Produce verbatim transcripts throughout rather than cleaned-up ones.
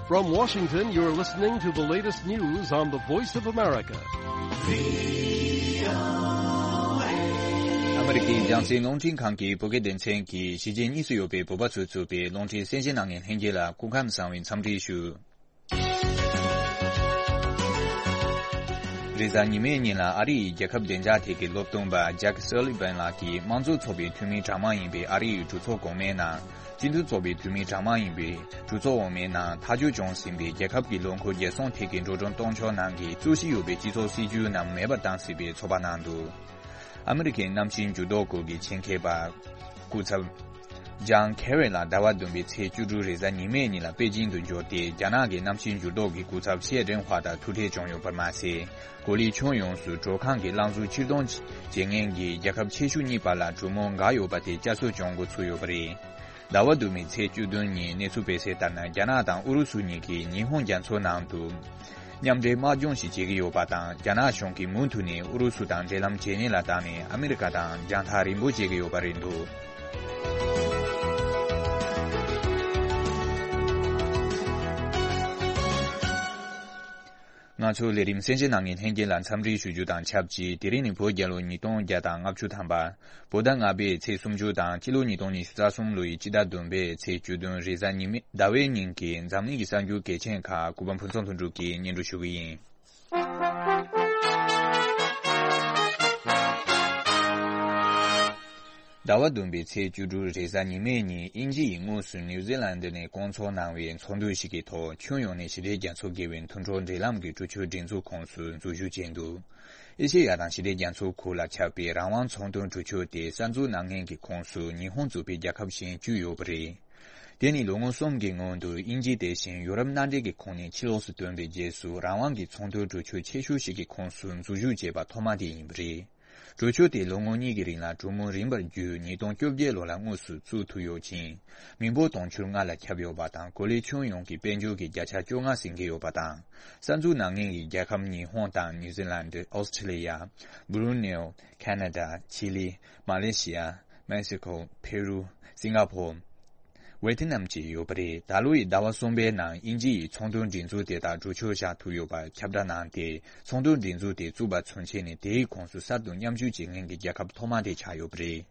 From Washington, you're listening to the latest news on the Voice of America. ཨ་མི་རི་ཀའི་རྒྱང་སྲིང་རླུང་འཕྲིན་ཁང་གི་བོད་སྐད་སྡེ་ཚན་གྱིས་གཞིས་བྱེས་གཉིས་སུ་ཡོད་པའི་བོད་པ་ཚོས་བཙུགས་པའི་རླུང་འཕྲིན་གསན་བཞེས་གནང་མཁན་ལྷན་རྒྱས་ལ་སྐུ་ཁམས་བཟང་བའི་འཚམས་འདྲི་ཞུ། རེས་གཟའ་ཉི་མའི་ཉིན་ལ་ཨ་རི་ཡི་རྒྱལ་ཁབ་བདེ་འཇགས་ཐད་ཀྱི་སློབ་སྟོན་པ་ཇེག་སོ་ལི་ཝན་ལགས་ཀྱིས་དམངས་གཙོ་ཚོགས་པའི་འཐུས་མིའི་གྲངས་མང་ཡིན་པའི་ཨ་རི་ཡི་གྲོས་ཚོགས་གོང་མའི་ནང་། སྤྱི་འཐུས་ཚོགས་པའི་འཐུས་མིའི་གྲངས་མང་ཡིན་པའི་གྲོས་ཚོགས་འོག་མའི་ནང་ཐག་གཅོད་བྱུང་ཟིན་པའི་རྒྱལ་ཁབ་ཀྱི་ལོ་འཁོར་རྒྱལ་སྲུང་ཐད་ཀྱི་འགྲོ་གྲོན་གཏོང་ཕྱོགས་ནང་གི་རྩོད་གཞི་ཡོད་པའི་སྤྱི་ཚོགས་སྲིད་ཇུས་རྣམས་མེད་པར་བཏང་སྲིད་པའི་ཚོད་དཔག་གནང་འདུག་ཨ་མི་རི་ཀའི་གནམ་གཤིས་འགྱུར་ལྡོག་སྐོར་གྱི་ཆེད་མཁས་པ་སྐུ་ཚབ་ཇང་ཁེ་རི་ལགས་ཟླ་བ་བདུན་པའི་ཚེས་བཅུ་དྲུག་རེས་གཟའ་ཉི་མའི་ཉིན་ལ་པེ་ཅིང་དུ་འབྱོར་ཏེ། རྒྱ་ནག་གི་གནམ་གཤིས་འགྱུར་ལྡོག་གི་སྐུ་ཚབ་ཤེ་ཀྲེང་ཧྭ་དང་ཐུག་འཕྲད་བྱུང་ཡོད་པར་མ་ཟད། གོ་ལའི་ཁྱོན་ཡོངས་སུ་དྲོད་ཁང་གི་རླངས་གཟུགས་ཕྱིར་གཏོང་བྱེད་མཁན་གྱི་རྒྱལ་ཁབ་ཆེ་ཤོས་གཉིས་བར་ལ་གྲོས་མོལ་འགག་ཡོད་པ་དེ་བསྐྱར་གསོ་བྱུང་འགོ་ཚུགས་ཡོད་པ་རེད། ཟླ་བ་བདུན་པའི་ཚེས་བཅུ་བདུན་ཉིན་གནས་ཚུལ་སྤེལ་གསལ་ལྟར་ན། རྒྱ་ནག་དང་ཨུ་རུ་སུ་གཉིས་ཀྱིས་ཉི་ཧོང་རྒྱ་མཚོ་ནང་དུ་མཉམ་འབྲེལ་དམག་སྦྱོང་ཞིག་བྱེད་ཀྱི་ཡོད་པ་དང་། རྒྱ་ནག་གཞུང་གིས་མུ་མཐུད་ནས་ཨུ་རུ་སུ་དང་འབྲེལ་ལམ་ཇེ་ཉེ་ལ་བཏང་ནས། ཨ་མི་རི་ཀ་དང་རྒྱང་ཐག་རིང་པོ་བྱེད་ཀྱི་ཡོད་པ་རེད་འདུག་ང་ཚོའི་ལས་རིམ་གསན་བཞེས་གནང་མཁན་ལྷན་རྒྱས་ལ་འཚམས་འདྲི་ཞུ་རྒྱུ་དང་ཆབས་ཅིག་དེ་རིང་ནི་བོད་རྒྱལ་ལོ་ཉིས་སྟོང་བརྒྱ་དང་ལྔ་བཅུ་ཐམ་པ། བོད་ཟླ་ལྔ་པའི་ཚེས་སུམ་ཅུ་དང་སྤྱི་ལོ་ཉིས་སྟོང་ཉི་ཤུ་རྩ་གསུམ་ལོའི་སྤྱི་ཟླ་བདུན་པའི་ཚེས་བཅུ་བདུན་རེས་གཟའ་ཉི་མའི་ཟླ་བའི་ཉིན་གྱི་འཛམ་གླིང་གི་གསར་འགྱུར་གལ་ཆེན་ཁག་གུས་པ་ཕུན་ཚོགས་ལྷུན་གྲུབ་ཀྱིས་སྙན་སྒྲོན་ཞུ་གི་ཡིན། ཟླ་བ་བདུན་པའི་ཚེས་བཅུ་དྲུག་རེས་གཟའ་ཉི་མའི་ཉིན། དབྱིན་ཇི་ཡིས་དངོས་སུ་ནིའུ་ཛི་ལན་ཌི་ནས་བསྐོང་ཚོགས་གནང་བའི་ཚོགས་འདུ་ཞིག་གི་ཐོག་ཁྱོན་ཡོངས་ནས་ཞི་བདེ་རྒྱ་མཚོ་བརྒལ་བའི་མཐུན་གྲོགས་འབྲེལ་ལམ་གྱི་གྲོས་ཆོད་སྒྲིག་འཛུགས་ཁོངས་སུ་འཛུལ་ཞུགས་བྱས་འདུག་ཨེ་ཤེ་ཡ་དང་ཞི་བདེ་རྒྱ་མཚོའི་ཁུལ་ལ་ཁྱབ་པའི་རང་དབང་ཚོང་དོན་གྲོས་ཆོད་དེ་གསར་འཛུགས་གནང་མཁན་གྱི་ཁོངས་སུ་ཉི་ཧོང་གཙོས་པའི་རྒྱལ་ཁབ་གཞན་བཅུ་ཡོད་པ་རེད། དེ་ནི་ལོ་ངོ་གསུམ་གྱི་སྔོན་དུ་དབྱིན་ཇི་དེ་བཞིན་ཡུ་རོབ་མནའ་འབྲེལ་གྱི་ཁོངས་ནས་ཕྱི་ལོགས་སུ་ཐོན་པའི་རྗེས་སུ། རང་དབང་གི་ཚོང་དོན་གྲོས་ཆོད་ཆེ་ཤོས་ཤིག་གི་ཁོངས་སུ་འཛུལ་ཞུགས་བྱས་པ་ཐོག་མ་དེ་ཡིན་པ་རེད། གྲོས་ཆོད་དེ་ལོ་ངོ་གཉིས་ཀྱི་རིང་ལ་གྲོས་མོལ་རིམ་པར་བརྒྱུད། ཉིས་སྟོང་བཅོ་བརྒྱད་ལོ་ལ་དངོས་སུ་བཙུགས་ཐུབ་ཡོད་ཅིང་། མི་འབོར་དུང་ཕྱུར་ལྔ་ལ་ཁྱབ་ཡོད་པ་དང་། གོ་ལའི་ཁྱོན་ཡོངས་ཀྱི་དཔལ་འབྱོར་གྱི་བརྒྱ་ཆ་བཅོ་ལྔ་ཟིན་གྱི་ཡོད་པ་དང་། གསར་འཛུགས་གནང་མཁན་གྱི་རྒྱལ་ཁབ་ཉི་ཧོང་དང་ནིའུ་ཛི་ལན་ཌི། ཨོ་སི་ཁྲི་ལི་ཡ། སྦུ་རུ་ནེའུ། ཁ་ན་ཌ། ཆི་ལི། མ་ལེ་ཤི་ཡ། མེག་སི་ཁོ། ཕེ་རུ། སིང་ག་ཕོར། ཝེ་ཐི་ནམ་བཅས་ཡོད་པ་རེད། ད་ལོ་ཡི་ཟླ་བ་གསུམ་པའི་ནང་དབྱིན་ཇི་ཡིས་ཚོང་དོན་སྒྲིག་འཛུགས་དེ་དག་གྲོས་ཆོད་བཞག་ཐུབ་ཡོད་པ་ཁྱབ་བསྒྲགས་གནང་སྟེ། ཚོང་དོན་སྒྲིག་འཛུགས་དེ་བཙུགས་པ་ཚུན་ཆད་ནས་དེའི་ཁོངས་སུ་གསར་དུ་མཉམ་ཞུགས་བྱེད་མཁན་གྱི་རྒྱལ་ཁབ་ཐོག་མ་དེ་ཆགས་ཡོད་པ་རེད།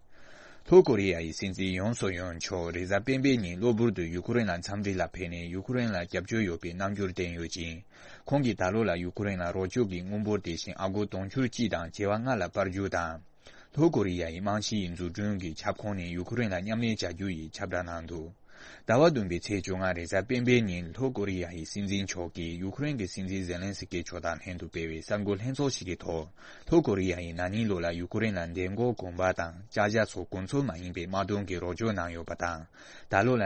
ལྷོ་ཀོ་རི་ཡ་ཡི་སྲིད་འཛིན་ཡོན་སུག་ཡོལ་མཆོག་རེས་གཟའ་སྤེན་པའི་ཉིན་གློ་བུར་དུ་ཡུ་ཁུ་རེན་ལ་འཚམས་འདྲི་ལ་ཕེབས་ནས། ཡུ་ཁུ་རེན་ལ་རྒྱབ་སྐྱོར་ཡོད་པའི་རྣམ་འགྱུར་བསྟན་ཡོད་ཅིང་། ཁོང་གིས་ད་ལོ་ལ་ཡུ་ཁུ་རེན་ལ་རོགས་སྐྱོར་གྱི་དངུལ་འབོར་དེ་བཞིན་ཨ་སྒོར་དུང་ཕྱུར་གཅིག་དང་བྱེ་བ་ལྔ་ལ་སྤར་རྒྱུ་དང་། ལྷོ་ཀོ་རི་ཡ་ཡི་རྨང་གཞི་ཡི་འཛུགས་སྐྲུན་གྱི་ཁྱབ་ཁོངས་ནས་ཡུ་ཁུ་རེན་ལ་མཉམ་ལས་བྱ་རྒྱུ་ཡི་ཁྱབ་བསྒྲགས་གནང་འདུག་ཟླ་བ་བདུན་པའི་ཚེས་བཅོ་ལྔ་རེས་གཟའ་སྤེན་པའི་ཉིན་ལྷོ་ཀོ་རི་ཡ་ཡི་སྲིད་འཛིན་མཆོག་གིས་ཡུ་ཁུ་རེན་གྱི་སྲིད་འཛིན་ཛེ་ལན་སི་ཀི་མཆོག་དང་ལྷན་དུ་སྤེལ་བའི་གསར་འགོད་ལྷན་ཚོགས་ཤིག་གི་ཐོག་ལྷོ་ཀོ་རི་ཡ་ཡིས་ན་ནིང་ལོ་ལ་ཡུ་ཁུ་རེན་ལ་མདེལ་མགོ་གོམ་པ་དང་ལྕགས་ཞྭ་སོགས་གོ་མཚོན་མ་ཡིན་པའི་དམག་དོན་གྱི་རོགས་སྐྱོར་གནང་ཡོད་པ་དང་། ད་ལོ་ལ་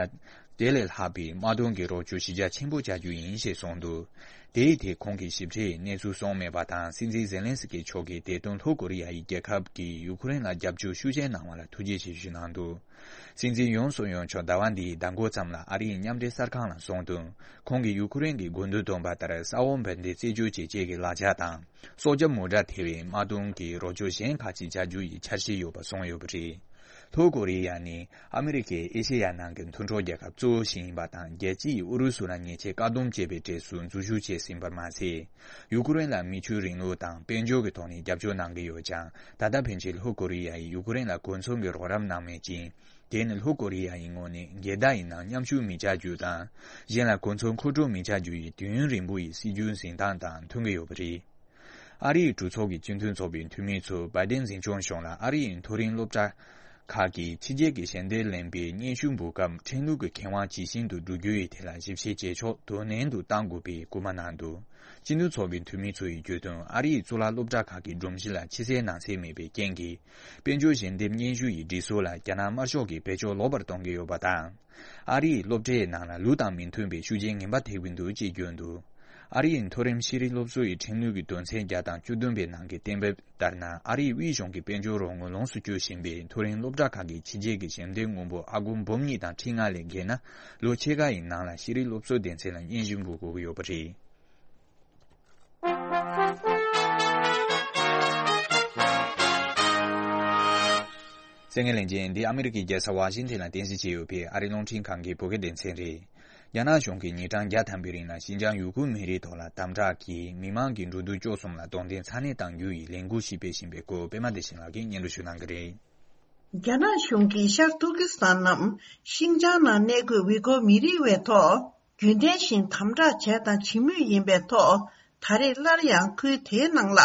དེ་ལས་ལྷག་པའི་དམག་དོན་གྱི་རོགས་སྐྱོར་གཞི་རྒྱ་ཆེན་པོ་བྱ་རྒྱུ་ཡིན་ཞེས་གསུངས་འདུག་དེའི་ཐད་ཁོང་གིས་ཞིབ་ཕྲའི་གནས་ཚུལ་གསུངས་མེད་པ་དང་། སྲིད་འཛིན་ཛེ་ལན་སི་ཀི་མཆོག་གིས་དེ་དོན་ལྷོ་ཀོ་རི་ཡ་ཡི་རྒྱལ་ཁབ་ཀྱིས་ཡུ་ཁུ་རེན་ལ་རྒྱབ་སྐྱོར་ཤུགས་ཆེན་གནང་བ་ལ་ཐུགས་རྗེ་ཆེ་ཞུས་གནང་འདུག་སྲིད་འཛིན་ཡོན་སུག་ཡོལ་མཆོག་ཟླ་བ་འདིའི་ཟླ་འགོ་ཙམ་ལ་ཨ་རིའི་མཉམ་འབྲེལ་གསར་ཁང་ལ་གསུངས་དོན། ཁོང་གིས་ཡུ་ཁུ་རེན་གྱི་དགོས་འདུན་བཏོན་པ་ལྟར་ས་འོག་འབར་མདེལ་རྩད་གཅོད་བྱེད་ཆེད་ཀྱི་ལག་ཆ་དང་། སྲོག་སྐྱོབ་མོ་ཊ་ཐེ་བའི་དམག་དོན་གྱི་རོགས་སྐྱོར་གཞན་ཁག་ཅིག་བྱ་རྒྱུ་ཡི་འཆར་གཞི་ཡོད་པ་གསུངས་ཡོད་པ་རེད། ལྷོ་ཀོ་རི་ཡ་ནི་ཨ་མི་རི་ཀའི་ཨེ་ཤེ་ཡ་ནང་གི་མཐུན་གྲོགས་རྒྱལ་ཁབ་གཙོ་བོ་ཞིག་ཡིན་པ་དང་། རྒྱལ་སྤྱི་ཡིས་ཨུ་རུ་སུ་ལ་ཉེས་ཆད་བཀག་སྡོམ་བྱས་པའི་གྲས་སུ་འཛུལ་ཞུགས་བྱས་ཟིན་པར་མ་ཟད། ཡུ་ཁུ་རེན་ལ་མི་ཆོས་རིང་ལུགས་དང་དཔལ་འབྱོར་གྱི་ཐོག་ནས་རྒྱབ་སྐྱོར་གནང་གི་ཡོད་ཀྱང་། ད་ལྟ་ཕན་ཆད་ལྷོ་ཀོ་རི་ཡ་ཡིས་ཡུ་ཁུ་རེན་ལ་གོ་མཚོན་གྱི་རོགས་རམ་གནང་མེད་ཅིང་། དེ་ནི་ལྷོ་ཀོ་རི་ཡ་ཡི་ངོས་ནས་འགལ་ཟླ་ཡི་ནང་མཉམ་ཞུགས་མི་བྱ་རྒྱུ་དང་། གཞན་ལ་གོ་མཚོན་མཁོ་སྤྲོད་མི་བྱ་རྒྱུ་ཡི་དུས་ཡུན་རིང་པོ་ཡི་སྲིད་ཇུས་འཛིན་སྟངས་དང་མཐུན་གྱི་ཡོད་པ་རེད། ཨ་རིའི་གྲོས་ཚོགས་ཀྱི་སྤྱི་མཐུན་ཚོགས་པའི་འཐུས་མི་ཚོས་བྷའི་ཏན་འཛིན་སྐྱོང་གཞུང་ལ་ཨ་རི་ཡི་མཐོ་རིམ་སློབ་གྲྭ་ཁག་གིས་ཕྱི་རྒྱལ་གྱི་ཞལ་འདེབས་ལེན་པའི་སྙན་ཞུ་འབུལ་སྐབས་ཁྲིམས་ལུགས་ཀྱི་ཁེ་དབང་ཇི་བཞིན་དུ་བསྒྲུབ་རྒྱུ་ཡི་ཐད་ལ་ཞིབ་བཤེར་བྱེད་ཕྱོགས་དོ་ནན་དུ་གཏང་དགོས་པའི་སྐུལ་མ་གནང་འདུག་སྤྱི་མཐུན་ཚོགས་པའི་འཐུས་མི་ཚོ་ཡིས་བརྗོད་དོན། ཨ་རི་ཡི་གཙུག་ལག་སློབ་གྲྭ་ཁག་གི་སྒྲོམ་གཞི་ལ་ཕྱི་གསལ་ནང་གསལ་མེད་པའི་རྐྱེན་གྱིས། དཔལ་འབྱོར་ཞལ་འདེབས་སྙན་ཞུ་ཡི་སྒྲིག་སྲོལ་ལ་རྒྱ་ནག་དམར་ཤོག་གིས་བེད་སྤྱོད་ལོག་པར་གཏོང་གི་ཡོད་པ་དང་། ཨ་རིའི་སློབ་གྲྭའི་ནང་ལ་ལུགས་དང་མི་མཐུན་པའི་ཤུགས་རྐྱེན་ངན་པ་ཐེབས་ཀྱི་འདུག་ཅེས་བརྗོད་འདུག་ཨ་རིའི་མཐོ་རིམ་ཤེས་རིག་སློབ་གསོ་ཡི་ཁྲིམས་ལུགས་ཀྱི་དོན་ཚན་བརྒྱ་དང་བཅུ་བདུན་པའི་ནང་གི་གཏན་འབེབས་ལྟར་ན། ཨ་རིའི་དབུས་གཞུང་གིས་དཔལ་འབྱོར་རོགས་དངུལ་ལོངས་སུ་སྤྱོད་བཞིན་པའི་མཐོ་རིམ་སློབ་གྲྭ་ཁག་གི་ཕྱི་རྒྱལ་གྱི་ཞལ་འདེབས་དངུལ་འབོར་ཨ་སྒོར་འབུམ་གཉིས་དང་ཁྲི་ལྔ་ལས་བརྒལ་ན། ལོ་ཕྱེད་ཀ་ཡི་ནང་ལ་ཤེས་རིག་སློབ་གསོ་སྡེ་ཚན་ལ་སྙན་ཞུ་འབུལ་དགོས་ཀྱི་ཡོད་པ་རེད། གསན་མཁན་ལྷན་རྒྱས། འདི་ཨ་མི་རི་ཀའི་རྒྱལ་ས་ཝ་ཤིང་ཐན་ལ་རྟེན་གཞི་བྱས་ཡོད་པའི་ཨ་རིའི་རླུང་འཕྲིན་ཁང་གི་བོད་སྐད་སྡེ་ཚན་རེད། རྒྱ་ནག་གཞུང་གིས་ཉིན་གྲངས་བརྒྱ་ཐམ་པའི་རིང་ལ་ཤིན་ཅང་ཡུ་གུར་མི་རིགས་ཐོག་ལ་དམ་དྲག་གིས་མི་མང་གི་འགྲོ་འདུག་སྤྱོད་གསུམ་ལ་རྡུང་རྡེག་ཚ་ནན་གཏང་རྒྱུ་ཡི་ལས་འགུལ་ཞིག་སྤེལ་བཞིན་པའི་སྐོར་པད་མ་བདེ་ཆེན་ལགས་ཀྱིས་སྙན་སྒྲོན་ཞུ་གནང་གི་རེད། རྒྱ་ནག་གཞུང་གིས་ཤར་ཏུར་ཀི་སི་ཐན་ནམ་ཤིན་ཅང་ནང་གནས་འཁོད་ཝི་གོར་མི་རིགས་བའི་ཐོག་རྒྱུན་ལྡན་བཞིན་དམ་དྲག་བྱས་དང་བྱེད་མུས་ཡིན་པའི་ཐོག་ད་རེས་སླར་ཡང་ཁུལ་དེའི་ནང་ལ་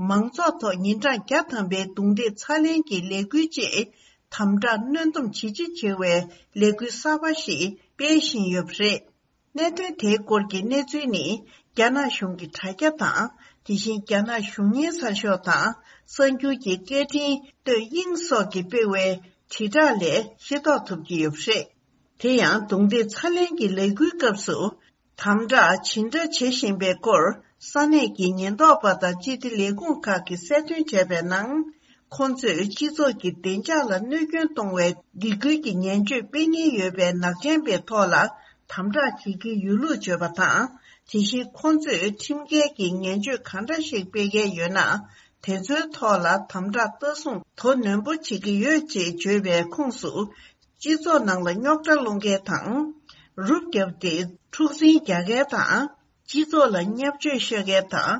མང་ཚོགས་ཐོག་ཉིན་གྲངས་བརྒྱ་ཐམ་པའི་རྡུང་རྡེག་ཚ་ལེན་གྱི་ལས་འགུལ་བཅས་དམ་དྲག་གནོན་སྡོམ་ཇེ་ཆེ་བྱེད་པའི་ལས་འགུལ་གསར་པ་ཞིག་སྤེལ་བཞིན་ཡོད་པ་རེད། གནད་དོན་དེའི་སྐོར་གྱི་གནས་ཚུལ་ནི་རྒྱ་ནག་གཞུང་གི་དྲ་རྒྱ་དང་། དེ་བཞིན་རྒྱ་ནག་གཞུང་གཉེར་གསར་ཤོག་དང་གསར་འགྱུར་གྱི་སྐད་འཕྲིན་སྟོད་དབྱིངས་སོགས་ཀྱིས་སྤེལ་བའི་དྲིལ་བསྒྲགས་ལས་ཤེས་རྟོགས་ཐུབ་ཀྱི་ཡོད་པ་རེད། དེ་ཡང་རྡུང་རྡེག་ཚ་ལེན་གྱི་ལས་འགུལ་སྐབས་སུ་དམ་དྲག་ཇི་འདྲ་བྱེད་བཞིན་པའི་སྐོར་ས་གནས་ཀྱི་ཉེན་རྟོག་པ་དང་སྤྱི་བདེ་ལས་ཁུངས་ཁག་གིས་གསལ་སྟོན་བྱས་པའི་ནང་། ཁོང་ཚོས་སྤྱི་ཚོགས་ཀྱི་བདེ་འཇགས་ལ་གནོད་སྐྱོན་གཏོང་བའི་སྡིགས་སྐུལ་གྱི་ངན་བྱུས་སྤེལ་ཉེན་ཡོད་པའི་ནག་ཅན་པའི་ཐོག་ལ་དམ་དྲག་བྱེད་ཀྱི་ཡོད་ལུགས་བརྗོད་པ་དང་། དེ་བཞིན་ཁོང་ཚོས་ཁྲིམས་འགལ་གྱི་ངན་བྱུས་གང་འདྲ་ཞིག་སྤེལ་མཁན་ཡོད་ན། དེ་ཚོའི་ཐོག་ལ་དམ་དྲག་ལྟ་སྲུང་དོ་ནན་པོ་བྱེད་ཀྱི་ཡོད་ཅེས་བརྗོད་པའི་ཁོངས་སུ། སྤྱི་ཚོགས་ནང་ལ་རྙོག་དྲ་སློང་མཁན་དང་། རུབ་བརྒྱབ་སྟེ་འཁྲུག་འཛིང་རྒྱག་མཁན་དང་། སྤྱི་ཚོགས་ལ་བརྙས་བཅོས་ཤོད་མཁན་དང་།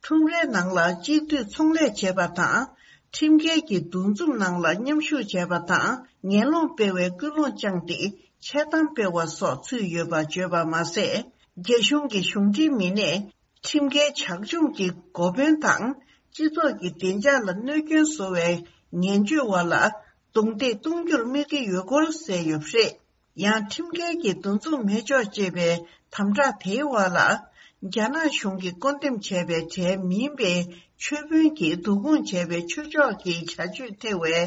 ཁྲོམ་རའི་ནང་ལ་གཅིག་སྡུད་ཚོང་ལས་བྱེད་པ་དང་། ཁྲིམས་འགལ་གྱི་འདུ་འཛོམས་ནང་ལ་མཉམ་ཞུགས་བྱས་པ་དང་། ངན་སློང་སྤེལ་བའི་ཀུན་སློང་བཅངས་ཏེ་འཆལ་གཏམ་སྤེལ་བ་སོགས་ཚུད་ཡོད་པ་བརྗོད་པ་མ་ཟད། རྒྱ་གཞུང་གི་གཞུང་འབྲེལ་མི་སྣས་ཁྲིམས་འགལ་བྱ་སྤྱོད་ཀྱི་འགོ་དཔོན་དང་། སྤྱི་ཚོགས་ཀྱི་བདེ་འཇགས་ལ་གནོད་སྐྱོན་བཟོ་བའི་ངན་བྱུས་བ་ལ་རྡུང་རྡེག་གཏོང་རྒྱུར་དམིགས་ཀྱི་ཡོད་སྐོར་གསལ་ཡོད་པ་རེད། ཡང་ཁྲིམས་འགལ་གྱི་འདུ་འཛོམས་མི་ཆོག་ཅེས་པའི་དམ་དྲག་དེའི་འོག་ལ། རྒྱ་ནག་གཞུང་གིས་བསྐོ་འདེམས་བྱས་པའི་གྲས་མིན་པའི་ཆོས་དཔོན་གྱིས་བསྡུ་སྐོང་བྱས་པའི་ཆོས་ཕྱོགས་ཀྱི་བྱ་སྤྱོད་ཐེ་བའི་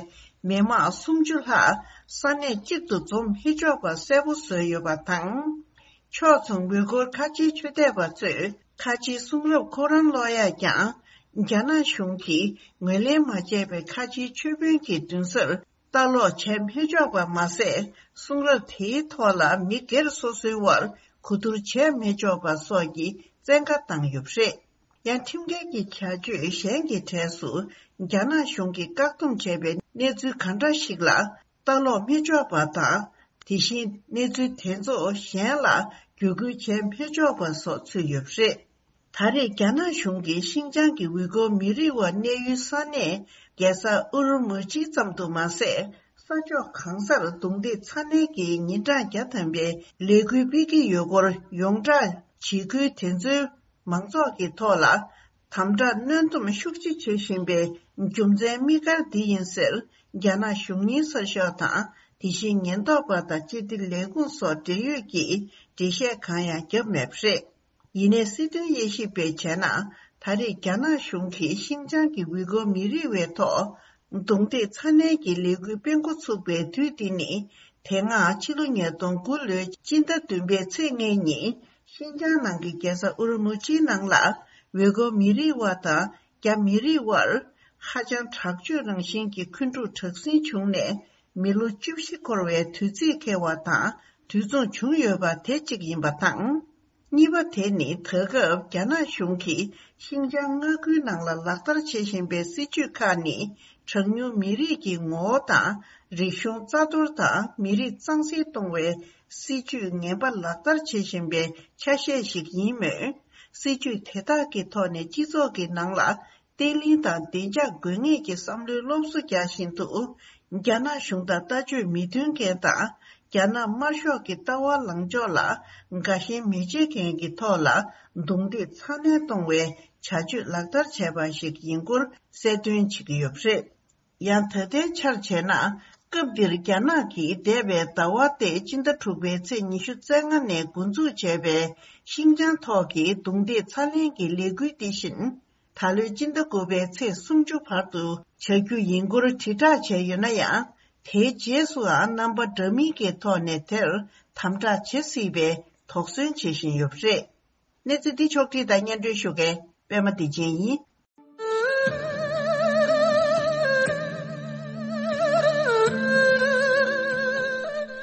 མི་མང་སུམ་ཅུ་ལྷག་ས་གནས་གཅིག་ཏུ་འཛོམས་མི་ཆོག་པ་གསལ་པོ་བཟོས་ཡོད་པ་དང་། ཕྱོགས་མཚུངས་ཝུ་གུར་ཁ་ཆེའི་ཆོས་དད་པ་ཚོས་ཁ་ཆེའི་གསུང་རབ་ཁོ་རང་ཀློག་ཡག་ཀྱང་། རྒྱ་ནག་གཞུང་གིས་ངོས་ལེན་མ་བྱས་པའི་ཁ་ཆེའི་ཆོས་དཔོན་གྱི་མདུན་སར། ལྟ་ཀློག་བྱས་མི་ཆོག་པ་མ་ཟད། གསུང་རབ་དེའི་ཐོག་ལ་མི་སྒེར་སོ་སོའི་དབར་གོ་བསྡུར་བྱས་མི་ཆོག་པ་སོགས་ཀྱི་བཙན་བཀའ་བཏང་ཡོད་པ་རེད། ཡང་ཁྲིམས་འགལ་གྱི་བྱ་སྤྱོད་གཞན་གྱི་གྲས་སུ་རྒྱ་ནག་གཞུང་གིས་བཀག་སྡོམ་བྱས་པའི་གནས་ཚུལ་གང་འདྲ་ཞིག་ལ་ལྟ་ཀློག་མི་ཆོག་པ་དང་། དེ་བཞིན་གནས་ཚུལ་དེ་ཚོ་གཞན་ལ་བརྒྱུད་སྐུལ་བྱས་མི་ཆོག་པ་སོགས་ཚུད་ཡོད་པ་རེད། ད་རེས་རྒྱ་ནག་གཞུང་གིས་ཤིན་ཅང་གི་ཝུའུ་ཀོར་མི་རིགས་བ་གནས་ཡུལ་ས་གནས་རྒྱལ་ས་ཨུ་རུ་མུ་ཅི་ཙམ་དུ་མ་ཟད། ས་ཕྱོགས་གང་སར་རྡུང་རྡེག་ཚ་ནན་གྱི་ཉིན་གྲངས་བརྒྱ་ཐམ་པའི་ལས་འགུལ་སྤེལ་གྱི་ཡོད་སྐོར་ཡོངས་གྲགས། བྱེད་ཁུལ་དེ་ཚོའི་མང་ཚོགས་ཀྱི་ཐོག་ལ་དམ་དྲག་གནོན་སྡོམ་ཤུགས་ཆེ་བྱེད་བཞིན་པའི་རྒྱུ་མཚན་དམིགས་བཀར་འདི་ཡིན་ཟེར། རྒྱ་ནག་གཞུང་གཉེར་གསར་ཤོག་དང་། དེ་བཞིན་ཉེན་རྟོག་པ་དང་སྤྱི་བདེ་ལས་ཁུངས་སོགས་འབྲེལ་ཡོད་ཀྱིས་འགྲེལ་བཤད་གང་ཡང་བརྒྱབ་མེད་པ་རེད། ཡིན་ནའི་སྲིད་དོན་དབྱེ་ཞིབ་པས་བྱས་ན། ད་རེས་རྒྱ་ནག་གཞུང་གིས་ཤིན་ཅང་གི་ཝུའུ་ཀོར་མི་རིགས་བའི་ཐོག་རྡུང་རྡེག་ཚ་ནན་གྱི་ལས་འགུལ་སྤེལ་འགོ་ཚུགས་པའི་དུས་འདི་ནི། དེ་སྔ་ཕྱི་ལོ་ཉིས་སྟོང་དགུ་ལོའི་སྤྱི་ཟླ་བདུན་པའི་ཚེས་ལྔའི་ཉིན། ཤིན་ཅང་ནང་གི་རྒྱལ་ས་ཨུ་རུ་མུ་ཅིའི་ནང་ལ། ཝུའུ་ཀོར་མི་རིགས་བ་དང་རྒྱ་མི་རིགས་བར། ཧ་ཅང་དྲག་སྤྱོད་རང་བཞིན་གྱི་འཁོན་འཁྲུག་དྲག་ཟིང་བྱུང་ནས། མི་ལོ་བཅུ་བཞི་འཁོར་བའི་དུས་ཚིགས་འཁེལ་བ་དང་དུས་མཚུངས་བྱུང་ཡོད་པ་དེ་གཅིག་ཡིན་པ་དང་། གཉིས་པ་དེ་ནི་ད་སྐབས་རྒྱ་ནག་གཞུང་གིས་ཤིན་ཅང་མངའ་ཁུལ་ནང་ལ་ལག་བསྟར་བྱེད་བཞིན་པའི་སྲིད་ཇུས་ཁག་ནི། གྲངས་ཉུང་མི་རིགས་ཀྱི་ངོ་བོ་དང་། རིག་གཞུང་རྩ་གཏོར་དང་མི་རིགས་གཙང་སེལ་གཏོང་བའི་སྲིད་ཇུས་ངན་པ་ལག་བསྟར་བྱེད་བཞིན་པའི་ཆ་ཤས་ཤིག་ཡིན་མོད། སྲིད་ཇུས་དེ་དག་གི་ཐོག་ནས་སྤྱི་ཚོགས་ཀྱི་ནང་ལ། བརྟན་ལྷིང་དང་བདེ་འཇགས་དགོས་ངེས་ཀྱི་བསམ་བློའི་སློབ་གསོ་རྒྱག་བཞིན་དུ། རྒྱ་ནག་གཞུང་དང་ལྟ་སྤྱོད་མི་མཐུན་མཁན་དང་། རྒྱ་ནག་དམར་ཤོག་གི་ལྟ་བ་ལངས་ཕྱོགས་ལ་དགའ་ཞེན་མི་བྱེད་མཁན་གྱི་ཐོག་ལ་རྡུང་རྡེག་ཚ་ནན་གཏོང་བའི་བྱ་སྤྱོད་ལག་བསྟར་བྱས་པ་ཞིག་ཡིན་སྐོར་གསལ་སྟོན་བྱེད་ཀྱི་ཡོད་པ་རེད། ཡང་ད་ལྟའི་ཆར་བྱས་ན། སྐབས་འདིར་རྒྱ་ནག་གིས་འདས་པའི་ཟླ་བ་སྟེ་སྤྱི་ཟླ་དྲུག་པའི་ཚེས་ཉི་ཤུ་རྩ་ལྔ་ནས་འགོ་འཛུགས་བྱས་པའི་ཤིན་ཅང་ཐོག་གི་རྡུང་རྡེག་ཚ་ལེན་གྱི་ལས་འགུལ་འདི་བཞིན། ད་ལོའི་སྤྱི་ཟླ་དགུ་པའི་ཚེས་སུམ་ཅུ་བར་དུ་བྱ་རྒྱུ་ཡིན་སྐོར་དྲིལ་བསྒྲགས་བྱས་ཡོད་ན་ཡང་། དེའི་རྗེས་སུའང་རྣམ་པ་འདྲ་མིན་གྱི་ཐོག་ནས་དེར་དམ་དྲག་བྱེད་སྲིད་པའི་དོགས་ཟོན་བྱེད་བཞིན་ཡོད་པ་རེད། གནས་ཚུལ་འདི་ཕྱོགས་བསྒྲིགས་དང་སྙན་སྒྲོན་ཞུ་མཁན་པད་མ་བདེ་ཆེན་ཡིན།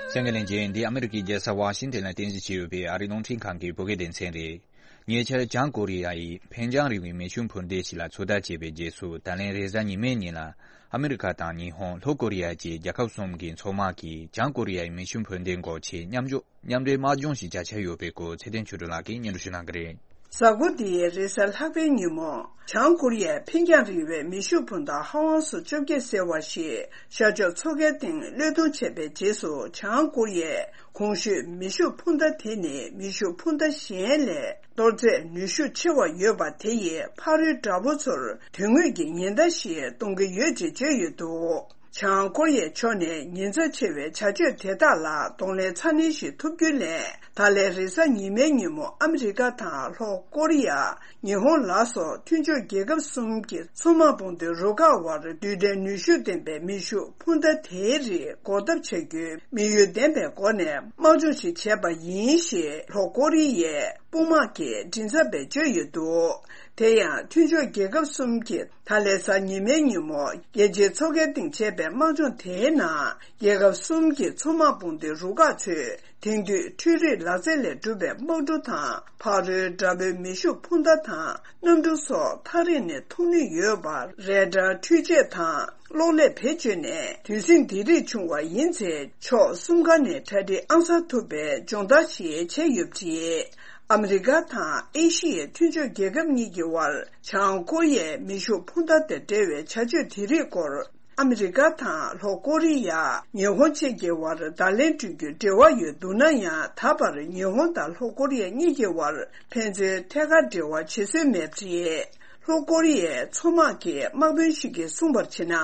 གསན་མཁན་ལྷན་རྒྱས། འདི་ཨ་མི་རི་ཀའི་རྒྱལ་ས་ཝ་ཤིང་ཏན་ལ་རྟེན་གཞི་བྱས་ཡོད་པའི་ཨ་རིའི་རླུང་འཕྲིན་ཁང་གི་བོད་སྐད་སྡེ་ཚན་རེད། ཉེ་ཆར་བྱང་ཀོ་རི་ཡ་ཡིས་འཕེན་རྒྱང་རིང་བའི་མེ་ཤུགས་འཕུར་མདེལ་ཞིག་ལ་ཚོད་ལྟ་བྱས་པའི་རྗེས་སུ། ད་ལན་རེས་གཟའ་ཉི་མའི་ཉིན་ལ་ཨ་མི་རི་ཀ་དང་ཉི་ཧོང་། ལྷོ་ཀོ་རི་ཡ་བཅས་རྒྱལ་ཁབ་གསུམ་གྱི་མཚོ་དམག་གིས་བྱང་ཀོ་རི་ཡའི་མེ་ཤུགས་འཕུར་མདེལ་འགོག་ཆེད་མཉམ་འཇོག་མཉམ་འབྲེལ་དམག་སྦྱོང་ཞིག་བྱ་འཆར་ཡོད་པའི་སྐོར་ཚེ་བརྟན་ཆོས་སྒྲོན་ལགས་ཀྱིས་སྙན་སྒྲོན་ཞུ་གནང་གི་རེད། གཟའ་འཁོར་འདིའི་རེས་གཟའ་ལྷག་པའི་ཉིན་མོ། བྱང་ཀོ་རི་ཡས་འཕེན་རྒྱང་རིང་བའི་མེ་ཤུགས་འཕུར་མདའ་ཧ་ཝང་སུ་བཅོ་བརྒྱད་ཟེར་བ་ཞིག་ཤར་ཕྱོགས་མཚོ་ཁའི་སྟེང་གློད་གཏོང་བྱས་པའི་རྗེས་སུ། བྱང་ཀོ་རི་ཡས་གོང་ཞུས་མེ་ཤུགས་འཕུར་མདའ་དེ་ནི་མེ་ཤུགས་འཕུར་མདའ་གཞན་ལས་གཏོར་རྫས་ནུས་ཤུགས་ཆེ་བ་ཡོད་པ་དེ་ཡིས་ཕ་རོལ་དགྲ་བོ་ཚོར་དོན་དངོས་ཀྱི་ཉེན་བརྡ་ཞིག་གཏོང་གི་ཡོད་ཅེས་བརྗོད་ཡོད་འདུག་བྱང་ཀོ་རི་ཡའི་ཕྱོགས་ནས་ཉེན་ཚབས་ཆེ་བའི་བྱ་སྤྱོད་དེ་དག་ལ་གདོང་ལེན་ཚ་ནན་ཞིག་ཐུབ་རྒྱུའི་སླད། ད་ལན་རེས་གཟའ་ཉི་མའི་ཉིན་མོ་ཨ་མི་རི་ཀ་དང་ལྷོ་ཀོ་རི་ཡ། ཉི་ཧོང་ལ་སོགས་མཐུན་ཕྱོགས་རྒྱལ་ཁབ་གསུམ་གྱི་མཚོ་དམག་དཔུང་སྡེ་རུ་ཁག་དབར་རྡུལ་ཕྲན་ནུས་ཤུགས་ལྡན་པའི་མེ་ཤུགས་འཕུར་མདའ་དེའི་རིགས་འགོག་ཐབས་བྱ་རྒྱུའི་དམིགས་ཡུལ་ལྡན་པའི་སྒོ་ནས་དམག་སྦྱོང་ཞིག་བྱས་པ་ཡིན་ཞེས་ལྷོ་ཀོ་རི་ཡའི་དཔུང་དམག་གི་མགྲིན་ཚབ་པས་བརྗོད་ཡོད་འདུག་དེ་ཡང་མཐུན་ཕྱོགས་རྒྱལ་ཁབ་གསུམ་གྱི་ད་ལན་གཟའ་ཉི་མའི་ཉིན་མོ་རྒྱལ་སྤྱིའི་མཚོ་ཁའི་སྟེང་བྱས་པའི་དམག་སྦྱོང་དེའི་ནང་རྒྱལ་ཁབ་གསུམ་གྱི་མཚོ་དམག་དཔུང་སྡེ་རུ་ཁག་ཚོས་དེང་དུས་འཕྲུལ་རིག་ལག་རྩལ་ལས་གྲུབ་པའི་དམག་གྲུ་དང་། ཕ་རོལ་དགྲ་བོའི་མེ་ཤུགས་འཕུར་མདའ་དང་གནམ་གྲུ་སོགས་ཐག་རིང་ནས་མཐོང་ནུས་ཡོད་པ་རེ་ཌར་འཕྲུལ་ཆས་དང་གློག་ཀླད་བེད་སྤྱོད་ནས། དུས་ཟིང་འདི་རིགས་བྱུང་བ་ཡིན་ཚེ་ཕྱོགས་གསུམ་ཀ་ནས་གྲ་སྒྲིག་ཨང་གསར་ཐུབ་པའི་སྦྱོང་བརྡར་ཞིག་བྱས་ཡོད་པ་རེད། ཨ་མི་རི་ཀ་དང་ཨེ་ཤི་ཡའི་མཐུན་ཕྱོགས་རྒྱལ་ཁབ་གཉིས་ཀྱི་དབར་བྱང་ཀོ་རི་ཡའི་མེ་ཤུགས་འཕུར་མདའ་དང་འབྲེལ་བའི་བྱ་སྤྱོད་དེ་རིགས་སྐོར། ཨ་མི་རི་ཀ་དང་ལྷོ་ཀོ་རི་ཡ། ཉི་ཧོང་བཅས་ཀྱི་དབར་བརྡ་ལན་སྤྲོད་རྒྱུའི་འབྲེལ་བ་ཡོད་འདུག་ན་ཡང་། ད་བར་ཉི་ཧོང་དང་ལྷོ་ཀོ་རི་ཡ་གཉིས་ཀྱི་དབར་ཕན་ཚུན་ཐད་ཀར་འབྲེལ་བ་བྱེད་སྲོལ་མེད་པ་རེད། ལྷོ་ཀོ་རི་ཡའི་མཚོ་དམག་གི་དམག་དཔོན་ཞིག་གིས་གསུངས་པར་བྱས་ན།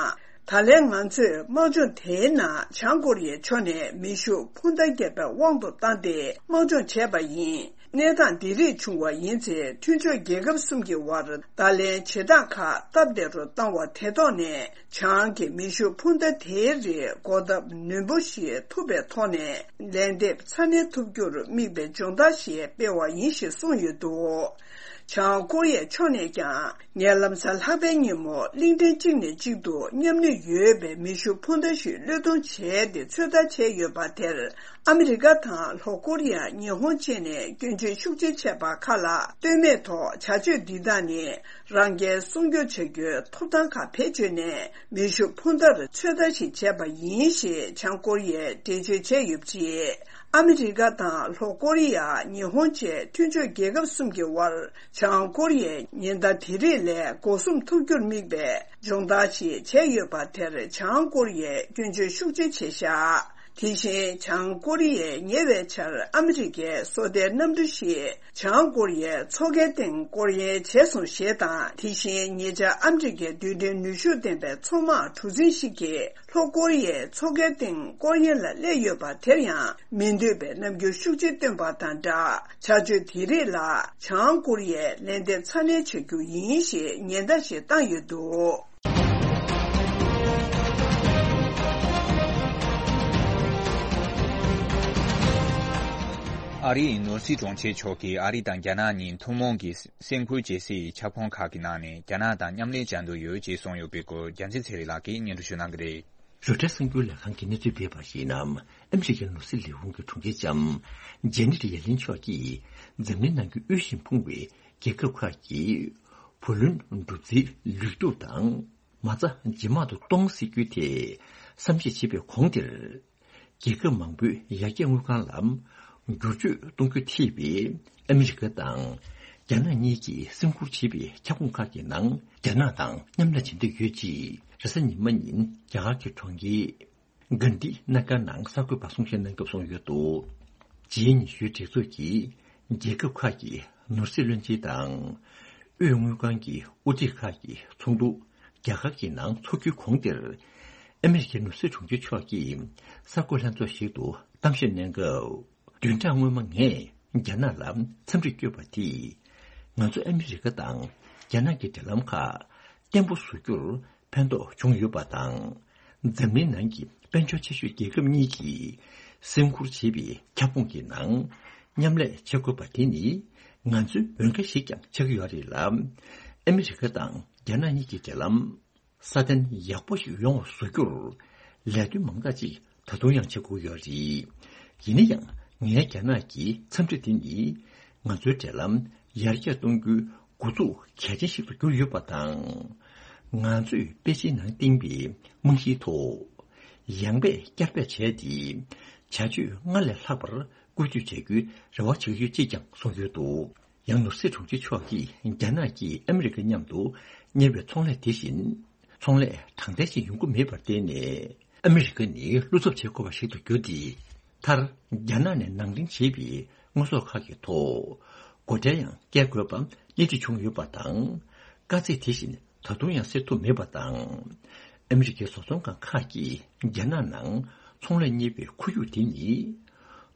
ད་ལན་ང་ཚོས་དམག་སྦྱོང་དེའི་ནང་བྱང་ཀོ་རི་ཡའི་ཕྱོགས་ནས་མེ་ཤུགས་འཕུར་མདའ་བརྒྱབ་པའི་དབང་དུ་བཏང་སྟེ་དམག་སྦྱོང་བྱས་པ་ཡིན། གནས་སྟངས་འདི་རིགས་བྱུང་བ་ཡིན་ཚེ། མཐུན་ཕྱོགས་རྒྱལ་ཁབ་གསུམ་གྱི་དབར་བརྡ་ལན་བྱེད་སྟངས་ཁག་སྟབས་བདེ་རུ་བཏང་བ་དེ་ཐོག་ནས། བྱང་གི་མེ་ཤུགས་འཕུར་མདའ་དེའི་རིགས་འགོག་ཐབས་ནན་པོ་ཞིག་ཐུབ་པའི་ཐོག་ནས། ལན་འདེབས་ཚ་ནན་ཐུབ་རྒྱུར་དམིགས་པའི་སྦྱོང་བརྡར་ཞིག་སྤེལ་བ་ཡིན་ཞེས་གསུངས་ཡོད་འདུག་བྱང་ཀོ་རི་ཡའི་ཕྱོགས་ནས་ཀྱང་། ངས་ལམ་སང་ལྷག་པའི་ཉིན་མོ་གླིང་ཕྲན་གཅིག་ནས་གཅིག་ཏུ་མཉམ་ནུས་ཡོད་པའི་མེ་ཤུགས་འཕུར་མདའ་ཞིག་བློས་གཏོང་བྱས་ཏེ་ཚོད་ལྟ་བྱས་ཡོད་པ་དེར། ཨ་མི་རི་ཀ་དང་ལྷོ་ཀོ་རི་ཡ། ཉི་ཧོང་བཅས་ནས་སྐྱོན་བརྗོད་ཤུགས་ཆེ་བྱས་པ་ཁག་ལ་ལྟོས་མེད་ཐོག་བྱ་སྤྱོད་འདི་དག་ནི་རང་རྒྱལ་སྲུང་སྐྱོབ་བྱ་རྒྱུའི་ཐོབ་ཐང་ཁག་བེད་སྤྱོད་ནས། མེ་ཤུགས་འཕུར་མདའ་ཚོད་ལྟ་ཞིག་བྱས་པ་ཡིན་ཞེས་བྱང་ཀོ་རི་ཡས་འགྲེལ་བརྗོད་བྱས་ཡོད་པ་རེད། ཨ་མི་རི་ཀ་དང་ལྷོ་ཀོ་རི་ཡ། ཉི་ཧོང་བཅས་མཐུན་ཕྱོགས་རྒྱལ་ཁབ་གསུམ་གྱི་དབར། བྱང་ཀོ་རི་ཡས་ཉེན་བརྡ་དེ་རིགས་ལས་འགོག་སྲུང་ཐུབ་རྒྱུར་དམིགས་པའི་སྦྱོང་བརྡར་ཞིག་བྱས་ཡོད་པ་དེར། བྱང་ཀོ་རི་ཡས་སྐྱོན་བརྗོད་ཤུགས་ཆེ་བྱས་བཞག་དེ་བཞིན། བྱང་ཀོ་རི་ཡས་ཉེ་བའི་ཆར་ཨ་མི་རི་ཀའི་སོ་ལྟའི་གནམ་གྲུ་ཞིག་བྱང་ཀོ་རི་ཡའི་མཚོ་ཁའི་སྟེང་སྐོར་གཡེང་བྱས་སོང་ཞེས་དང་། དེ་བཞིན། ཉེ་ཆར་ཨ་མི་རི་ཀའི་རྡུལ་ཕྲན་ནུས་ཤུགས་ལྡན་པའི་མཚོ་དམག་གྲུ་གཟིངས་ཤིག་གིས། ལྷོ་ཀོ་རི་ཡའི་མཚོ་ཁའི་སྟེང་སྐོར་གཡེང་ལ་སླེབས་ཡོད་པ་དེར་ཡང་མི་འདོད་པའི་རྣམ་འགྱུར་ཤུགས་ཆེ་སྟོན་པ་དང་སྦྲགས། བྱ་སྤྱོད་དེ་རིགས་ལ་བྱང་ཀོ་རི་ཡས་ལན་འདེབས་ཚ་ནན་བྱ་རྒྱུ་ཡིན་ཞེས་ཉེན་བརྡ་ཞིག་བཏང་ཡོད་འདུག་ཨ་རིའི་ནོར་སྲིད་དྲུང་ཆེ་མཆོག་གིས་ཨ་རི་དང་རྒྱ་ནག་གཉིས་ཐུན་མོང་གི་སེམས་ཁུར་བྱེད་སའི་ཁྱབ་ཁོངས་ཁག་གི་ནང་ནས་རྒྱ་ནག་དང་མཉམ་ལས་བྱ་འདོད་ཡོད་ཅེས་གསུངས་ཡོད་པའི་སྐོར། རྒྱལ་མཚན་ཚེ་རིང་ལགས་ཀྱིས་སྙན་སྒྲོན་ཞུ་གནང་གི་རེད། རོའི་ཊར་གསར་འགྱུར་ལས་ཁང་གིས་གནས་ཚུལ་སྤེལ་བར་གཞིགས་ན། ཨ་མི་རི་ཀའི་ནོར་སྲིད་ལས་ཁུངས་ཀྱི་དྲུང་ཆེ་ལྕམ་ཇེ་ནེ་ཊི་ཡེ་ལིན་མཆོག་གིས་འཛམ་གླིང་ནང་གི་དབུལ་ཞིང་ཕོངས་པའི་རྒྱལ་ཁབ་ཁག་གིས་བུ་ལོན་སྒྲུབ་རྩིས་ལུགས་གཏུག་དང་མ་རྩ་ཇེ་དམའ་དུ་གཏོང་སྲིད་རྒྱུའི་ཐད་བསམ་གཞིག་བྱེད་པའི་གོང་དེར། རྒྱལ་ཁབ་མང་པོའི་ཡར་རྒྱས་དངུལ་ཁང་ལ་བསྒྱུར་བཅོས་གཏོང་རྒྱུ་ཐེ་བའི་ཨ་མི་རི་ཀ་དང་རྒྱ་ནག་གཉིས་ཀྱིས་སེམས་ཁུར་བྱེད་པའི་ཁྱབ་ཁོངས་ཁག་གི་ནང་རྒྱ་ནག་དང་མཉམ་ལས་བྱེད་འདོད་ཡོད་ཅེས་རེས་གཟའ་ཉི་མ་ཉིན་རྒྱ་གར་གྱི་གྲོང་ཁྱེར་གྷན་དྷི་ན་གྷར་ནང་གསར་འགོད་པར་གསུང་བཤད་གནང་སྐབས་གསུངས་ཡོད་འདུག་ཇི་ཉི་ཤུའི་གྲོས་ཚོགས་ཀྱིས་རྒྱལ་ཁབ་ཁག་གི་ནོར་སྲིད་བློན་ཆེན་དང་། དབུས་དངུལ་ཁང་གི་དབུ་ཁྲིད་ཁག་གི་ཚོགས་འདུ་རྒྱ་གར་གྱི་ནང་འཚོགས་རྒྱུའི་གོང་དེར། ཨ་མི་རི་ཀའི་ནོར་སྲིད་དྲུང་ཆེ་མཆོག་གིས་གསར་འགོད་ལྷན་ཚོགས་ཤིག་ཏུ་གཏམ་བཤད་གནང་སྐབས། བདུན་ཕྲག་སྔོན་མ་ངས་རྒྱ་ནག་ལ་འཚམས་འདྲི་བསྐྱོན་པ་དེས། ང་ཚོ་ཨ་མི་རི་ཀ་དང་རྒྱ་ནག་གི་འབྲེལ་ལམ་ཁག་བརྟན་པོ་བཟོ་རྒྱུར་ཕན་ཐོགས་བྱུང་ཡོད་པ་དང་། འཛམ་གླིང་ནང་གི་དཔལ་འབྱོར་ཆེ་ཤོས་རྒྱལ་ཁབ་གཉིས་ཀྱིས་སེམས་ཁུར་བྱེད་པའི་ཁྱབ་ཁོངས་ཀྱི་ནང་མཉམ་ལས་བྱེད་དགོས་པ་དེ་ནི་ང་ཚོའི་འོས་འགན་ཞིག་ཀྱང་ཆགས་ཀྱི་ཡོད་རེད་ལ། ཨ་མི་རི་ཀ་དང་རྒྱ་ནག་གཉིས་ཀྱི་འབྲེལ་ལམ་སྲ་བརྟན་ཡག་པོ་ཞིག་ཡོང་བ་བཟོ་རྒྱུར་ལས་དོན་མང་དག་ཅིག་ད་དུང་ཡང་བྱེད་དགོས་ཡོད་རེད། ཡིན་ན་ཡང་ངའི་རྒྱ་ནག་གི་འཚམས་འདྲི་འདི་ནི་ང་ཚོའི་འབྲེལ་ལམ་ ཡར་རྒྱས་གཏོང་རྒྱུའི་འགོ་འཛུགས་གལ་ཆེན་ཞིག་ཏུ་གྱུར་ཡོད་པ་དང་། ང་ཚོས་པེ་ཅིན་ནང་བཏིང་བའི་རྨང་གཞིའི་ཐོག་ཡང་འབད་བསྐྱར་འབད་བྱས་ཏེ། བྱ་སྤྱོད་སྔར་ལས་ལྷག་པར་བཀོལ་སྤྱོད་བྱ་རྒྱུའི་རེ་བ་བྱེད་ཀྱི་ཡོད་ཅེས་ཀྱང་གསུངས་ཡོད་འདུག་ཡང་ནོར་སྲིད་དྲུང་ཆེ་མཆོག་གིས་རྒྱ་ནག་གིས་ཨ་མི་རི་ཀ་མཉམ་དུ་གཉེར་བའི་ཚོང་ལས་དེ་བཞིན། ཚོང་ལས་དྲང་བདེན་ཞིག་ཡོང་གི་མེད་པར་བརྟེན་ནས། ཨ་མི་རི་ཀ་ནི་བློ་འཚབ་བྱེད་དགོས་པ་ཞིག་ཏུ་གྱུར་ཏེ། མཐར། རྒྱ་ནག་ནས་ནང་འདྲེན་བྱས་པའི་དངོས་ཟོག་ཁག་གི་ཐོག་སྒོ་ཁྲལ་ཡང་བཀལ་དགོས་པ་སྣེ་ཁྲིད་བྱུང་ཡོད་པ་དང་། དཀའ་ཚེགས་དེ་བཞིན་ད་དུང་ཡང་སེལ་ཐུབ་མེད་པ་དང་། ཨ་མི་རི་ཀའི་བཟོ་ཚོང་ཁང་ཁག་གིས་རྒྱ་ནག་ནང་ཚོང་ལས་གཉེར་བའི་ཁོར་ཡུག་དེ་ནི།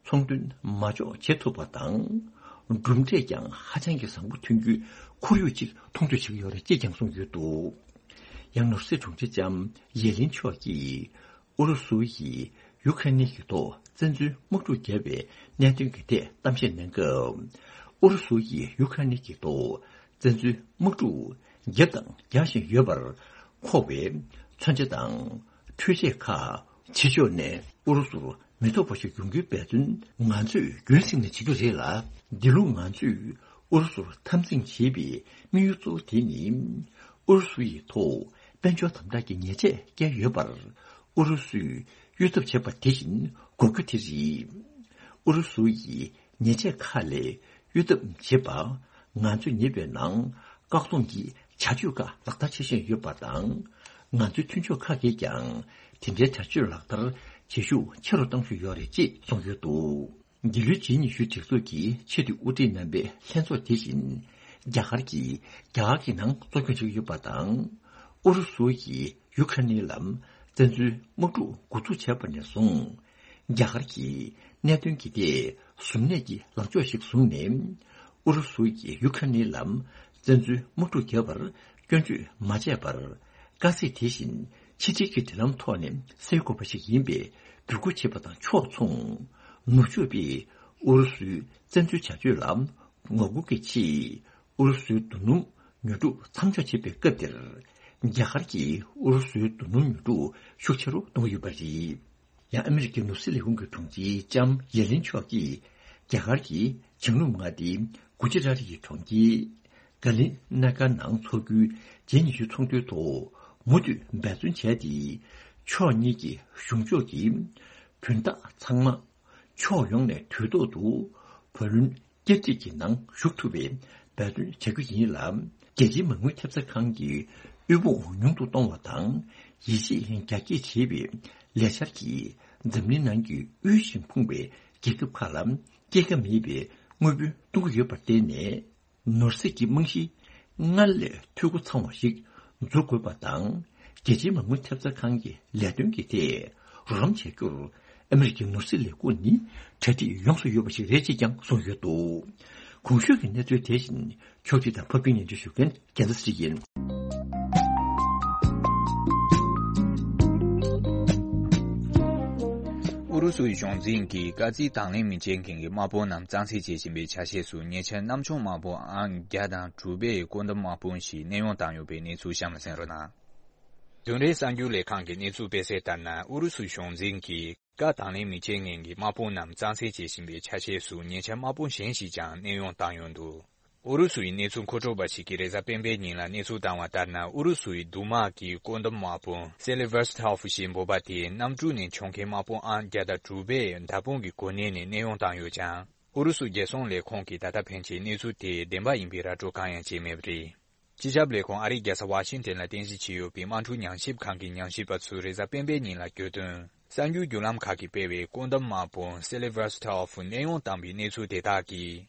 ཚོང་དོན་མ་འཇོག་བྱེད་ཐུབ་པ་དང་། གྲུབ་འབྲས་ཀྱང་ཧ་ཅང་གི་བཟང་པོ་ཐོན་རྒྱུའི་ཁོར་ཡུག་ཅིག་མཐོང་ཐོས་བྱེད་ཀྱི་ཡོད་རེད་ཅེས་ཀྱང་གསུངས་ཡོད་འདུག་ཡང་ནོར་སྲིད་དྲུང་ཆེ་ལྕམ་ཡེ་ལིན་མཆོག་གིས། ཨུ་རུ་སུ་ཡིས་ཡུ་ཁ་རེན་གྱི་ཐོག་བཙན་འཛུལ་དམག་འཁྲུག་བརྒྱབ་པའི་གནད་དོན་གྱི་ཐད་གཏམ་བཤད་གནང་སྐབས། ཨུ་རུ་སུ་ཡིས་ཡུ་ཁ་རེན་གྱི་ཐོག་བཙན་འཛུལ་དམག་འཁྲུག་བརྒྱབ་དང་རྒྱག་བཞིན་ཡོད་པར་མཁོ་བའི་མཚོན་ཆ་དང་འཕྲུལ་ཆས་ཁག་ཕྱི་ཕྱོགས་ནས་ཨུ་རུ་སུར་མི་ཐོགས་པ་ཞིག་ཡོང་རྒྱུའི་འབད་བརྩོན་ང་ཚོས་རྒྱུན་བསྲིངས་ནས་བྱེད་རྒྱུ་རེད་ལ། འདི་ལོ་ང་ཚོས་ཨུ་རུ་སུར་འཐབ་འཛིང་བྱེད་པའི་དམིགས་ཡུལ་གཙོ་བོ་དེ་ནི། ཨུ་རུ་སུ་ཡི་ཐོག་དཔལ་འབྱོར་དམ་དྲག་གི་ཉེས་ཆད་བཀལ་ཡོད་པར། ཨུ་རུ་སུས་གཡོལ་ཐབས་བྱེད་པ་དེ་བཞིན་འགོག་རྒྱུ་དེ་རེད། ཨུ་རུ་སུ་ཡིས་ཉེས་ཆད་ཁག་ལས་གཡོལ་ཐབས་བྱེད་པ། ང་ཚོས་ཉེ་བའི་ནང་བཀག་སྡོམ་གྱི་བྱ་སྤྱོད་ཁག་ལག་བསྟར་བྱེད་བཞིན་ཡོད་པ་དང་། ང་ཚོའི་མཐུན་ཕྱོགས་ཁག་གིས་ཀྱང་དེ་འདྲའི་བྱ་སྤྱོད་ལག་བསྟར་བྱེད་ཤུགས་ཆེ་རུ་གཏང་བཞིན་ཡོད་རེད་ཅེས་གསུངས་ཡོད་འདུག་འདི་ལོའི་ཇི་ནི་ཤུ་སྒྲིག་འཛུགས་ཀྱི་ཆེས་མཐོའི་དབུ་ཁྲིད་རྣམ་པའི་ལྷན་ཚོགས་དེ་བཞིན་རྒྱ་གར་གྱིས་རྒྱ་གར་གྱི་ནང་གཙོ་སྐྱོང་བྱེད་ཀྱི་ཡོད་པ་དང་། ཨུ་རུ་སུ་ཡིས་ཡུ་ཁ་རེན་ལ་བཙན་འཛུལ་དམག་འཁྲུག་འགོ་འཛུགས་བྱས་པ་ནས་བཟུང་། རྒྱ་གར་གྱིས་གནད་དོན་གྱི་ཐད་གཟུར་གནས་ཀྱི་ལངས་ཕྱོགས་ཤིག་བཟུང་ནས། ཨུ་རུ་སུ་ཡིས་ཡུ་ཁ་རེན་ལ་བཙན་འཛུལ་དམག་འཁྲུག་བརྒྱབ་པར་སྐྱོན་བརྗོད་མ་བྱས་པར། དཀའ་ཚེགས་དེ་བཞིན་ཕྱི་འབྲེལ་གྱི་འབྲེལ་ལམ་ཐོག་ནས་སེལ་དགོས་པ་ཞིག་ཡིན་པའི་བསྒྱུར་བཀོད་བྱས་པ་དང་ཕྱོགས་མཚུངས། ནུབ་ཕྱོགས་པས་ཨུ་རུ་སུའི་བཙན་འཛུལ་བྱ་སྤྱོད་ལ་ངོ་རྒོལ་གྱི་ཆེད། ཨུ་རུ་སུའི་རྡོ་སྣུམ་ཉོ་སྒྲུབ་མཚམས་འཇོག་བྱེད་པའི་སྐབས་དེར། རྒྱ་གར་གྱིས་ཨུ་རུ་སུའི་རྡོ་སྣུམ་ཉོ་སྒྲུབ་ཤུགས་ཆེ་རུ་གཏོང་གི་ཡོད་པ་རེད། ཡང་ཨ་མི་རི་ཀའི་ནོར་སྲིད་ལས་ཁུངས་ཀྱི་དྲུང་ཆེ་ལྕམ་ཡེ་ལིན་མཆོག་གིས། རྒྱ་གར་གྱི་བྱང་ནུབ་མངའ་སྡེའི་གུ་ཇི་རཱ་ཏི་ཡི་གྲོང་ཁྱེར་ག་ལི་ན་གར་ནང་འཚོགས་རྒྱུའི་ཇེ་ཉི་ཤུ་ཚོགས་འདུའི་ཐོག་མུ་མཐུད་འབད་བརྩོན་བྱས་ཏེ། ཕྱོགས་གཉིས་ཀྱི་གཞུང་ཕྱོགས་ཀྱི་དོན་དག་ཚང་མ་ཕྱོགས་ཡོངས་ནས་དུས་ཐོག་ཏུ་བུ་ལོན་བསྐྱར་སྒྲིག་གི་ནང་ཞུགས་ཐུབ་པའི་འབད་བརྩོན་བྱ་རྒྱུ་ཡིན་ལ། རྒྱལ་སྤྱིའི་མ་དངུལ་ཐེབས་རྩ་ཁང་གི་དབུལ་ཕོངས་ཉུང་དུ་གཏོང་བ་དང་། ཡིད་ཆེས་རྒྱ་སྐྱེད་བྱེད་པའི་ལས་འཆར་གྱིས་འཛམ་གླིང་ནང་གི་དབུལ་ཞིང་ཕོངས་པའི་རྒྱལ་ཁབ་ཁག་ལ་སྐྱེད་ཀ་མེད་པའི་དངུལ་བུན་གཏོང་གི་ཡོད་པར་བརྟེན་ནས། ནོར་སྲིད་ཀྱི་རྨང་གཞི་སྔར་ལས་འཐུས་སྒོ་ཚང་བ་ཞིག་འཛུགས་དགོས་པ་དང་། རྒྱལ་སྤྱིའི་མ་དངུལ་ཐེབས་རྩ་ཁང་གི་ལས་དོན་གྱི་ཐད་རོགས་རམ་བྱ་རྒྱུར་ཨ་མི་རི་ཀའི་ནོར་སྲིད་ལས་ཁུངས་ནི་གྲ་སྒྲིག་ཡོངས་སུ་ཡོད་པ་ཞིག་རེད་ཅེས་ཀྱང་གསུངས་ཡོད་འདུག་གོང་ཞུས་ཀྱི་གནས་ཚུལ་དེ་བཞིན་ཕྱོགས་སྒྲིག་དང་ཕབ་སྒྱུར་སྙན་སྒྲོན་ཞུ་མཁན་རྒྱལ་མཚན་ཚེ་རིང་ཡིན། ཨུ་རུ་སུའི་གཞུང་འཛིན་གྱིས་དཀའ་ཚེགས་དང་ལེན་མི་བྱེད་མཁན་གྱི་དམག་དཔུང་རྣམས་གཙང་སེལ་བྱེད་བཞིན་པའི་ཆ་ཤས་སུ་ཉེ་ཆར་གནམ་མཆོང་དམག་དཔུང་ཨང་བརྒྱ་དང་དྲུག་པའི་བཀོད་འདོམས་དམག་དཔུང་ཞིག་གནས་དབྱུང་བཏང་ཡོད་པའི་གནས་ཚུལ་གཤམ་ལ་གསན་རོགས་གནང་། བདུན་རེའི་གསར་འགྱུར་ལས་ཁང་གི་གནས་ཚུལ་སྤེལ་གསལ་ལྟར་ན། ཨུ་རུ་སུའི་གཞུང་འཛིན་གྱིས་བཀའ་དང་ལེན་མི་བྱེད་མཁན་གྱི་དམག་དཔུང་རྣམས་གཙང་སེལ་བྱེད་བཞིན་པའི་ཆ་ཤས་སུ་ཉེ་ཆར་དམག་དཔུང་གཞན་ཞིག་ཀྱང་གནས་དབྱུང་བཏང་ཡོད་འདུག་ཨུ་རུ་སུ་ཡི་གནས་ཚུལ་མཁོ་སྤྲོད་པ་ཞིག་གིས་རེས་གཟའ་སྤེན་པའི་ཉིན་ལ་གནས་ཚུལ་བཏང་བ་ལྟར་ན། ཨུ་རུ་སུ་ཡི་མདུང་དམག་གི་བཀོད་འདོམས་དམག་དཔུང་སེ་ལི་ཝར་སི་ཐོ་ཧྥུ་ཞེས་འབོད་པ་དེ་གནམ་གྲུ་ནས་མཆོང་མཁན་དམག་དཔུང་ཨང་བརྒྱ་དང་དྲུག་པའི་མདའ་དཔུང་གི་གོ་གནས་ནས་གནས་དབྱུང་བཏང་ཡོད་ཀྱང་། ཨུ་རུ་སུ་རྒྱལ་སྲུང་ལས་ཁུངས་ཀྱིས་ད་ལྟ་ཕན་ཆད་གནས་ཚུལ་དེ་བདེན་པ་ཡིན་པའི་ར་སྤྲོད་གང་ཡང་བྱས་མེད་པ་རེད། སྤྱི་ཁྱབ་ལས་ཁུངས་ཨ་རིའི་རྒྱལ་ས་ཝ་ཤིང་ཏན་ལ་རྟེན་གཞི་བྱས་ཡོད་པའི་དམག་འཁྲུག་ཉམས་ཞིབ་ཁང་གི་ཉམས་ཞིབ་པ་ཚོས་རེས་གཟའ་སྤེན་པའི་ཉིན་ལ་བརྗོད་དོན། གསར་འགྱུར་བརྒྱུད་ལམ་ཁག་གིས་སྤེལ་བའི་བཀོད་འདོམས་དམག་དཔུང་སེ་ལི་ཝར་སི་ཐོ་ཧྥུ་གནས་དབྱུང་བཏང་བའི་གནས་ཚུལ་དེ་དག་གིས།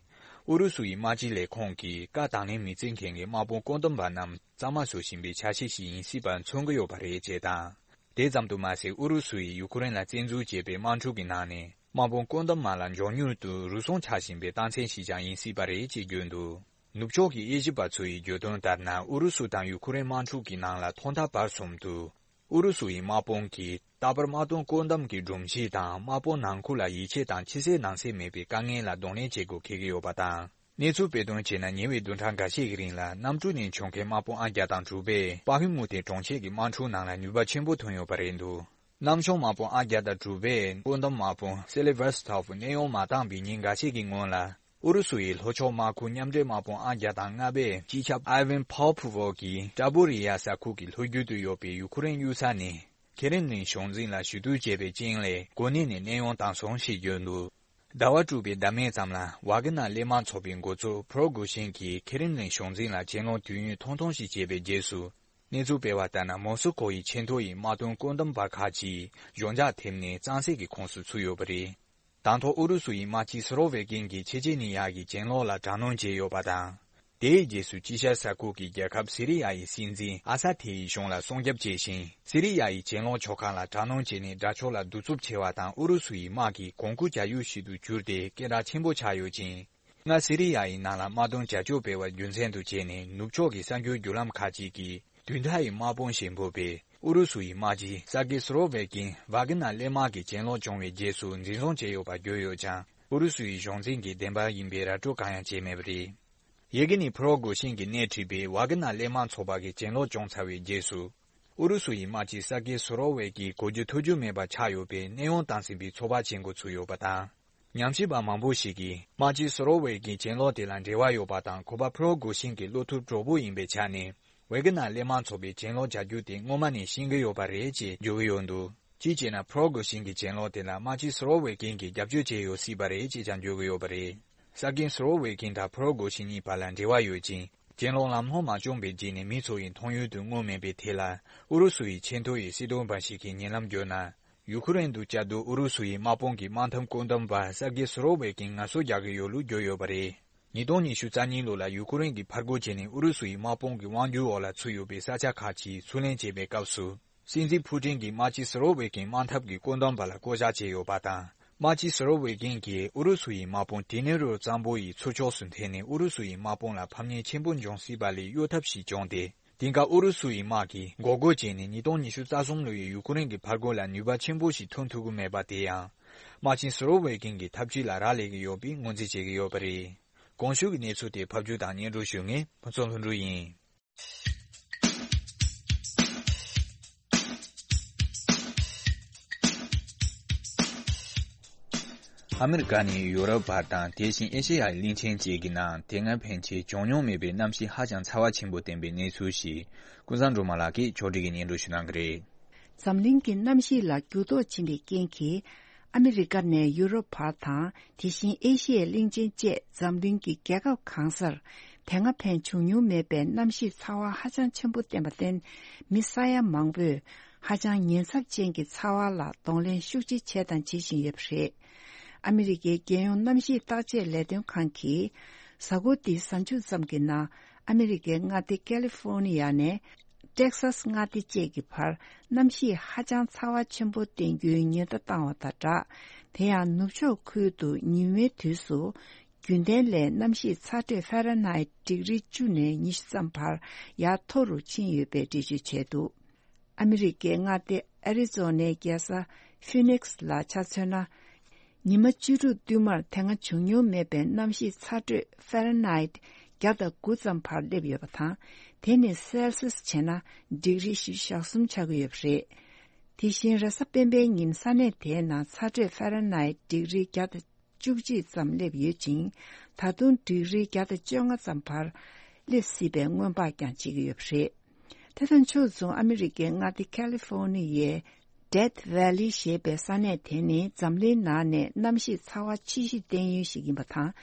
ཨུ་རུ་སུ་ཡི་དམག་སྤྱི་ལས་ཁུངས་ཀྱིས་བཀའ་དང་ལེན་མི་བྱེད་མཁན་གྱི་དམག་དཔུང་བཀོད་འདོམས་པ་རྣམས་གཙང་མ་བཟོ་བཞིན་པའི་ཆ་ཤས་ཤིག་ཡིན་སྲིད་པ་མཚོན་གྱི་ཡོད་པ་རེད་ཅེས་དང་། དེ་ཙམ་དུ་མ་ཟད། ཨུ་རུ་སུ་ཡིས་ཡུ་ཁུ་རེན་ལ་བཙན་འཛུལ་བྱས་པའི་དམག་འཁྲུག་གི་ནང་ནས་དམག་དཔུང་བཀོད་འདོམས་དམག་ལ་མགྱོགས་མྱུར་དུ་རུལ་སུངས་ཆགས་བཞིན་པའི་རྟགས་མཚན་ཞིག་ཀྱང་ཡིན་སྲིད་པ་རེད་ཅེས་བརྗོད་འདུག་ནུབ་ཕྱོགས་ཀྱི་དབྱེ་ཞིབ་པ་ཚོ་ཡིས་བརྗོད་དོན་ལྟར་ན། ཨུ་རུ་སུ་དང་ཡུ་ཁུ་རེན་དམག་འཁྲུག་གི་ནང་ལ་ཐོག་མཐའ་བར་གསུམ་དུ། ཨུ་རུ་སུ་ཡི་དམག་དཔུང་གིས་རྟག་པར་དམག་དོན་བཀོད་འདོམས་ཀྱི་སྒྲོམ་གཞི་དང་དམག་དཔུང་ནང་ཁུལ་ལ་ཡིད་ཆེས་དང་ཕྱི་གསལ་ནང་གསལ་མེད་པའི་དཀའ་ངལ་ལ་གདོང་ལེན་བྱེད་དགོས་འཁེལ་གྱི་ཡོད་པ་དང་། གནས་ཚུལ་སྤེལ་དོན་བྱས་ན། ཉེ་བའི་བདུན་ཕྲག་འགའ་ཤས་ཀྱི་རིང་ལ་གནམ་གྲུ་ནས་མཆོང་མཁན་དམག་དཔུང་ཨང་བརྒྱ་དང་དྲུག་པས་པ་ཧི་མུ་ཏེ་གྲོང་ཁྱེར་གྱི་དམག་འཁྲུག་ནང་ལ་ནུས་པ་ཆེན་པོ་ཐོན་ཡོད་པ་རེད་འདུག་གནམ་མཆོང་དམག་དཔུང་ཨང་བརྒྱ་དང་དྲུག་པས་བཀོད་འདོམས་དམག་དཔུང་སེ་ལི་ཝར་སི་ཐོ་ཧྥུ་གནས་དབྱུང་མ་བཏང་བའི་ཉིན་འགའ་ཤས་ཀྱི་སྔོན་ལ། ཨུ་རུ་སུ་ཡི་ལྷོ་ཕྱོགས་དམག་ཁུལ་མཉམ་འབྲེལ་དམག་དཔུང་ཨང་བརྒྱ་དང་ལྔ་པས་སྤྱི་ཁྱབ་ཨའི་ཝན་ཕོ་ཕུ་ཝོ་གིས་ཀྲ་པོ་རི་ཡ་ས་ཁུལ་གྱི་ལྷོ་རྒྱུད་དུ་ཡོད་པའི་ཡུ་ཁུ་རེན་གཡུལ་ས་ནས་ཁེ་རེམ་ལིན་གཞུང་འཛིན་ལ་ཞུ་གཏུག་བྱས་པའི་རྐྱེན་ལས་གོ་གནས་ནས་གནས་དབྱུང་བཏང་སོང་ཞེས་བརྗོད་འདུག་ཟླ་བ་དྲུག་པའི་ཟླ་སྨད་ཙམ་ལ་ཝཱ་གི་ནར་གླས་དམག་ཚོགས་པའི་འགོ་གཙོ་ཕུ་རོ་གུ་ཤིན་གྱིས་ཁེ་རེམ་ལིན་གཞུང་འཛིན་ལ་གྱེན་ལོག་དུས་ཡུན་ཐུང་ཐུང་ཞིག་བྱས་པའི་རྗེས་སུ། གནས་ཚུལ་སྤེལ་བ་ལྟར་ན། མོ་སི་ཀོ་ཡི་ཆེས་མཐོ་ཡི་དམག་དོན་བཀོད་འདོམས་པ་ཁག་ཅིག་གཞུང་འཇགས་ཐེབས་ནས་གཙང་སེལ་གྱི་ཁོངས་སུ་ཚུད་ཡོད་པ་རེད། དང་ཐོག་ཨུ་རུ་སུ་ཡི་དམག་སྤྱི་སུ་རོ་ཝེ་ཀིན་གྱིས་ཆེ་ཆེ་ནི་ཡ་གི་གྱེན་ལོག་ལ་དྲག་གནོན་བྱས་ཡོད་པ་དང་། དེའི་རྗེས་སུ་དཀྱིལ་ཤར་ས་ཁུལ་གྱི་རྒྱལ་ཁབ་སི་རི་ཡ་ཡི་སྲིད་འཛིན་ཨ་ས་ཐེ་ཡི་གཞུང་ལ་སྲུང་སྐྱོབ་བྱས་ཤིང་། སི་རི་ཡ་ཡི་གྱེན་ལོག་ཕྱོགས་ཁག་ལ་དྲག་གནོན་བྱས་ནས་དགྲ་ཕྱོགས་ལ་གདུག་རྩུབ་ཆེ་བ་དང་། ཨུ་རུ་སུ་ཡི་དམག་གི་གོང་བཀུར་བྱ་ཡུལ་ཞིག་ཏུ་གྱུར་ཏེ་སྐད་གྲགས་ཆེན་པོ་ཆགས་ཡོད་ཅིང་། སྔར་སི་རི་ཡ་ཡི་ནང་ལ་དམག་དོན་བྱ་སྤྱོད་སྤེལ་བ་རྒྱུ་མཚན་དུ་བྱས་ནས། ནུབ་ཕྱོགས་ཀྱི་གསར་འགྱུར་བརྒྱུད་ལམ་ཁག་ཅིག་གིས། དུས་མཐའ་ཡི་དམག་དཔུང་ཞེས་འབོད་པའི་ཨུ་རུ་སུ་ཡི་དམག་སྤྱི་སར་ཀི་སུ་རོ་ཝེ་ཀིན་ཝཱ་གི་ནར་གླས་དམག་གི་གྱེན་ལོག་བྱུང་བའི་རྗེས་སུ་འཛིན་བཟུང་བྱས་ཡོད་པ་བརྗོད་ཡོད་ཀྱང་། ཨུ་རུ་སུ་ཡི་གཞུང་འཛིན་གྱི་བདེན་པ་ཡིན་པའི་ར་སྤྲོད་གང་ཡང་བྱས་མེད་པ་རེད། ཡི་གེ་ནི་ཕུ་རོ་གུ་ཤིན་གྱིས་སྣེ་ཁྲིད་པའི་ཝཱ་གི་ནར་གླས་དམག་ཚོགས་པ་གི་གྱེན་ལོག་བྱུང་ཚར་བའི་རྗེས་སུ། ཨུ་རུ་སུ་ཡི་དམག་སྤྱི་སར་ཀི་སུ་རོ་ཝེ་ཀིན་གོ་རྒྱུ་ཐོས་རྒྱུ་མེད་པ་ཆགས་ཡོད་པའི་གནས་དབྱུང་བཏང་ཟིན་པའི་ཚོད་དཔག་བྱེད་འགོ་ཚུགས་ཡོད་པ་དང་། ཉམས་ཞིབ་པ་མང་པོ་ཞིག་གིས། དམག་སྤྱི་སུ་རོ་ཝེ་ཀིན་གྱེན་ལོག་དེ་ལ་འབྲེལ་བ་ཡོད་པ་དང་། ཁོ་པ་ཕུ་རོ་གུ་ཤིན་གྱི་བློ་ཐུབ་གྲོགས་པོ་ཡིན་པའི་ཆ་ནས། ཝེ་གི་ནར་གླས་དམག་ཚོགས་པའི་གྱེན་ལོག་བྱ་རྒྱུ་དེ་སྔོན་མ་ནས་ཤེས་ཀྱི་ཡོད་པ་རེད་ཅེས་བརྗོད་ཀྱི་ཡོད་འདུག་གཅིག་བྱས་ན། ཕུ་རོ་གུ་ཤིན་གྱི་གྱེན་ལོག་དེ་ལ་དམག་སྤྱི་སུ་རོ་ཝེ་ཀིན་གྱིས་རྒྱབ་སྐྱོར་བྱས་ཡོད་སྲིད་པ་རེད་ཅེས་ཀྱང་བརྗོད་ཀྱི་ཡོད་པ་རེད། ས་ཀིན་སུ་རོ་ཝེ་ཀིན་དང་ཕུ་རོ་གུ་ཤིན་གཉིས་བར་ལ་འབྲེལ་བ་ཡོད་ཅིང་། གྱེན་ལོག་ལམ་ལྷོང་མ་བྱུང་བའི་རྗེས་ནས་མི་ཚོ་ཡི་མཐོང་ཡུལ་དུ་མངོན་མེད་པའི་ཐད་ལ། ཨུ་རུ་སུ་ཡི་ཆེས་མཐོ་ཡི་སྲིད་དོན་པ་ཞིག་གིས་ཉེ་ལམ་བརྗོད་ན། ཡུ་ཁུ་རེན་དུ་བཅའ་སྡོད་ཨུ་རུ་སུ་ཡི་དམག་དཔུང་གི་དམག་འཐབ་བཀོད་འདོམས་པ་སར་ཀི་སུ་རོ་ཝེ་ཀིན་ངལ་གསོ་རྒྱག་གི་ཡོད་ལུགས་བརྗོད་ཡོད་པ་རེད། ཉིས་སྟོང་ཉི་ཤུ་རྩ་གཉིས་ལོ་ལ་ཡུ་ཁུ་རེན་གྱི་ཕར་རྒོལ་བྱས་ནས་ཨུ་རུ་སུ་ཡི་དམག་དཔུང་གི་དབང་སྒྱུར་འོག་ལ་ཚུད་ཡོད་པའི་ས་ཆ་ཁག་ཅིག་ཚུར་ལེན་བྱེད་པའི་སྐབས་སུ། སྲིད་འཛིན་ཕུ་ཀྲིན་གྱིས་དམག་སྤྱི་སུ་རོ་ཝེ་ཀིན་དམག་འཐབ་ཀྱི་བཀོད་འདོམས་པ་ལ་བསྐོ་བཞག་བྱས་ཡོད་པ་དང་། དམག་སྤྱི་སུ་རོ་ཝེ་ཀིན་གྱིས་ཨུ་རུ་སུ་ཡི་དམག་དཔུང་ཏི་ནེ་རོ་གཙང་པོ་ཡི་ཚུར་ཕྱོགས་སུ་འཐེན་ནས་ཨུ་རུ་སུ་ཡི་དམག་དཔུང་ལ་ཕམ་ཉེས་ཆེན་པོ་འབྱུང་སྲིད་པ་ལས་གཡོལ་ཐབས་ཤིག་བྱུང་སྟེ། དེང་སྐབས་ཨུ་རུ་སུ་ཡི་དམག་གིས་འགོག་རྒོལ་བྱས་ནས་ཉིས་སྟོང་ཉི་ཤུ་རྩ་གསུམ་ལོ་ཡི་ཡུ་ཁུ་རེན་གྱི་ཕར་རྒོལ་ལ་ནུས་པ་ཆེན་པོ་ཞིག་ཐོན་ཐུབ་ཀྱི་མེད་པ་དེ་ཡང་། དམག་ཆེན་སུ་རོ་ཝེ་ཀིན་གྱི་འཐབ་ཇུས་ལ་རག་ལས་ཀྱི་ཡོད་པའི་ངོས་འཛིན་བྱེད་ཀྱི་ཡོད་པ་རེད། གོང་ཞུས་ཀྱི་གནས་ཚུལ་དེ་ཕབ་སྒྱུར་དང་སྙན་སྒྲོན་ཞུ་མཁན་ཕུན་ཚོགས་ལྷུན་གྲུབ་ཡིན། ཨ་མི་རི་ཀ་ནས་ཡོ་རོབ་བར་དང་། དེ་བཞིན་ཨེ་ཤེ་ཡའི་གླིང་ཆེན་བཅས་ཀྱི་ནང་དེ་སྔ་ཕན་ཆད་བྱུང་མྱོང་མེད་པའི་གནམ་གཤིས་ཧ་ཅང་ཚ་བ་ཆེན་པོ་བསྟན་པའི་གནས་ཚུལ་ཞིག་ཀུན་བཟང་སྒྲོལ་མ་ལགས་ཀྱིས་ཕྱོགས་སྒྲིག་གིས་སྙན་སྒྲོན་ཞུ་གནང་གི་རེད། འཛམ་གླིང་གི་གནམ་གཤིས་ལ་འགྱུར་ལྡོག་ཕྱིན་པའི་རྐྱེན་གྱིས། ཨ་མི་རི་ཀ་ནས་ཡུ་རོབ་བར་དང་། དེ་བཞིན་ཨེ་ཤི་ཡའི་གླིང་ཆེན་བཅས་འཛམ་གླིང་གི་རྒྱལ་ཁབ་གང་སར། དེ་སྔ་ཕན་བྱུང་མྱོང་མེད་པའི་གནམ་གཤིས་ཚ་བ་ཧ་ཅང་ཆེན་པོ་བསྟན་པར་བརྟེན། མི་ས་ཡ་མང་པོས་ཧ་ཅང་ཉེན་ཚབས་ཅན་གྱི་ཚ་བ་ལ་གདོང་ལེན་ཤུགས་ཆེ་བྱས་དང་བྱེད་བཞིན་ཡོད་པ་རེད། ཨ་མི་རི་ཀའི་རྒྱལ་ཡོངས་གནམ་གཤིས་བརྟག་དཔྱད་ལས་དོན་ཁང་གིས། གཟའ་འཁོར་འདིའི་གཟའ་མཇུག་ཙམ་གྱི་ནང་ཨ་མི་རི་ཀའི་མངའ་སྡེ་ཀ་ལི་ཧྥོ་ནི་ཡ་ནས། ཏེག་སཱས་མངའ་སྡེ་བཅས་ཀྱི་བར་གནམ་གཤིས་ཧ་ཅང་ཚ་བ་ཆེན་པོ་བསྟན་རྒྱུའི་ཉེན་བརྡ་བཏང་བ་དང་སྦྲགས། དེ་ཡང་ནུབ་ཕྱོགས་ཁུལ་དུ་ཉི་མའི་དུས་སུ་རྒྱུན་ལྡན་ལས་གནམ་གཤིས་ཚ་དྲོད་ཧྥ་རན་ཧའེ་ཌིག་རི་བཅུ་ནས་ཉི་ཤུ་ཙམ་བར་ཡར་མཐོ་རུ་ཕྱིན་ཡོད་པའི་འགྲེལ་བརྗོད་བྱས་འདུག་ཨ་མི་རི་ཀའི་མངའ་སྡེ་ཨ་རི་ཛོ་ནའི་རྒྱལ་ས་ཧྥི་ནིག་སི་ལ་ཆ་མཚོན་ན། ཉི་མ་བཅུ་དྲུག་བསྟུད་མར་དེ་སྔ་བྱུང་མྱོང་མེད་པའི་གནམ་གཤིས་ཚ་དྲོད་ཧྥ་རན་ཧའེ་བརྒྱ་དང་དགུ་ཙམ་བར་སླེབས་ཡོད་པ་དང་། དེ་ནི་སེལ་སིས་བྱས་ན་ཌིག་རི་བཞི་བཅུ་ཞེ་གསུམ་ཆགས་ཀྱི་ཡོད་པ་རེད། དེ་བཞིན་རེས་གཟའ་སྤེན་པའི་ཉིན་ས་གནས་དེའི་ནང་ཚ་དྲོད་ཧྥ་རན་ཧའེ་ཌིག་རི་བརྒྱ་དང་བཅུ་གཅིག་ཙམ་སླེབས་ཡོད་ཅིང་། ད་དུང་ཌིག་རི་བརྒྱ་དང་བཅོ་ལྔ་ཙམ་བར་སླེབས་སྲིད་པའི་སྔོན་དཔག་ཀྱང་བྱེད་ཀྱི་ཡོད་པ་རེད། དེ་དང་ཕྱོགས་མཚུངས་ཨ་མི་རི་ཀའི་མངའ་སྡེ་ཁ་ལི་ཧྥོ་ནི་ཡའི་ཌེཐ་ཝེ་ལི་ཞེས་པའི་ས་གནས་དེ་ནི་འཛམ་གླིང་ནང་ནས་གནམ་གཤིས་ཚ་བ་ཆེ་ཤོས་བསྟན་ཡུལ་ཞིག་ཡིན་པ་དང་།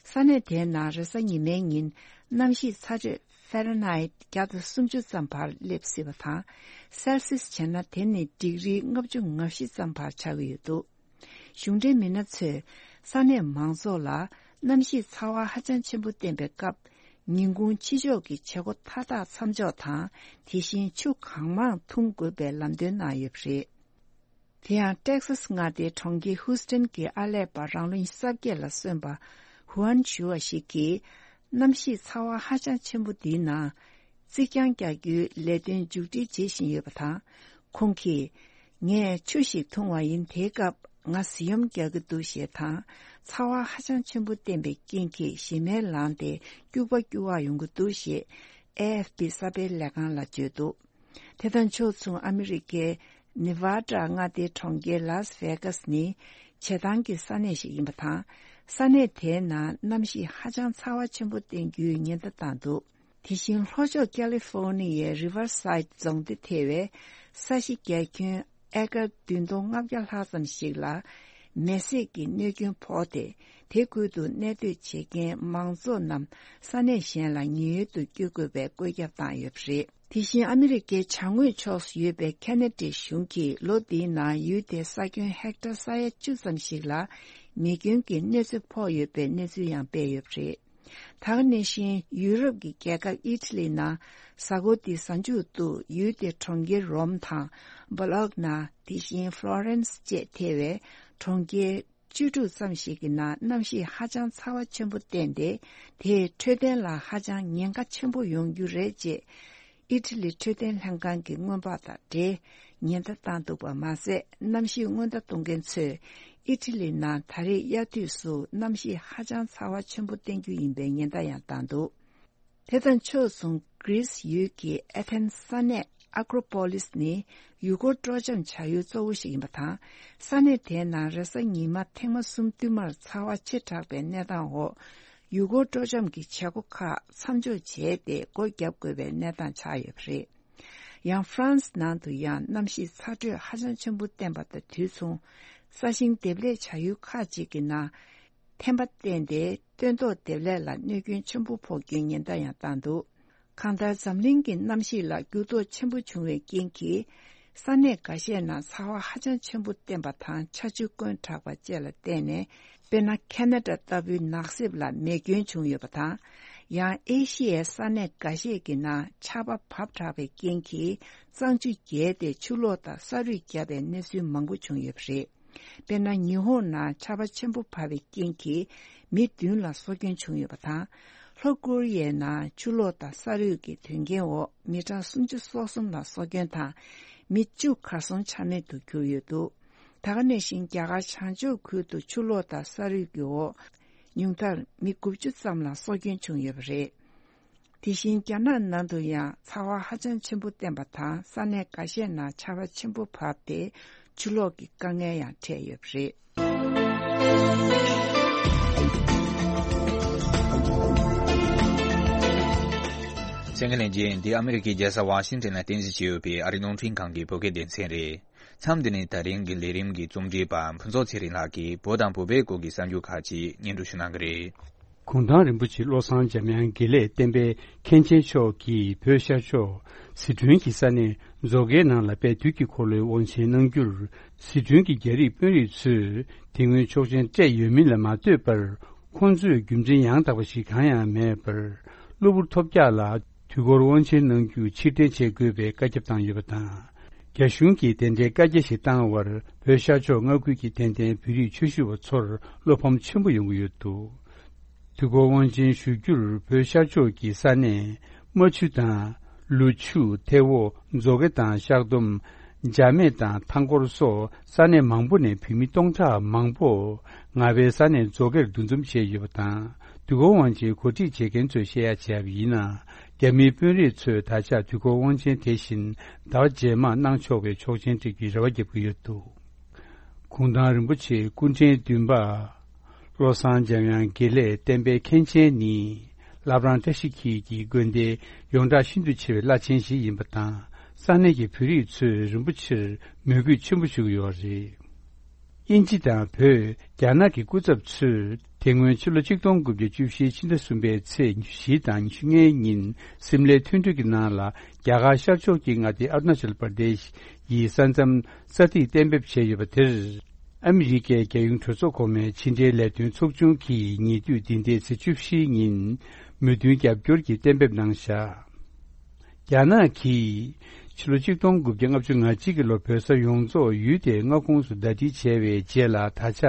ས་གནས་དེའི་ནང་རེས་གཟའ་ཉི་མའི་ཉིན་གནམ་གཤིས་ཚ་དྲོད་ཧྥ་རན་ཧའེ་བརྒྱ་དང་སུམ་ཅུ་ཙམ་བར་སླེབས་སྲིད་པ་དང་། སེལ་སིས་བྱས་ན་དེ་ནི་ཌིག་རི་ལྔ་བཅུ་ང་བཞི་ཙམ་བར་ཆགས་ཀྱི་ཡོད་འདུག་གཞུང་འབྲེལ་མི་སྣ་ཚོས་ས་གནས་མང་ཚོགས་ལ་གནམ་གཤིས་ཚ་བ་ཧ་ཅང་ཆེན་པོ་བསྟན་པའི་སྐབས། ཉིན་གུང་ཕྱི་ཕྱོགས་ཀྱི་བྱེད་སྒོ་མཐའ་དག་མཚམས་འཇོག་དང་། དེ་བཞིན་ཆུ་གང་མང་འཐུང་དགོས་པའི་ལམ་སྟོན་གནང་ཡོད་པ་རེད། དེ་ཡང་ཏེག་སཱས་མངའ་སྡེའི་གྲོང་ཁྱེར་ཧུའུ་སྟན་གྱི་ཨར་ལས་པ་རང་ལོ་ཉི་ཤུ་རྩ་བརྒྱད་ལ་སོན་པ་ཧུའན་ཞུ་བ་ཞིག་གིས། གནམ་གཤིས་ཚ་བ་ཧ་ཅང་ཆེན་པོ་འདིའི་ནང་རྩིག་གྱང་རྒྱག་རྒྱུའི་ལས་དོན་མཇུག་སྒྲིལ་བྱེད་བཞིན་ཡོད་པ་དང་། ཁོང་གིས། ངས་ཆུ་ཞིག་འཐུང་བ་ཡིན། དེའི་སྐབས་ང་གཟི་ཡོམ་རྒྱག་གི་འདུག་ཞེས་དང་། ཚ་བ་ཧ་ཅང་ཆེན་པོ་བསྟན་པའི་རྐྱེན་གྱིས་ཞེ་མེར་ལངས་ཏེ་སྐྱུག་པ་སྐྱུག་པ་ཡོང་གི་འདུག་ཞེས་ཨེ་ཨེཕ་པི་གསར་སྤེལ་ལས་ཁང་ལ་བརྗོད་འདུག་དེ་དང་ཕྱོགས་མཚུངས་ཨ་མི་རི་ཀའི་ ནེ་ཝ་ཌ་མངའ་སྡེའི་གྲོང་ཁྱེར་ལཱས་ཝེ་གཱས་ནི་བྱེ་ཐང་གི་ས་གནས་ཤིག་ཡིན་པ་དང་། ས་གནས་དེའི་ནང་གནམ་གཤིས་ཧ་ཅང་ཚ་བ་ཆེན་པོ་བསྟན་རྒྱུའི་ཉེན་བརྡ་བཏང་འདུག་དེ་བཞིན་ལྷོ་ཕྱོགས་ཀ་ལི་ཧྥོ་ནི་ཡའི་རི་ཝར་སའིད་རྫོང་སྡེ་ཐེ་བའི་ས་གཞི་རྒྱ་ཁྱོན་ཨེ་ཀར་བདུན་སྟོང་ལྔ་བརྒྱ་ལྷག་ཙམ་ཞིག་ལ་མེ་བསྲེགས་ཀྱི་གནོད་སྐྱོན་ཕོག་སྟེ། དེ་ཁུལ་དུ་གནས་སྡོད་བྱེད་མཁན་མང་ཚོགས་རྣམས་ས་གནས་གཞན་ལ་ཉེན་གཡོལ་དུ་བསྐྱོད་དགོས་པའི་བཀོད་ཁྱབ་བཏང་ཡོད་པ་རེད། དེ་བཞིན་ཨ་མི་རི་ཀའི་བྱང་ངོས་ཕྱོགས་སུ་ཡོད་པའི་ཁེ་ན་ཌའི་གཞུང་གིས་ལོ་འདིའི་ནང་ཡུལ་དེའི་ས་ཁྱོན་ཧེག་ཊར་ས་ཡ་བཅུ་ཙམ་ཞིག་ལ་མེ་སྐྱོན་གྱི་གནོད་འཚེ་ཕོག་ཡོད་པའི་གནས་ཚུལ་ཡང་སྤེལ་ཡོད་པ་རེད། ད་ག་ནང་བཞིན་ཡུ་རོབ་ཀྱི་རྒྱལ་ཁབ་ཨི་ཊ་ལི་ནང་གཟའ་འཁོར་འདིའི་གཟའ་མཇུག་ཏུ་ཡུལ་དེའི་གྲོང་ཁྱེར་རོམ་དང་། སྦོ་ལོག་ན། དེ་བཞིན་ཧྥ་ལོ་རེན་སི་བཅས་ཐེ་བའི་གྲོང་ཁྱེར་བཅུ་དྲུག་ཙམ་ཞིག་གི་ནང་གནམ་གཤིས་ཧ་ཅང་ཚ་བ་ཆེན་པོ་བསྟན་ཏེ། དེས་འཕྲོད་བསྟེན་ལ་ཧ་ཅང་ཉེན་ཁ་ཆེན་པོ་ཡོང་རྒྱུ་རེད་ཅེས་ཨི་ཊ་ལི་འཕྲོད་བསྟེན་ལྷན་ཁང་གི་སྔོན་དཔག་དང་འབྲེལ་ཉེན་བརྡ་བཏང་འདུག་པ་མ་ཟད། གནམ་གཤིས་སྔོན་བརྡ་གཏོང་མཁན་ཚོས་ཨི་ཊ་ལི་ནང་ད་རེས་དབྱར་དུས་སུ་གནམ་གཤིས་ཧ་ཅང་ཚ་བ་ཆེན་པོ་བསྟན་རྒྱུ་ཡིན་པའི་ཉེན་བརྡ་ཡང་བཏང་འདུག་དེ་དང་ཕྱོགས་མཚུངས་གྷི་རིས་ཡུལ་གྱི་ཨེ་ཐེན་ས་གནས་ཨ་ཀྲོ་པོ་ལིས་ནི་ཡུལ་སྐོར་སྤྲོ་འཆམ་བྱ་ཡུལ་གཙོ་བོ་ཞིག་ཡིན་པ་དང་། ས་གནས་དེའི་ནང་རེས་གཟའ་ཉི་མ་ཐེངས་མ་གསུམ་བསྟུད་མར་ཚ་བ་ཆེ་དྲགས་པའི་གནས་སྟངས་འོག་ཡུལ་སྐོར་སྤྲོ་འཆམ་གྱི་བྱེད་སྒོ་ཁག་མཚམས་འཇོག་བྱས་ཏེ་སྒོ་བརྒྱབ་དགོས་པའི་གནས་སྟངས་ཆགས་ཡོད་པ་རེད། ཡང་ཧྥ་རན་སི་ནང་དུ་ཡང་གནམ་གཤིས་ཚ་དྲོད་ཧ་ཅང་ཆེན་པོ་བསྟན་པ་དང་དུས་མཚུངས། ས་ཞིང་འདེབས་ལས་བྱ་ཡུལ་ཁག་ཅིག་གི་ནང་ཐན་པ་བསྟན་ཏེ། སྟོན་ཐོག་འདེབས་ལས་ལ་གནོད་སྐྱོན་ཆེན་པོ་ཕོག་རྒྱུའི་ཉེན་བརྡ་ཡང་བཏང་འདུག་གང་ལྟར་འཛམ་གླིང་གི་གནམ་གཤིས་ལ་འགྱུར་ལྡོག་ཆེན་པོ་བྱུང་བའི་རྐྱེན་གྱིས། ས་གནས་འགའ་ཤས་ནང་ཚ་བ་ཧ་ཅང་ཆེན་པོ་བསྟན་པ་དང་ཆར་ཆུ་བསྐོན་དྲགས་པ་བཅས་ལ་བརྟེན་ནས། དཔེར་ན། ཁེ་ན་ཌ་ལྟ་བུའི་ནགས་གསེབ་ལ་མེ་སྐྱོན་བྱུང་ཡོད་པ་དང་། ཡང་ཨེ་ཤི་ཡའི་ས་གནས་འགའ་ཤས་ཀྱི་ནང་ཆར་པ་བབས་དྲགས་པའི་རྐྱེན་གྱིས་གཙང་ཆུ་རྒྱས་ཏེ་ཆུ་ལོག་དང་ས་རུད་བརྒྱབ་པའི་གནས་ཚུལ་མང་པོ་བྱུང་ཡོད་པ་རེད། དཔེར་ན། ཉི་ཧོང་ནང་ཆར་པ་ཆེན་པོ་བབས་པའི་རྐྱེན་གྱིས་མི་བདུན་ལ་སྲོག་སྐྱོན་བྱུང་ཡོད་པ་དང་། ལྷོ་ཀོ་རི་ཡའི་ནང་ཆུ་ལོག་དང་ས་རུད་ཀྱི་དོན་རྐྱེན་འོག་མི་གྲངས་སུམ་ཅུ་སོ་གསུམ་ལ་སྲོག་སྐྱོན་དང་། མི་བཅུ་གར་སོང་ཆ་མེད་དུ་གྱུར་ཡོད་འདུག་ད་ག་ནང་བཞིན་རྒྱ་གར་བྱང་ཕྱོགས་ཁུལ་དུ་ཆུ་ལོག་དང་ས་རུད་ཀྱི་འོག་ཉུང་མཐར་མི་དགུ་བཅུ་ཙམ་ལ་སྲོག་སྐྱོན་བྱུང་ཡོད་པ་རེད། དེ་བཞིན་རྒྱ་ནག་ནང་དུ་ཡང་ཚ་བ་ཧ་ཅང་ཆེན་པོ་བསྟན་པ་དང་ས་གནས་འགའ་ཤས་ནང་ཆར་པ་ཆེན་པོ་བབས་ཏེ་ཆུ་ལོག་གི་དཀའ་ངལ་ཡང་འཕྲད་ཡོད་པ་རེད། གསན་མཁན་ལྷན་རྒྱས། འདི་ཨ་མི་རི་ཀའི་རྒྱལ་ས་ཝ་ཤིང་ཊོན་ལ་རྟེན་གཞི་བྱས་ཡོད་པའི་ཨ་རིའི་རླུང་འཕྲིན་ཁང་གི་བོད་སྐད་སྡེ་ཚན་རེད། མཚམས་འདི་ནས་ད་རིང་གི་ལས་རིམ་གྱི་རྩོམ་སྒྲིག་པ་ཕུན་ཚོགས་ཚེ་རིང་ལགས་ཀྱིས་བོད་དང་བོད་པའི་སྐོར་གྱི་གསར་འགྱུར་ཁག་ཅིག་སྙན་སྒྲོན་ཞུ་གནང་གི་རེད། གུང་ཐང་རིན་པོ་ཆེ་བློ་བཟང་འཇམ་དབྱངས་དགེ་ལེགས་བསྟན་པའི་མཁན་ཆེན་མཆོག་གིས་བོད་ཤར་ཕྱོགས་ཟི་ཁྲོན་གྱི་ས་གནས་མཛོ་དཀར་ནང་ལ་དཔལ་དུས་ཀྱི་འཁོར་ལོའི་དབང་ཆེན་གནང་རྒྱུར། ཟི་ཁྲོན་གྱི་རྒྱ་རིགས་དཔོན་རིགས་ཚོས་དེ་སྔོན་ཆོག་མཆན་སྤྲད་ཡོད་མིན་ལ་མ་ལྟོས་པར། ཁོང་ཚོས་རྒྱུ་མཚན་ཡང་དག་པ་ཞིག་གང་ཡང་མེད་པར། གློ་བུར་ཐོལ་རྒྱག་ལ་དུས་འཁོར་དབང་ཆེན་གནང་རྒྱུ་ཕྱིར་འཐེན་བྱེད་དགོས་པའི་བཀའ་ཁྱབ་བཏང་ཡོད་པ་དང་། རྒྱ་གཞུང་གིས་དེ་འདྲའི་བཀའ་རྒྱ་ཞིག་བཏང་བར་བོད་ཤར་ཕྱོགས་མངའ་ཁུལ་གྱི་དད་ལྡན་བོད་རིགས་ཆོས་ཞུ་བ་ཚོར་བློ་ཕམ་ཆེན་པོ་ཡོང་གི་ཡོད་འདུག་དུས་འཁོར་དབང་ཆེན་ཞུ་རྒྱུར་བོད་ཤར་ཕྱོགས་ཀྱི་ས་གནས་རྨ་ཆུ་དང་། ལུ་ཆུ། ཐེ་བོ། མཛོ་དཀར་དང་ཤག་སྡོམ། འཇར་མེད་དང་ཐང་སྐོར་སོགས་ས་གནས་མང་པོ་ནས་བོད་མི་སྟོང་ཕྲག་མང་པོ་རྔ་བའི་ས་གནས་མཛོ་དཀར་འདུ་འཛོམས་བྱས་ཡོད་པ་དང་། དུས་འཁོར་དབང་ཆེན་གོ་སྒྲིག་བྱེད་མཁན་ཚོས་བཤད་ཡ་བྱས་པ་ཡིན་ན། རྒྱ་མིའི་དཔོན་རིགས་ཚོས་ད་ཆ་དུས་འཁོར་དབང་ཆེན་དེ་བཞིན་ཟླ་བ་རྗེས་མར་གནང་ཆོག་པའི་ཆོག་མཆན་སྤྲད་རྒྱུའི་རེ་བ་བརྒྱབ་ཀྱི་ཡོད་འདུག་གུང་ཐང་རིན་པོ་ཆེ་སྐུ་ཕྲེང་བདུན་པ་བློ་བཟང་འཇམ་དབྱངས་དགེ་ལེགས་བསྟན་པའི་མཁན་ཆེན་ནི། བླ་བྲང་བཀྲ་ཤིས་འཁྱིལ་གྱི་དགོན་སྡེའི་ཡོངས་གྲགས་ཤིན་ཏུ་ཆེ་བའི་བླ་ཆེན་ཞིག་ཡིན་པ་དང་། ས་གནས་ཀྱི་བོད་རིགས་ཚོས་རིན་པོ་ཆེར་མོས་གུས་ཆེན་པོ་ཞུ་གི་ཡོད་རེད། དབྱིན་ཇི་དང་བོད། རྒྱ་ནག་གི་སྐུ་ཚབ་ཚོས་དེ་སྔོན་ཕྱི་ལོ་ཆིག་སྟོང་དགུ་བརྒྱ་བཅུ་བཞིའི་ཕྱི་ཟླ་གསུམ་པའི་ཚེས་ཉི་ཤུ་བཞི་དང་ཉི་ཤུ་ལྔའི་ཉིན་སིམ་ལའི་མཐུན་གྲོས་ཀྱི་ནང་ལ་རྒྱ་གར་ཤར་ཕྱོགས་ཀྱི་མངའ་སྡེ་ཨ་རུ་ན་ཅལ་པར་དེཤ་ཡི་ས་མཚམས་ས་ཐིག་གཏན་འབེབས་བྱས་ཡོད་པ་དེར། ཨ་མི་རི་ཀའི་རྒྱལ་ཡོངས་གྲོས་ཚོགས་གོང་མའི་ཕྱི་འབྲེལ་ལས་དོན་ཚོགས་ཆུང་གིས་ཉེ་དུས་འདི་ཟླའི་ཚེས་བཅུ་བཞི་ཉིན་མོས་མཐུན་རྒྱབ་སྐྱོར་གྱི་གཏན་འབེབས་གནང་བཞག་རྒྱ་ནག་གིས་ཕྱི་ལོ་ཆིག་སྟོང་དགུ་བརྒྱ་ལྔ་བཅུ་ང་གཅིག་གི་ལོ་བོད་ས་ཡོངས་རྫོགས་ཡུལ་དེའི་མངའ་ཁོངས་སུ་ཟླ་སྒྲིལ་བྱས་པའི་རྗེས་ལ། ད་ཆ་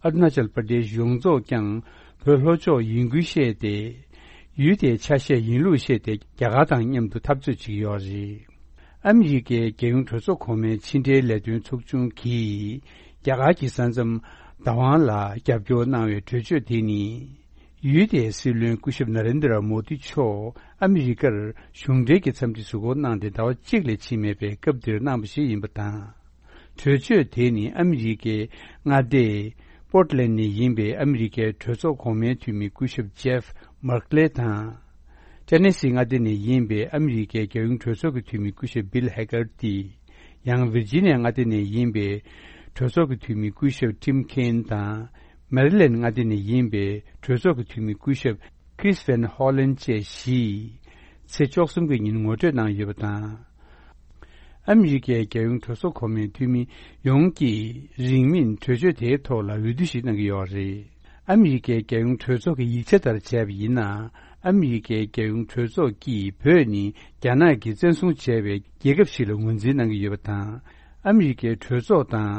ཨ་རུ་ན་ཅལ་པར་དེཤ་ཡོངས་རྫོགས་ཀྱང་བོད་ལྷོ་ཕྱོགས་ཡིན་ཁུལ་བཤད་དེ། ཡུལ་དེའི་ཆ་ཤས་ཡིན་ལུགས་བཤད་དེ་རྒྱ་གར་དང་མཉམ་དུ་འཐབ་རྩོད་བྱེད་ཀྱི་ཡོད་རེད། ཨ་མི་རི་ཀའི་རྒྱལ་ཡོངས་གྲོས་ཚོགས་གོང་མའི་ཕྱི་འབྲེལ་ལས་དོན་ཚོགས་ཆུང་གིས་རྒྱ་གར་གྱི་ས་མཚམས་བདག་དབང་ལ་རྒྱབ་སྐྱོར་གནང་བའི་གྲོས་ཆོད་དེ་ནི། ཡུལ་དེའི་སྲིད་བློན་སྐུ་ཞབས་ན་རེན་དྲ་མོ་དི་མཆོག་ཨ་མི་རི་ཀར་གཞུང་འབྲེལ་གྱི་འཚམས་འདྲི་གཟིགས་སྐོར་གནང་སྟེ་ཟླ་བ་གཅིག་ལས་ཕྱིན་མེད་པའི་སྐབས་དེར་གནང་བ་ཞིག་ཡིན་པ་དང་། གྲོས་ཆོད་དེ་ནི་ཨ་མི་རི་ཀའི་མངའ་སྡེ་པོར་ཊི་ལན་ནས་ཡིན་པའི་ཨ་མི་རི་ཀའི་གྲོས་ཚོགས་གོང་མའི་འཐུས་མི་སྐུ་ཞབས་ཇེབ་མར་ཀ་ལེ་དང་། ཊེ་ནེ་སི་མངའ་སྡེ་ནས་ཡིན་པའི་ཨ་མི་རི་ཀའི་རྒྱལ་ཡོངས་གྲོས་ཚོགས་ཀྱི་འཐུས་མི་སྐུ་ཞབས་བིལ་ཧེ་གར་ཏི། ཡང་ཝིར་ཇི་ནི་ཡ་མངའ་སྡེ་ནས་ཡིན་པའི་གྲོས་ཚོགས་ཀྱི་འཐུས་མི་སྐུ་ཞབས་ཊིམ་ཁེན་དང་། མེ་རི་ལན་མངའ་སྡེ་ནས་ཡིན་པའི་གྲོས་ཚོགས་ཀྱི་འཐུས་མི་སྐུ་ཞབས་ཁྲིས་ཝན་ཧོ་ལན་བཅས་བཞིས་ཚེས་བཅུ་གསུམ་གྱི་ཉིན་ངོ་སྤྲོད་གནང་ཡོད་པ་དང་། ཨ་མི་རི་ཀའི་རྒྱལ་ཡོངས་གྲོས་ཚོགས་གོང་མའི་འཐུས་མི་ཡོངས་ཀྱིས་རིང་མིན་གྲོས་ཆོད་དེའི་ཐོག་ལ་འོས་བསྡུ་ཞིག་གནང་གི་ཡོད་རེད། ཨ་མི་རི་ཀའི་རྒྱལ་ཡོངས་གྲོས་ཚོགས་ཀྱི་ཡིག་ཆ་ལྟར་བྱས་པ་ཡིན་ན། ཨ་མི་རི་ཀའི་རྒྱལ་ཡོངས་གྲོས་ཚོགས་ཀྱིས་བོད་ནི་རྒྱ་ནག་གིས་བཙན་བཟུང་བྱས་པའི་རྒྱལ་ཁབ་ཞིག་ལ་ངོས་འཛིན་གནང་གི་ཡོད་པ་དང་། ཨ་མི་རི་ཀའི་གྲོས་ཚོགས་དང་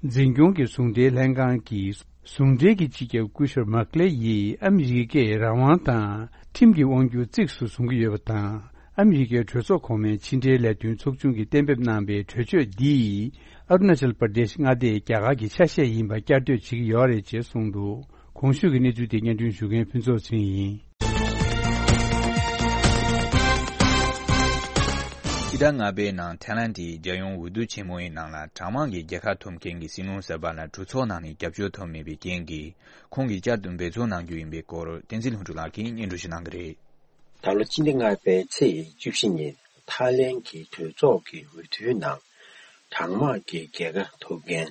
འཛིན་སྐྱོང་གི་ཟུང་འབྲེལ་ལྷན་ཁང་གིས་ཟུང་འབྲེལ་གྱི་སྤྱི་ཁྱབ་སྐུ་ཞབས་མར་ཀ་ལེ་ཡིས་ཨ་མི་རི་ཀས་རང་དབང་དང་ཁྲིམས་ཀྱི་དབང་སྒྱུར་གཙིགས་སུ་བཟུང་གི་ཡོད་པ་དང་། ཨ་མི་རི་ཀའི་གྲོས་ཚོགས་གོང་མའི་ཕྱི་འབྲེལ་ལས་དོན་ཚོགས་ཆུང་གིས་གཏན་འབེབས་གནང་པའི་གྲོས་ཆོད་འདིས་ཨ་རུ་ན་ཅལ་པར་དེཤ་མངའ་སྡེ་རྒྱ་གར་གྱི་ཆ་ཤས་ཡིན་པ་བསྐྱར་ཟློས་བྱེད་ཀྱི་ཡོད་རེད་ཅེས་གསུངས་འདུག་གོང་ཞུས་ཀྱི་གནས་ཚུལ་དེ་སྙན་སྒྲོན་ཞུ་མཁན་ཕུན་ཚོགས་ཚེ་རིང་ཡིན། ཕྱི་ཟླ་ལྔ་པའི་ནང་ཐའི་ལན་གྱི་རྒྱལ་ཡོངས་འོས་བསྡུ་ཆེན་མོའི་ནང་ལ་གྲངས་མང་གི་རྒྱལ་ཁ་ཐོབ་མཁན་གྱི་སྲིད་བློན་གསར་པ་ལ་གྲོས་ཚོགས་ནང་ནས་རྒྱབ་སྐྱོར་ཐོབ་མེད་པའི་རྐྱེན་གྱིས། ཁོང་གིས་བསྐྱར་དུ་འབད་བརྩོན་གནང་རྒྱུ་ཡིན་པའི་སྐོར་བསྟན་འཛིན་ལྷུན་གྲུབ་ལགས་ཀྱིས་སྙན་སྒྲོན་ཞུ་གནང་གི་རེད། ད་ལོ་སྤྱི་ཟླ་ལྔ་པའི་ཚེས་བཅུ་བཞི་ཉིན་ཐའི་ལན་གྱི་གྲོས་ཚོགས་ཀྱི་འོས་བསྡུའི་ནང་གྲངས་མང་གི་རྒྱལ་ཁ་ཐོབ་མཁན།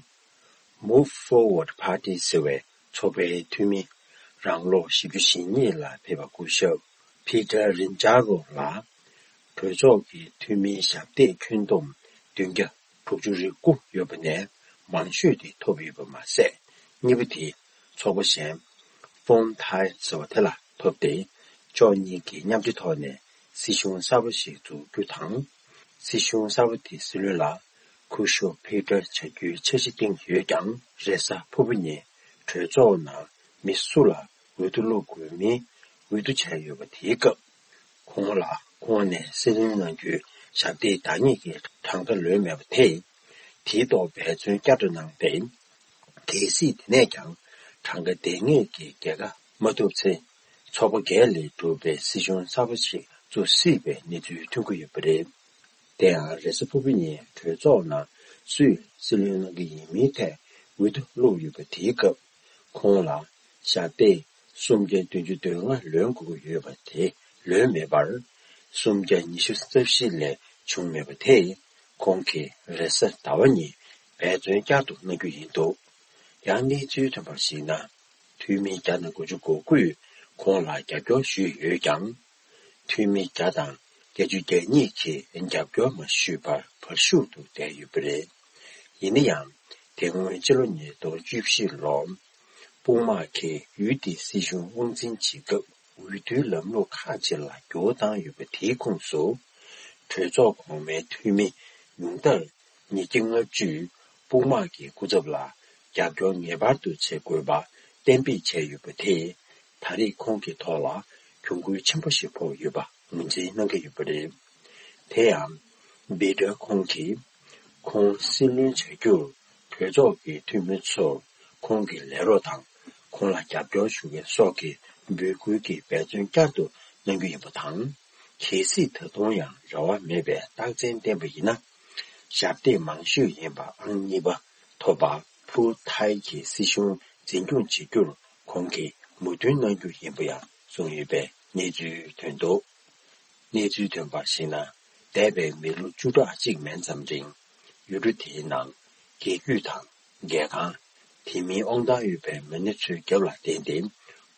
Move Forward Party ཟེར་བའི་ཚོགས་པའི་འཐུས་མི་རང་ལོ་བཞི་བཅུ་ཞེ་གཉིས་ལ་ཕེབས་པ་སྐུ་ཞབས་Peter Rindaro ལ་གྲོས་ཚོགས་ཀྱི་འཐུས་མིའི་ཞབས་སྟེགས་ཁྱོན་བསྡོམས་བདུན་བརྒྱ་དྲུག་ཅུ་རེ་དགུ་ཡོད་པ་ནས་མང་ཤོས་དེ་ཐོབ་ཡོད་པ་མ་ཟད། གཉིས་པ་དེ་ཚོགས་པ་གཞན་Phone Thai ཟེར་བ་དེ་ལ་ཐོབ་སྟེ། ཕྱོགས་གཉིས་ཀྱིས་མཉམ་འབྲེལ་ཐོག་ནས་སྲིད་གཞུང་གསར་པ་ཞིག་འཛུགས་རྒྱུ་དང་། སྲིད་གཞུང་གསར་པ་དེའི་སྲིད་བློན་ལ་སྐུ་ཞབས་ཕི་ཏར་བྱ་རྒྱུའི་འཆར་གཞི་བཏིང་ཡོད་ཀྱང་། རེས་གཟའ་ཕུར་བུ་ཉིན་གྲོས་ཚོགས་ནང་མི་སུ་ལ་འོས་བསྡུ་བླུག་དགོས་མིན་འོས་བསྡུ་བྱས་ཡོད་པ་དེའི་སྐབས། ཁོང་ལ་ཁོང་ནས་སྲིད་བློན་གནང་རྒྱུའི་ཞབས་སྟེགས་བདག་ཉིད་ཀྱི་གྲངས་ཀ་ལོན་མེད་པ་དེས། དེའི་ཐོག་འབད་བརྩོན་བསྐྱར་དུ་གནང་སྟེ། གལ་སྲིད་དེ་ནས་ཀྱང་གྲངས་ཀ་ལྡན་ངེས་ཀྱི་རྒྱལ་ཁ་མ་ཐོབ་ཚེ། ཚོགས་པ་བརྒྱད་ལས་གྲུབ་པའི་སྲིད་གཞུང་གསར་པ་ཞིག་བཙུགས་སྲིད་པའི་གནས་ཚུལ་ཐོན་གྱི་ཡོད་པ་རེད། དེ་ཡང་རེས་གཟའ་ཕུར་བུ་ཉིན་གྲོས་ཚོགས་ནང་སུས་སྲིད་བློན་གནང་གི་ཡིན་མིན་ཐད་འོས་བསྡུ་བླུགས་ཡོད་པ་དེའི་སྐབས། ཁོང་ལ་ཞབས་སྟེགས་སུམ་བརྒྱ་བདུན་ཅུ་དོན་ལྔ་ལོན་དགོས་ཀྱི་ཡོད་པ་དེ་ལོན་མེད་པར། སུམ་བརྒྱ་ཉི་ཤུ་རྩ་བཞི་ལས་བྱུང་མེད་པ་དེས། ཁོང་གིས་རེས་གཟའ་ཟླ་བ་ཉིན་འབད་བརྩོན་བསྐྱར་དུ་གནང་རྒྱུ་ཡིན་འདུག་ཡང་གནས་ཚུལ་ཐོན་པར་གཞིགས་ན། འཐུས་མི་བརྒྱ་དང་དགུ་བཅུ་གོ་དགུས་ཁོང་ལ་རྒྱབ་སྐྱོར་ཞུས་ཡོད་ཀྱང་། འཐུས་མི་བརྒྱ་དང་བརྒྱད་ཅུ་གྱ་གཉིས་ཀྱིས་རྒྱབ་སྐྱོར་མ་ཞུས་པར་བར་ཞུགས་དུ་བསྡད་ཡོད་པ་རེད། ཡིན་ན་ཡང་། དེ་སྔོན་ཕྱི་ལོ་ཉིས་སྟོང་བཅུ་བཞི་ལོར། དཔུང་དམག་གིས་ཡུལ་དེའི་སྲིད་གཞུང་དབང་འཛིན་བྱེད་སྐབས། འོས་བསྡུའི་ལམ་ལུགས་ཁག་ཅིག་ལ་འགྱུར་བ་བཏང་ཡོད་པ་དེའི་ཁོངས་སུ། གྲོས་ཚོགས་གོང་མའི་འཐུས་མི་ཉུང་མཐར་ཉིས་བརྒྱ་ལྔ་བཅུས་དཔུང་དམག་གི་སྐུ་ཚབ་ལ་རྒྱབ་སྐྱོར་ངེས་པར་དུ་བྱེད་དགོས་པ་གཏན་འབེབས་བྱས་ཡོད་པ་དེས། ད་རེས་ཁོང་གི་ཐོག་ལ་གྱོང་གུན་ཆེན་པོ་ཞིག་ཕོག་ཡོད་པ་ངོས་འཛིན་གནང་གི་ཡོད་པ་རེད། དེ་ཡང་། བྷི་ཏར་ཁོང་གིས། ཁོང་སྲིད་བློན་བྱ་རྒྱུར་གྲོས་ཚོགས་ཀྱི་འཐུས་མི་ཚོར་ཁོང་གི་ལས་རོགས་དང་། ཁོང་ལ་རྒྱབ་སྐྱོར་ཞུ་མཁན་སོགས་ཀྱི་འབོད་སྐུལ་གྱི་འབད་བརྩོན་བསྐྱར་དུ་གནང་རྒྱུ་ཡིན་པ་དང་། གལ་སྲིད་ད་དུང་ཡང་རེ་བ་མེད་པའི་རྟགས་མཚན་བསྟན་པ་ཡིན་ན། ཞབས་སྟེགས་མང་ཤོས་ཡིན་པ་ཨང་གཉིས་པ་ཐོབ་པ་ཕུ་ཐའི་གི་སྲིད་གཞུང་འཛིན་སྐྱོང་བྱེད་རྒྱུར་ཁོང་གིས་མོས་མཐུན་གནང་རྒྱུ་ཡིན་པ་ཡང་གསུངས་ཡོད་པའི་གནས་ཚུལ་ཐོན་འདུག་གནས་ཚུལ་ཐོན་པར་གཞིགས་ན། འདས་པའི་མི་ལོ་བཅུ་ཕྲག་གཅིག་མན་ཙམ་རིང་། ཡུལ་གྲུ་དེའི་ནང་རྒྱལ་རྒྱུད་དང་རྒྱལ་ཁང་། དེ་མིན་དབང་ཐང་ཡོད་པའི་མི་སྣ་ཚོའི་རྒྱབ་ལ་བརྟེན་ཏེ།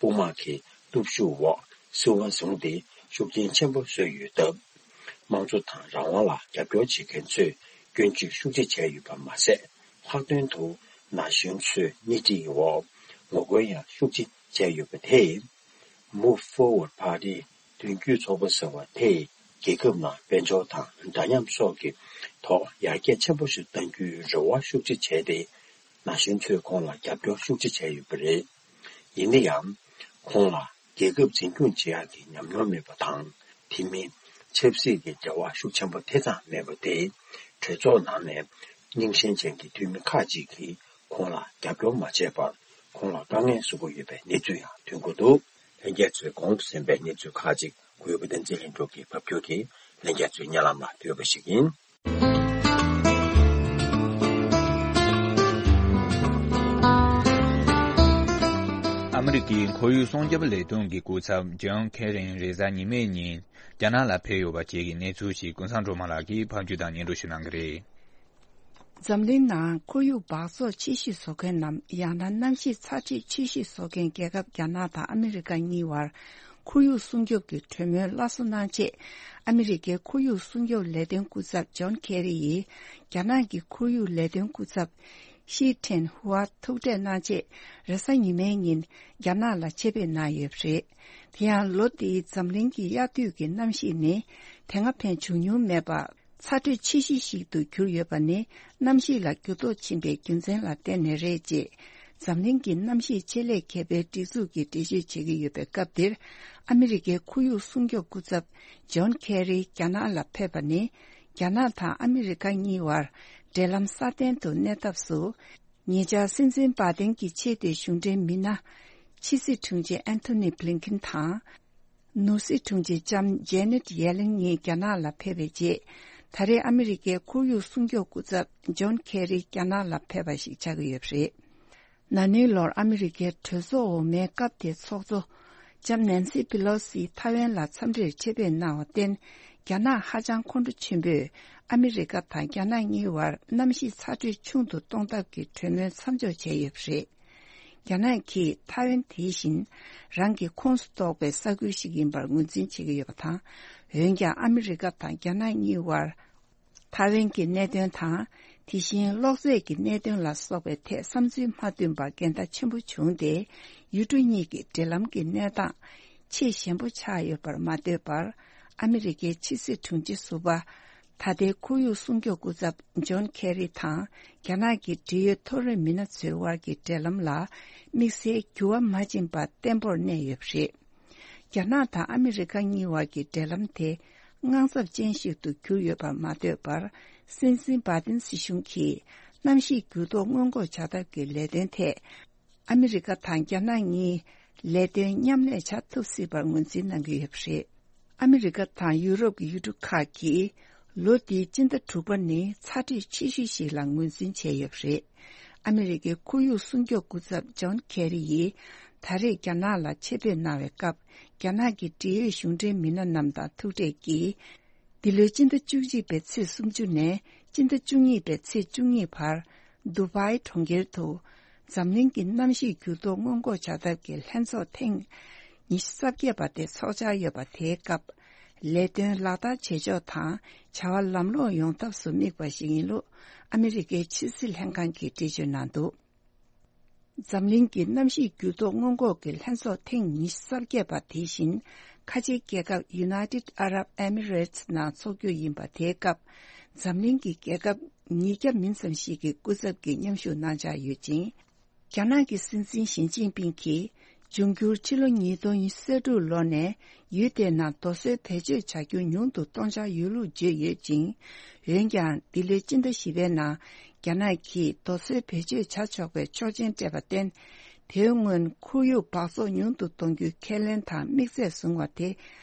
དཔུང་དམག་གི་སྟོབས་ཤུགས་འོག་སྲིད་དབང་བཟུང་སྟེ་ཤུགས་རྐྱེན་ཆེན་པོ་བཟོས་ཡོད་སྟབས། དམངས་གཙོ་དང་རང་དབང་ལ་རྒྱབ་སྐྱོར་བྱེད་མཁན་ཚོས་སྐྱོན་བརྗོད་ཤུགས་ཆེ་བྱས་ཡོད་པ་མ་ཟད། ལྷག་དོན་དུ་ན་གཞོན་ཚོས་སྣེ་ཁྲིད་འོག་ངོ་རྒོལ་ཡང་ཤུགས་ཆེ་བྱས་ཡོད་པ་དེས། Move Forward Party། མདུན་སྐྱོད་ཚོགས་པ་ཟེར་བ་དེས་རྒྱལ་ཁབ་ནང་དཔལ་འབྱོར་དང་འདྲ་མཉམ་སོགས་ཀྱི་ཐོག་ཡར་རྒྱས་ཆེན་པོ་ཞིག་གཏང་རྒྱུའི་རེ་བ་ཤུགས་ཆེ་བྱས་ཏེ། ན་གཞོན་ཚོས་ཁོང་ལ་རྒྱབ་སྐྱོར་ཤུགས་ཆེ་བྱས་ཡོད་པ་རེད། ཡིན་ན་ཡང་། ཁོང་ལ་རྒྱལ་ཁབ་འཛིན་སྐྱོང་བྱེད་ཡག་གི་ཉམས་མྱོང་མེད་པ་དང་། དེ་མིན་ཆབ་སྲིད་ཀྱི་འབྲེལ་བ་ཤུགས་ཆེན་པོ་དེ་ཙམ་མེད་པ་དེས། གྲོས་ཚོགས་ནང་ནས་རྙིང་ཞེན་ཅན་གྱི་འཐུས་མི་ཁག་ཅིག་གིས་ཁོང་ལ་རྒྱབ་སྐྱོར་མ་བྱས་པར། ཁོང་ལ་དཀའ་ངལ་བཟོ་གི་ཡོད་པའི་གནས་ཚུལ་ཡང་ཐོན་གྱི་འདུག་ལྷན་རྒྱས་ཚོས་གོང་དུ་གསན་པའི་གནས་ཚུལ་ཁག་ཅིག་གུས་པ་བསྟན་འཛིན་ལྷུན་གྲུབ་ཀྱིས་ཕབ་སྒྱུར་གྱིས་ལྷན་རྒྱས་ཚོའི་སྙན་ལམ་ལ་ཕུལ་བ་ཞིག་ཡིན། ཨ་མི་རི་ཀའི་ཁོར་ཡུག་སྲུང་སྐྱོབ་ལས་དོན་གྱི་སྐུ་ཚབ་ཇོན་ཁེ་རིན་རེས་གཟའ་ཉི་མའི་ཉིན་རྒྱ་ནག་ལ་ཕེབས་ཡོད་པ་བཅས་ཀྱི་གནས་ཚུལ་ཞིག་ཀུན་བཟང་སྒྲོལ་མ་ལགས་ཀྱིས་ཕབ་སྒྱུར་དང་སྙན་སྒྲོན་ཞུ་གནང་གི་རེད། འཛམ་གླིང་ནང་ཁོར་ཡུག་འབག་བཙོག་ཆེ་ཤོས་བཟོ་མཁན་ནམ། ཡང་ན་གནམ་གཤིས་ཚ་དྲོད་ཆེ་ཤོས་བཟོ་མཁན་རྒྱལ་ཁབ་རྒྱ་ནག་དང་ཨ་མི་རི་ཀ་གཉིས་བར་ཁོར་ཡུག་སྲུང་སྐྱོབ་ཀྱི་གྲོས་མོལ་སླར་གསོ་གནང་ཆེད། ཨ་མི་རི་ཀའི་ཁོར་ཡུག་སྲུང་སྐྱོབ་ལས་དོན་སྐུ་ཚབ་ཇོན་ཁེ་རི་ཡིས་རྒྱ་ནག་གི་ཁོར་ཡུག་ལས་དོན་སྐུ་ཚབ་ཤི་ཁྲེན་ཧུའ་ཐུག་འཕྲད་གནང་ཆེད་རེས་གཟའ་ཉི་མའི་ཉིན་རྒྱ་ནག་ལ་ཆེད་ཕེབས་གནང་ཡོད་པ་རེད། དེ་ཡང་ལོ་འདིའི་འཛམ་གླིང་གི་དབྱར་དུས་ཀྱི་གནམ་གཤིས་ནི་དེ་སྔ་ཕན་བྱུང་མྱོང་མེད་པ། ཚ་དྲོད་ཆེ་ཤོས་ཤིག་ཏུ་གྱུར་ཡོད་པ་ནི་གནམ་གཤིས་ལ་འགྱུར་ལྡོག་ཕྱིན་པའི་རྒྱུ་མཚན་ལ་བརྟེན་ནས་རེད་ཅེས། འཛམ་གླིང་གི་གནམ་གཤིས་ཆེད་ལས་མཁས་པའི་སྒྲིག་འཛུགས་ཀྱིས་འགྲེལ་བརྗོད་བྱེད་ཀྱི་ཡོད་པའི་སྐབས་འདིར། ཨ་མི་རི་ཀའི་ཁོར་ཡུག་སྲུང་སྐྱོབ་སྐུ་ཚབ་ཇོན་ཁེ་རི་རྒྱ་ནག་ལ་ཕེབས་པ་ནི། རྒྱ་ནག་དང་ཨ་མི་རི་ཀ་གཉིས་བར་འབྲེལ་ལམ་སྲ་བརྟན་དུ་གནས་ཐབས་སུ། ཉེ་ཆར་སྲིད་འཛིན་བྷ་དན་གྱི་ཆེས་མཐོའི་གཞུང་འབྲེལ་མི་སྣ་ཕྱི་སྲིད་དྲུང་ཆེ་ཨན་ཐོ་ནི་བྷི་ལིན་ཁིན་དང་། ནོར་སྲིད་དྲུང་ཆེ་ལྕམ་ཇེ་ནེད་ཡེ་ལིན་གཉིས་རྒྱ་ནག་ལ་ཕེབས་པའི་རྗེས། ད་རེས་ཨ་མི་རི་ཀའི་ཁོར་ཡུག་སྲུང་སྐྱོབ་སྐུ་ཚབ་ཇོན་ཁེ་རི་རྒྱ་ནག་ལ་ཕེབས་པ་ཞིག་ཆགས་ཀྱི་ཡོད་པ་རེད། ན་ནིང་ལོར་ཨ་མི་རི་ཀའི་གྲོས་ཚོགས་འོག་མའི་སྐབས་དེའི་ཚོགས་གཙོ་ལྕམ་ནན་སི་པི་ལོ་སི་ཐའེ་ཝན་ལ་འཚམས་འདྲིར་ཆེད་ཕེབས་གནང་བར་བརྟེན། རྒྱ་ནག་ཧ་ཅང་ཁོང་ཁྲོ་ཆེན་པོས་ཨ་མི་རི་ཀ་དང་རྒྱ་ནག་གཉིས་བར་གནམ་གཤིས་ཚ་དྲོད་ཆུང་དུ་གཏོང་ཐབས་ཀྱི་གྲོས་མོལ་མཚམས་འཇོག་བྱས་ཡོད་པ་རེད། རྒྱ་ནག་གིས་ཐའེ་ཝན་དེ་བཞིན་རང་གི་ཁོངས་སུ་གཏོགས་པའི་ས་ཁུལ་ཞིག་ཡིན་པར་ངོས་འཛིན་བྱེད་ཀྱི་ཡོད་པ་དང་། འོན་ཀྱང་ཨ་མི་རི་ཀ་དང་རྒྱ་ནག་གཉིས་བར་ཐའེ་ཝན་གྱི་གནད་དོན་དང་། དེ་བཞིན་གློག་རྫས་ཀྱི་གནད་དོན་ལ་སོགས་པའི་ཐད་བསམ་ཚུལ་མ་མཐུན་པར་འགལ་ཟླ་ཆེན་པོ་བྱུང་སྟེ། ཡུལ་གྲུ་གཉིས་ཀྱི་འབྲེལ་ལམ་གྱི་གནས་སྟངས་ཆེས་ཞན་པོ་ཆགས་ཡོད་པར་མ་ལྟོས་པར། ཨ་མི་རི་ཀའི་ཕྱི་སྲིད་དྲུང་ཆེ་ཟུར་པ། ད་ལྟའི་ཁོར་ཡུག་སྲུང་སྐྱོབ་སྐུ་ཚབ་ཇོན་ཁེ་རི་དང་རྒྱ་ནག་གི་འབྲེལ་ཡོད་མཐོ་རིམ་མི་སྣ་ཚོའི་དབར་གྱི་འབྲེལ་ལམ་ལ་དམིགས་བསལ་འགྱུར་བ་མ་ཕྱིན་པར་བརྟན་པོར་གནས་ཡོད་པ་རེད། རྒྱ་ནག་དང་ཨ་མི་རི་ཀ་གཉིས་བར་གྱི་འབྲེལ་ལམ་དེ་དངངས་འཚབ་ཅན་ཞིག་ཏུ་གྱུར་ཡོད་པར་མ་ལྟོས་པར། སྲིད་འཛིན་བྷ་དན་སྲིད་གཞུང་གིས་གནམ་གཤིས་འགྱུར་ལྡོག་སྔོན་འགོག་བྱ་ཐབས་ཀྱི་ལས་དོན་ཐད། ཨ་མི་རི་ཀ་དང་རྒྱ་ནག་གཉིས་ལས་དོན་མཉམ་ལས་བྱ་ཐུབ་སྲིད་པར་ངོས་འཛིན་གནང་གི་ཡོད་པ་རེད། ཨ་མི་རི་ཀ་དང་ཡུ་རོབ་ཀྱི་ཡུལ་གྲུ་ཁག་གིས་ལོ་འདིའི་སྤྱི་ཟླ་དྲུག་པ་ནི་ཚ་དྲོད་ཆེ་ཤོས་ཤིག་ལ་ངོས་འཛིན་བྱས་ཡོད་པ་རེད། ཨ་མི་རི་ཀའི་ཁོར་ཡུག་སྲུང་སྐྱོབ་སྐུ་ཚབ་ཇོན་ཁེ་རི་ཡིས་ད་རེས་རྒྱ་ནག་ལ་ཆེད་ཕེབས་གནང་བའི་སྐབས། རྒྱ་ནག་གི་འབྲེལ་ཡོད་གཞུང་འབྲེལ་མི་སྣ་རྣམས་དང་ཐུག་འཕྲད་ཀྱིས། འདི་ལོའི་སྤྱི་ཟླ་བཅུ་གཅིག་པའི་ཚེས་སུམ་ཅུ་ནས་སྤྱི་ཟླ་བཅུ་གཉིས་པའི་ཚེས་བཅུ་གཉིས་བར། དུ་བྷའི་གྲོང་ཁྱེར་དུ་འཛམ་གླིང་གི་གནམ་གཤིས་འགྱུར་ལྡོག་སྔོན་འགོག་བྱ་ཐབས་ཀྱི་ལྷན་ཚོགས་ཐེངས་ཉི་ཤུ་རྩ་བརྒྱད་པ་དེ་ཚོགས་འཆར་ཡོད་པ་དེའི་སྐབས། ལས་དོན་ལག་བསྟར་བྱེད་ཕྱོགས་དང་བྱ་བ་ལམ་ལྷོང་ཡོང་ཐབས་སུ་དམིགས་པ་ཞིག་ཡིན་ལུགས་ཨ་མི་རི་ཀའི་ཕྱི་སྲིད་ལྷན་ཁང་གིས་འགྲེལ་བརྗོད་གནང་འདུག་འཛམ་གླིང་གི་གནམ་གཤིས་འགྱུར་ལྡོག་སྔོན་འགོག་གི་ལྷན་ཚོགས་ཐེངས་ཉི་ཤུ་རྩ་བརྒྱད་པ་དེ་བཞིན་ཁ་ཆེའི་རྒྱལ་ཁབ་United Arab Emirates ནང་འཚོགས་རྒྱུ་ཡིན་པ་དེའི་སྐབས། འཛམ་གླིང་གི་རྒྱལ་ཁབ་ཉིས་བརྒྱ་མིན་ཙམ་ཞིག་གི་སྐུ་ཚབ་ཀྱིས་མཉམ་ཞུགས་གནང་འཆར་ཡོད་ཅིང་། རྒྱ་ནག་གི་སྲིད་འཛིན་ཞི་ཅིན་ཕིང་གིས་འབྱུང་འགྱུར་ཕྱི་ལོ་ཉིས་སྟོང་ཉི་ཤུ་རྩ་དྲུག་ལོ་ནས་ཡུལ་དེའི་ནང་རྡོ་སོལ་བེད་སྤྱོད་བྱ་རྒྱུ་ཉུང་དུ་གཏོང་འཆར་ཡོད་ལུགས་བརྗོད་ཡོད་ཅིང་། འོན་ཀྱང་འདི་ལོའི་སྤྱི་ཟླ་བཞི་པའི་ནང་རྒྱ་ནག་གིས་རྡོ་སོལ་བེད་སྤྱོད་བྱ་ཆོག་པའི་ཆོག་མཆན་སྤྲད་པར་བརྟེན། དེའི་སྔོན་ཁོར་ཡུག་འབག་བཙོག་ཉུང་དུ་གཏོང་རྒྱུའི་ཁས་ལེན་དང་དམིགས་ཚད་བཟུང་བ་དེ་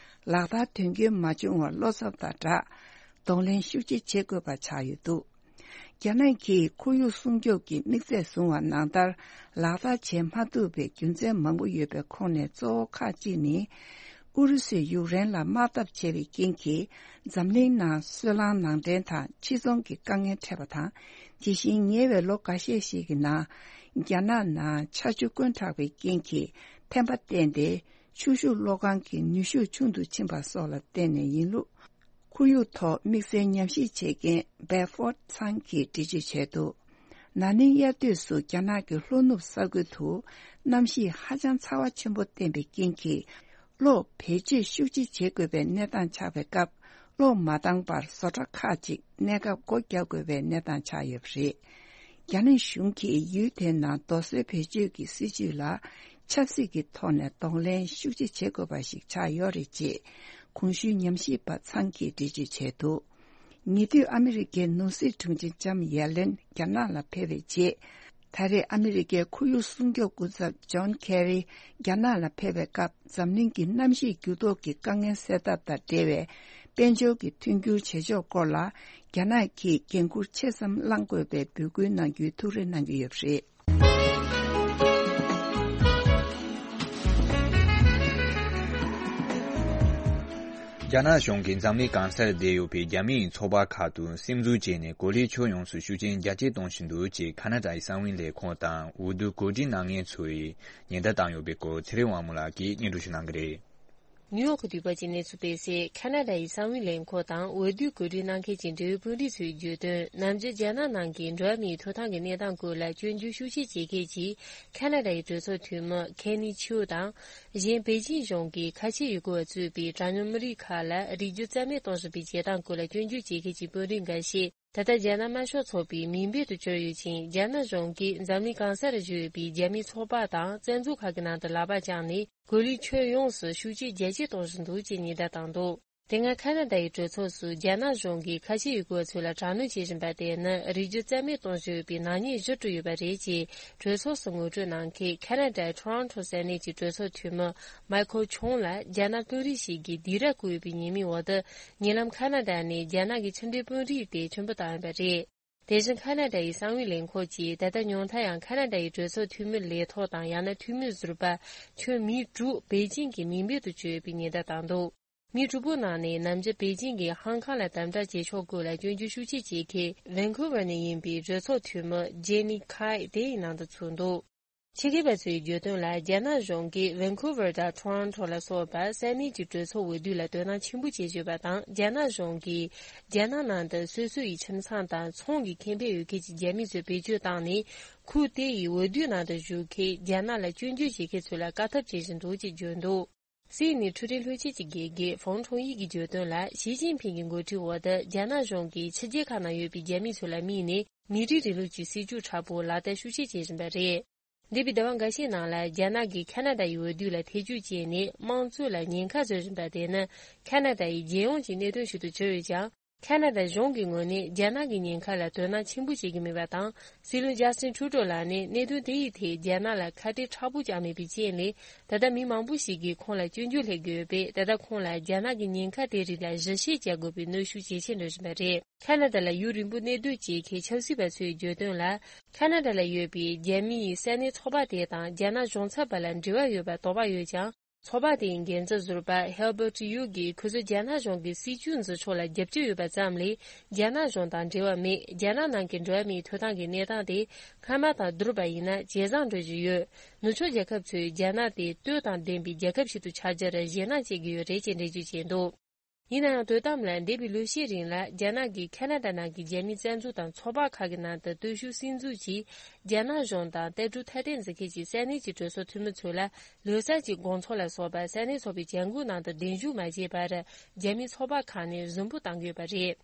ལག་བསྟར་དོན་འཁྱོལ་མ་བྱུང་བར་བློ་འཚབ་དང་སྦྲགས། གདོང་ལེན་ཤུགས་ཆེ་བྱེད་དགོས་པ་ཆགས་ཡོད་འདུག་རྒྱ་ནག་གིས་ཁོར་ཡུག་སྲུང་སྐྱོབ་ཀྱི་དམིགས་ཚད་བཟུང་བ་ནང་ལྟར་ལག་བསྟར་བྱེད་མ་ཐུབ་པའི་རྒྱུ་མཚན་མང་པོ་ཡོད་པའི་ཁོངས་ནས་གཙོ་བོ་ཁག་ཅིག་ནི། ཨུ་རུ་སུས་ཡུཀ་རེན་ལ་དམག་འཐབ་བྱས་པའི་རྐྱེན་གྱིས་འཛམ་གླིང་ནང་སོལ་རླངས་ནང་འདྲེན་དང་ཕྱིར་ཚོང་གི་དཀའ་ངལ་འཕྲད་པ་དང་། དེ་བཞིན་ཉེ་བའི་ལོ་འགའ་ཤས་ཤིག་གི་ནང་རྒྱ་ནག་ནང་ཆར་ཆུ་དཀོན་དྲགས་པའི་རྐྱེན་གྱིས་ཐན་པ་བསྟན་ཏེ། ཆུ་ཤུགས་གློག་ཁང་གི་ནུས་ཤུགས་ཆུང་དུ་ཕྱིན་པ་སོགས་ལ་བརྟེན་ནས་ཡིན་ལུགས། ཁོར་ཡུག་ཐོག་དམིགས་བསལ་ཉམས་ཞིབ་བྱེད་མཁན་Bedford ཚང་གིས་འགྲེལ་བརྗོད་བྱས་འདུག་ན་ནིང་དབྱར་དུས་སུ་རྒྱ་ནག་གི་ལྷོ་ནུབ་ས་ཁུལ་དུ་གནམ་གཤིས་ཧ་ཅང་ཚ་བ་ཆེན་པོ་བསྟན་པའི་རྐྱེན་གྱིས། གློག་བེད་སྤྱོད་ཤུགས་ཆེ་བྱེད་དགོས་པའི་གནས་སྟངས་ཆགས་པའི་སྐབས། གློག་མ་བཏང་བར་བཟོ་གྲྭ་ཁག་ཅིག་གནས་སྐབས་སྒོ་རྒྱག་དགོས་པའི་གནས་སྟངས་ཆགས་ཡོད་པ་རེད། རྒྱ་ནག་གཞུང་གིས་ཡུལ་དེའི་ནང་རྡོ་སོལ་བེད་སྤྱོད་ཀྱི་སྲིད་ཇུས་ལ་ཆབ་སྲིད་ཀྱི་ཐོག་ནས་གདོང་ལེན་ཤུགས་ཆེ་བྱེད་དགོས་པ་ཞིག་ཆགས་ཡོད་རེད་ཅེས་གོང་ཞུས་ཉམས་ཞིབ་པ་ཚང་གིས་འགྲེལ་བརྗོད་བྱས་འདུག་ཉེ་དུས་ཨ་མི་རི་ཀའི་ནོར་སྲིད་དྲུང་ཆེ་ལྕམ་ཡེ་ལེན་རྒྱ་ནག་ལ་ཕེབས་པའི་རྗེས། ད་རེས་ཨ་མི་རི་ཀའི་ཁོར་ཡུག་སྲུང་སྐྱོབ་སྐུ་ཚབ་ཇོན་ཁེ་རི་རྒྱ་ནག་ལ་ཕེབས་པའི་སྐབས། འཛམ་གླིང་གི་གནམ་གཤིས་འགྱུར་ལྡོག་གི་དཀའ་ངལ་སེལ་ཐབས་དང་འབྲེལ་བའི་དཔལ་འབྱོར་གྱི་མཐུན་འགྱུར་བྱེད་ཕྱོགས་སྐོར་ལ། རྒྱ་ནག་གིས་འགན་འཁུར་ཆེ་ཙམ་བླང་དགོས་པའི་འབོད་སྐུལ་གནང་རྒྱུའི་ཐུགས་རེ་གནང་གི་ཡོད་པ་རེད། རྒྱ་ནག་གཞུང་གིས་འཛམ་གླིང་གང་སར་བསྡད་ཡོད་པའི་རྒྱ་མིའི་ཚོགས་པ་ཁག་ཏུ་སིམ་འཛུལ་བྱས་ནས་གོ་ལའི་ཁྱོན་ཡོངས་སུ་ཤུགས་རྐྱེན་རྒྱ་སྐྱེད་གཏོང་བཞིན་འདུག་ཅེས་ཁ་ན་ཌའི་གསང་བའི་ལས་ཁུངས་དང་འོས་བསྡུ་གོ་སྒྲིག་གནང་མཁན་ཚོས་ཉེན་བརྡ་བཏང་ཡོད་པའི་སྐོར་ཚེ་རིང་དབང་མོ་ལགས་ཀྱིས་སྙན་སྒྲོན་ཞུ་གནང་གི་རེད། ནིའུ་ཡོག་གི་འདས་པ་གཅིག་གནས་ཚུལ་སྤེལ་གསལ། ཁ་ན་ཌ་ཡི་གསང་བའི་ལས་ཁུངས་དང་འོས་བསྡུའི་གོ་སྒྲིག་གནང་མཁན་གྱི་འབྲེལ་ཡོད་དཔོན་རིགས་ཚོས་བརྗོད་དོན། ནམ་རྒྱུན་རྒྱ་ནག་ནང་གི་འགྲོ་བ་མིའི་ཐོབ་ཐང་གི་གནས་སྟངས་སྐོར་ལ་སྐྱོན་བརྗོད་ཤུགས་ཆེ་བྱེད་མཁན་གྱི་ཁ་ན་ཌ་ཡི་གྲོས་ཚོགས་འཐུས་མི་ཁེ་ནི་ཆིའུ་དང་། གཞན་པེ་ཅིང་གཞུང་གིས་ཁ་ཆེ་ཡུལ་སྐོར་བ་གཙོས་པའི་གྲངས་ཉུང་མི་རིགས་ཁག་ལ་རིགས་རྒྱུད་རྩ་མེད་གཏོང་བཞིན་པའི་བྱེད་སྟངས་སྐོར་ལ་སྐྱོན་བརྗོད་བྱེད་མཁན་གྱི་དཔོན་རིགས་འགའ་ཤས། ད་ལྟ་རྒྱ་ནག་དམར་ཤོག་ཚོགས་པའི་མིང་འབོད་དུ་གྱུར་ཡོད་ཅིང་། རྒྱ་ནག་གཞུང་གིས་འཛམ་གླིང་གང་སར་བཞུགས་ཡོད་པའི་རྒྱ་མིའི་ཚོགས་པ་དང་བཙན་འཛུལ་ཁག་གི་ནང་དུ་ལག་པ་བརྐྱངས་ནས་གོ་ལའི་ཁྱོན་ཡོངས་སུ་ཤུགས་རྐྱེན་རྒྱ་སྐྱེད་གཏོང་བཞིན་འདུག་ཅེས་ཉེན་བརྡ་བཏང་འདུག་དེ་སྔ་ཁ་ན་ཌ་ཡི་གྲོས་ཚོགས་སུ་རྒྱ་ནག་གཞུང་གིས་ཁ་ཆེ་ཡུལ་སྐོར་བ་ཚོ་ལ་དྲག་གནོན་བྱེད་བཞིན་པ་དེ་ནི་རིགས་རྒྱུད་རྩ་མེད་གཏོང་བཞིན་ཡོད་པའི་ནག་ཉེས་གཞི་གྲུབ་ཡོད་པ་རེད་ཅེས་གྲོས་ཚོགས་སུ་ངོ་སྤྲོད་གནང་མཁན་ཁ་ན་ཌའི་ཊོ་རོན་ཊོ་ས་གནས་ཀྱི་གྲོས་ཚོགས་འཐུས་མི་མའི་ཁལ་ཆོང་ལ་རྒྱ་ནག་དཔོན་རིགས་ཤིག་གིས་སྡིགས་ར་བསྐུལ་ཡོད་པའི་ཉེས་མིང་འོག་ཏུ། ཉེ་ལམ་ཁ་ན་ཌ་ནས་རྒྱ་ནག་གི་ཕྱི་འབྲེལ་དཔོན་རིགས་དེ་ཕྱིར་འབུད་བཏང་ཡོད་པ་རེད། དེ་བཞིན་ཁ་ན་ཌ་ཡི་གསང་བའི་ལས་ཁུངས་ཀྱིས་ད་ལྟ་ཉུང་མཐའ་ཡང་ཁ་ན་ཌ་ཡི་གྲོས་ཚོགས་འཐུས་མི་ལས་ཐོག་དང་། ཡང་ན་འཐུས་མི་ཟུར་པ་ཁྱོན་མི་དྲུག་པེ་ཅིང་གི་མིང་འབོད་དུ་གྱུར་ཡོད་པའི་ཉེན་བརྡ་བཏང་འདུག་མི་དྲུག་པོའི་ནང་ནས་ནམ་རྒྱུན་པེ་ཅིང་གིས་ཧང་ཀང་ལ་དམ་དྲག་བྱེད་ཕྱོགས་སྐོར་ལ་སྐྱོན་བརྗོད་ཤུགས་ཆེ་བྱེད་མཁན་ཝན་ཁུ་ཝར་ནས་ཡིན་པའི་གྲོས་ཚོགས་འཐུས་མི་ཇེ་ནི་ཁའེ་དེ་ཡི་ནང་དུ་ཚུད་འདུག་ཕྱི་རྒྱལ་བ་ཚོའི་བརྗོད་དོན་ལ། རྒྱ་ནག་གཞུང་གིས་ཝན་ཁུ་ཝར་དང་ཊོ་རོན་ཊོ་ལ་སོགས་པ་ས་གནས་ཀྱི་གྲོས་ཚོགས་འོས་བསྡུ་ལ་དོ་སྣང་ཆེན་པོ་བྱེད་བཞིན་པ་དང་། རྒྱ་ནག་གཞུང་གིས་རྒྱ་ནག་ནང་དུ་སོ་སོ་ཡི་ཁྱིམ་ཚང་དང་ཚོང་གི་ཁེ་ཕན་ཡོད་མཁན་གྱི་རྒྱ་མི་ཚོ་བེད་སྤྱོད་བཏང་ནས། ཁུལ་དེ་ཡི་འོས་བསྡུའི་ནང་དུ་ཞུགས་མཁན་རྒྱ་ནག་ལ་སྐྱོན་བརྗོད་བྱེད་མཁན་ཚོ་ལ་དཀའ་ཐུབ་བྱེད་བཞིན་འདུག་ཅེས་བརྗོད་འདུག་སི་ཨེན་ཨེན་འཕྲུལ་རིག་བློན་ཆེན་གྱི་དགེ་རྒན་ཧྥང་ཁྲུང་ཡི་གིས་བརྗོད་དོན་ལ། ཞི་ཅིན་ཕིང་གི་འགོ་ཁྲིད་འོག་ཏུ་རྒྱ་ནག་གཞུང་གིས་ཕྱི་རྒྱལ་ཁག་ནང་ཡོད་པའི་རྒྱ་མི་ཚོ་ལ་དམིགས་ནས་མི་རིགས་རིང་ལུགས་ཀྱི་སྲིད་ཇུས་དྲག་པོ་ལག་བསྟར་ཤུགས་ཆེ་བྱེད་བཞིན་པ་རེད། འདས་པའི་ཟླ་བ་འགའ་ཤས་ནང་ལ་རྒྱ་ནག་གིས་ཁ་ན་ཌ་ཡི་འོས་བསྡུ་ལ་ཐེ་ཇུས་བྱས་ནས་དམངས་གཙོ་ལ་ཉེན་ཁ་བཟོ་བཞིན་པ་དེ་ནི་ཁ་ན་ཌ་ཡི་རྒྱལ་ཡོངས་ཀྱི་གནད་དོན་ཞིག་ཏུ་གྱུར་ཡོད་ཀྱང་། ཁ་ན་ཌ་གཞུང་གི་ངོས་ནས་རྒྱ་ནག་གི་ཉེན་ཁ་ལ་དོ་སྣང་ཆེན་པོ་བྱེད་ཀྱི་མེད་པ་དང་། སྲིད་བློན་ཇ་སི་ཊིན་ཁྲུ་ཌོ་ལགས་ནས་གནད་དོན་དེ་ཡི་ཐད་རྒྱ་ནག་ལ་ཁ་གཏད་མཁྲེགས་པོ་བཅངས་མེད་པའི་རྐྱེན་ལས། ད་ལྟ་མི་མང་པོ་ཞིག་གིས་ཁོང་ལ་སྐྱོན་བརྗོད་སླེབས་ཀྱི་ཡོད་པས། ད་ལྟ་ཁོང་ལ་རྒྱ་ནག་གི་ཉེན་ཁ་དེ་རིགས་ལ་ཞིབ་བཤེར་བྱ་དགོས་པའི་གནོན་ཤུགས་ཇེ་ཆེར་འགྲོ་བཞིན་པ་རེད། ཁ་ན་ཌ་ལ་ཡུན་རིང་པོ་གནས་སྡོད་བྱེད་མཁན་ཆབ་སྲིད་པ་ཚོས་བརྗོད་དོན་ལ། ཁ་ན་ཌ་ལ་ཡོད་པའི་རྒྱ་མིའི་ས་གནས་ཚོགས་པ་དེ་དང་རྒྱ་ནག་གཞུང་ཚབ་པ་ལ་འབྲེལ་བ་ཡོད་པར་དོགས་པ་ཡོད་ཀྱང་། ཚོགས་པ་དེའི་འགན་འཛིན་ཟུར་པ་ཧེལ་བར་ཊི་ཡུ་གིས་ཁོ་ཚོས་རྒྱ་ནག་གཞུང་གི་སྲིད་ཇུས་འཛིན་ཕྱོགས་ལ་རྒྱབ་སྐྱོར་ཡོད་པ་ཙམ་ལས། རྒྱ་ནག་གཞུང་དང་འབྲེལ་བ་མེད། རྒྱ་ནག་ནང་གི་འགྲོ་བ་མིའི་ཐོབ་ཐང་གི་གནས་སྟངས་དེ་སྔ་མ་དང་བསྡུར་བ་ཡིན་ན་ཇེ་བཟང་འགྲོ་བཞིན་ཡོད། ནུབ་ཕྱོགས་རྒྱལ་ཁབ་ཚོས་རྒྱ་ནག་དེ་ལྟོས་དང་ལྡན་པའི་རྒྱལ་ཁབ་ཞིག་ཏུ་ཆགས་རྒྱུར་ཞེད་སྣང་བྱེད་ཀྱི་ཡོད་རེད་ཅེས་འགྲེལ་བརྗོད་བྱས་འདུག་ཡིན་ན་ཡང་། དོ་དམ་ལ་འདས་པའི་ལོ་ཤས་རིང་ལ་རྒྱ་ནག་གིས་ཁ་ན་ཌ་ནང་གི་རྒྱ་མིའི་བཙན་འཛུལ་དང་ཚོགས་པ་ཁག་གི་ནང་དུ་སྟོབས་ཤུགས་སིམ་འཛུལ་གྱིས། རྒྱ་ནག་གཞུང་དང་ལྟ་གྲུབ་ཐ་དད་འཛིན་མཁན་གྱི་ས་གནས་ཀྱི་གྲོས་ཚོགས་འཐུས་མི་ཚོ་ལ་ལོ་གསར་གྱི་དགོང་ཚོགས་ལ་སོགས་པ་ས་གནས་ཚོགས་པའི་བྱ་འགུལ་ནང་དུ་གདན་ཞུ་མ་བྱས་པར། རྒྱ་མིའི་ཚོགས་པ་ཁག་ནས་གཟིགས་འབུལ་བཏང་གི་ཡོད་པ་རེད།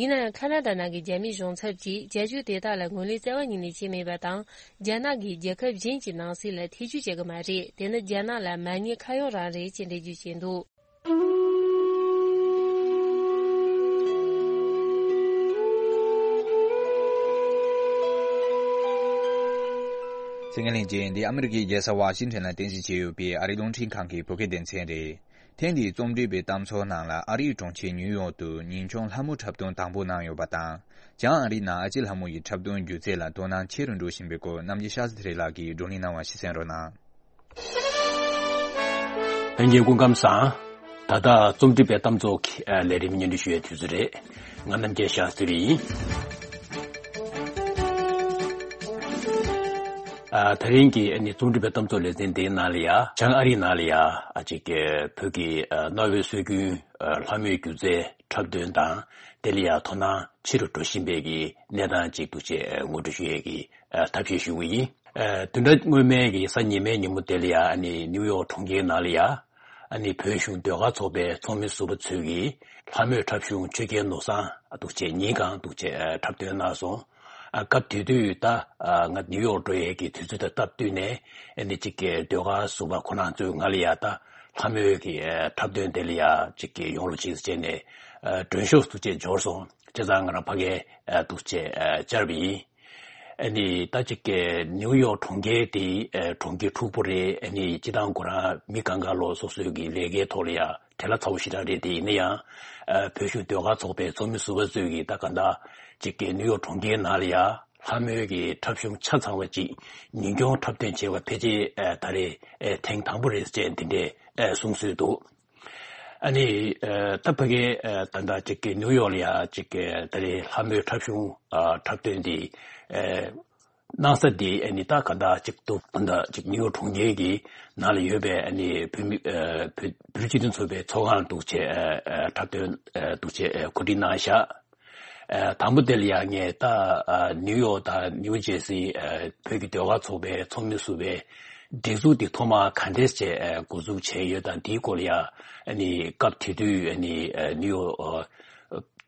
ཡིན་ན་ཡང་། ཁ་ན་ཌ་ནང་གི་རྒྱ་མིའི་གཞུང་ཚབ་ཀྱིས་བྱ་སྤྱོད་དེ་དག་ལ་ངོས་ལེན་རྩ་བ་ཉིད་ནས་བྱས་མེད་པ་དང་། རྒྱ་ནག་གིས་རྒྱལ་ཁབ་གཞན་གྱི་ནང་སྲིད་ལ་ཐེ་ཇུས་བྱེད་ཀྱི་མ་རེད། དེ་ནི་རྒྱ་ནག་ལ་མ་ཉེས་ཁ་གཡོག་རང་རེད་ཅེས་འགྲེལ་བརྗོད་བྱས་འདུག་ཚེ་རིང་ལྷན་རྒྱས། འདི་ཨ་མི་རི་ཀའི་རྒྱལ་ས་ཝ་ཤིང་ཊོན་ལ་རྟེན་གཞི་བྱས་ཡོད་པའི་ཨ་རིའི་རླུང་འཕྲིན་ཁང་གི་བོད་སྐད་སྡེ་ཚན་རེད། ཐེངས་འདིའི་རྩོམ་སྒྲིག་པའི་གཏམ་ཚོགས་ནང་ལ་ཨ་རིའི་གྲོང་ཁྱེར་ནིའུ་ཡོག་ཏུ་ཉིན་ཆུང་ལྷ་མོ་འཁྲབ་སྟོན་དང་པོ་གནང་ཡོད་པ་དང་། བྱང་ཨ་རིའི་ནང་ཨ་ཅེ་ལྷ་མོ་ཡི་འཁྲབ་སྟོན་སྒྱུ་རྩལ་ལ་དོ་སྣང་ཆེ་རུ་འགྲོ་བཞིན་པའི་སྐོར་གནམ་རྒྱལ་ཤཱ་ཟི་ཐེ་རི་ལགས་ཀྱིས་བགྲོ་གླེང་གནང་བ་ཞིག་གསན་རོགས་གནང་། ལྷན་རྒྱས་སྐུ་ཁམས་བཟང་། ད་ལྟ་རྩོམ་སྒྲིག་པའི་གཏམ་ཚོགས་ཀྱི་ལས་རིམ་སྙན་སྒྲོན་ཞུ་བའི་དུས་ཚོད་རེད། ང་རྣམ་རྒྱལ་ཤཱ་སྟི་རི་ཡིན། ཨ། ད་རིང་གི་ཨ་ནི་རྩོམ་སྒྲིག་པའི་གཏམ་ཚོགས་ལེ་ཚན་འདིའི་ནང་ལ་ཡ། བྱང་ཨ་རིའི་ནང་ལ་ཡ། ཨ་ཅིག་བོད་ཀྱི་ཨ་གནའ་བོའི་སྲོལ་རྒྱུན་ཨ་ལྷ་མོའི་སྒྱུ་རྩལ་འཁྲབ་སྟོན་དང་། དེ་ལ་ཡ་དོ་སྣང་ཆེ་རུ་འགྲོ་བཞིན་པའི་གི་གནས་སྟངས་ཅིག་འདུག་ཅེས་ངོ་སྤྲོད་ཞུ་ཡས་ཀྱི་ཨ་ཐབས་ཤེས་ཞུ་གི་ཡིན། ཨ། བདུན་ཕྲག་སྔོན་མའི་གི་གཟའ་ཉི་མའི་ཉིན་མོ་དེ་ལ་ཡ། ཨ་ནི་ནིའུ་ཡོག་གྲོང་ཁྱེར་ནང་ལ་ཡ། ཨ་ནི་བོད་གཞུང་ཟློས་གར་ཚོགས་པའི་ཚོགས་མི་ཟུར་པ་ཚོས་ཀྱིས་ལྷ་མོའི་འཁྲབ་གཞུང་ཆོས་རྒྱལ་ནོར་བཟང་འདུག་ཅེས་ཉིན་གང་འདུག་ཅེས་འཁྲབ་སྟོན་གནང་སོང་། ཨ། སྐབས་དེ་དུས་ད་ང་ནིའུ་ཡོག་འགྲོ་ཡས་ཀྱི་དུས་ཚོད་དང་སྟབས་བསྟུན་ནས། ཨ་ནི་གཅིག་གི་ཟློས་གར་ཟུར་པ་ཁོ་རང་ཚོས་ང་ལ་ཡ་ད་ལྷ་མོའི་གི་འཁྲབ་སྟོན་དེ་ལ་ཡ་གཅིག་གི་ཡོང་རོགས་གྱིས་ཟེར་ནས་མགྲོན་ཤོག་འདུག་ཅེས་འབྱོར་སོང་། བྱས་ཙང་ང་རང་ཕ་གིར་འདུག་ཅེས་བཅར་བ་ཡིན། ཨ་ནི་ད་ཅིག་གི་ནིའུ་ཡོག་གྲོང་ཁྱེར་དེ་ཨ་གྲོང་ཁྱེར་འཁྲུག་པོ་རེད། ཨ་ནི་སྤྱིར་བཏང་ཁོ་རང་མི་གང་ག་ལོ་སོ་སོའི་གི་ལས་ཀའི་ཐོག་ལ་ཡ་བྲེལ་བ་ཚ་པོ་ཞེ་དྲག་རེད། དེ་ཡིན་ན་ཡང་ཨ་བོད་གཞུང་ཟློས་གར་ཚོགས་པའི་ཚོགས་མི་ཟུར་པ་ཚོས་ཀྱིས་ད་ག་འདྲ་ཅིག་གི་ནིའུ་ཡོག་གྲོང་ཁྱེར་ནང་ལ་ཡ་ལྷ་མོའི་གི་འཁྲབ་གཞུང་ཆ་ཚང་བ་ཅིག་ཉིན་གུང་འཁྲབ་སྟོན་བྱས་པ་ཕལ་ཆེར་ཨ་ད་རེས་ཨ་ཐེངས་དང་པོ་རེད་ཅེས་འདི་འདྲས་ཨ་གསུངས་སྲོལ་འདུག་ཨ་ནི་ཨ་ད་ཕ་གི་ཨ་ད་ལྟ་ཅིག་གི་ནིའུ་ཡོག་ལ་ཡ་ཅིག་གི་ད་རེས་ལྷ་མོའི་འཁྲབ་གཞུང་ཨ་འཁྲབ་སྟོན་འདི་ཨ་གནང་ས་འདི་ཨ་ནི་ད་ག་འདྲ་ཅིག་འདུག་ད་ལྟ་ཅིག་ནིའུ་ཡོག་གྲོང་ཁྱེར་གྱི་ནང་ལ་ཡོད་པའི་ཨ་ནི་བོད་མི་ཨ་བོད་བོད་སྤྱི་མཐུན་ཚོགས་པའི་ཚོགས་ཁང་འདུག་བྱས་ཨ་ཨ་འཁྲབ་སྟོན་ཨ་འདུག་བྱས་ཨ་གོ་སྒྲིག་གནང་བཞག་ཨ་དང་པོ་དེ་ལ་ཡང་ངས་ད་ཨ་ནིའུ་ཡོག་དང་ནིའུ་ཇེར་སི་ཨ་བོད་ཀྱི་ཟློས་གར་ཚོགས་པའི་ཚོགས་མི་ཟུར་པའི་སྒྲིག་འཛུགས་དེ་ཐོག་མར་ག་འདྲས་བྱས་ཨ་འགོ་འཛུགས་བྱས་ཡོད་དང་དེའི་སྐོར་ལ་ཡང་ཨ་ནི་སྐབས་དེ་དུས་ཨ་ནི་ཨ་ནིའུ་ཡོག་ཨ་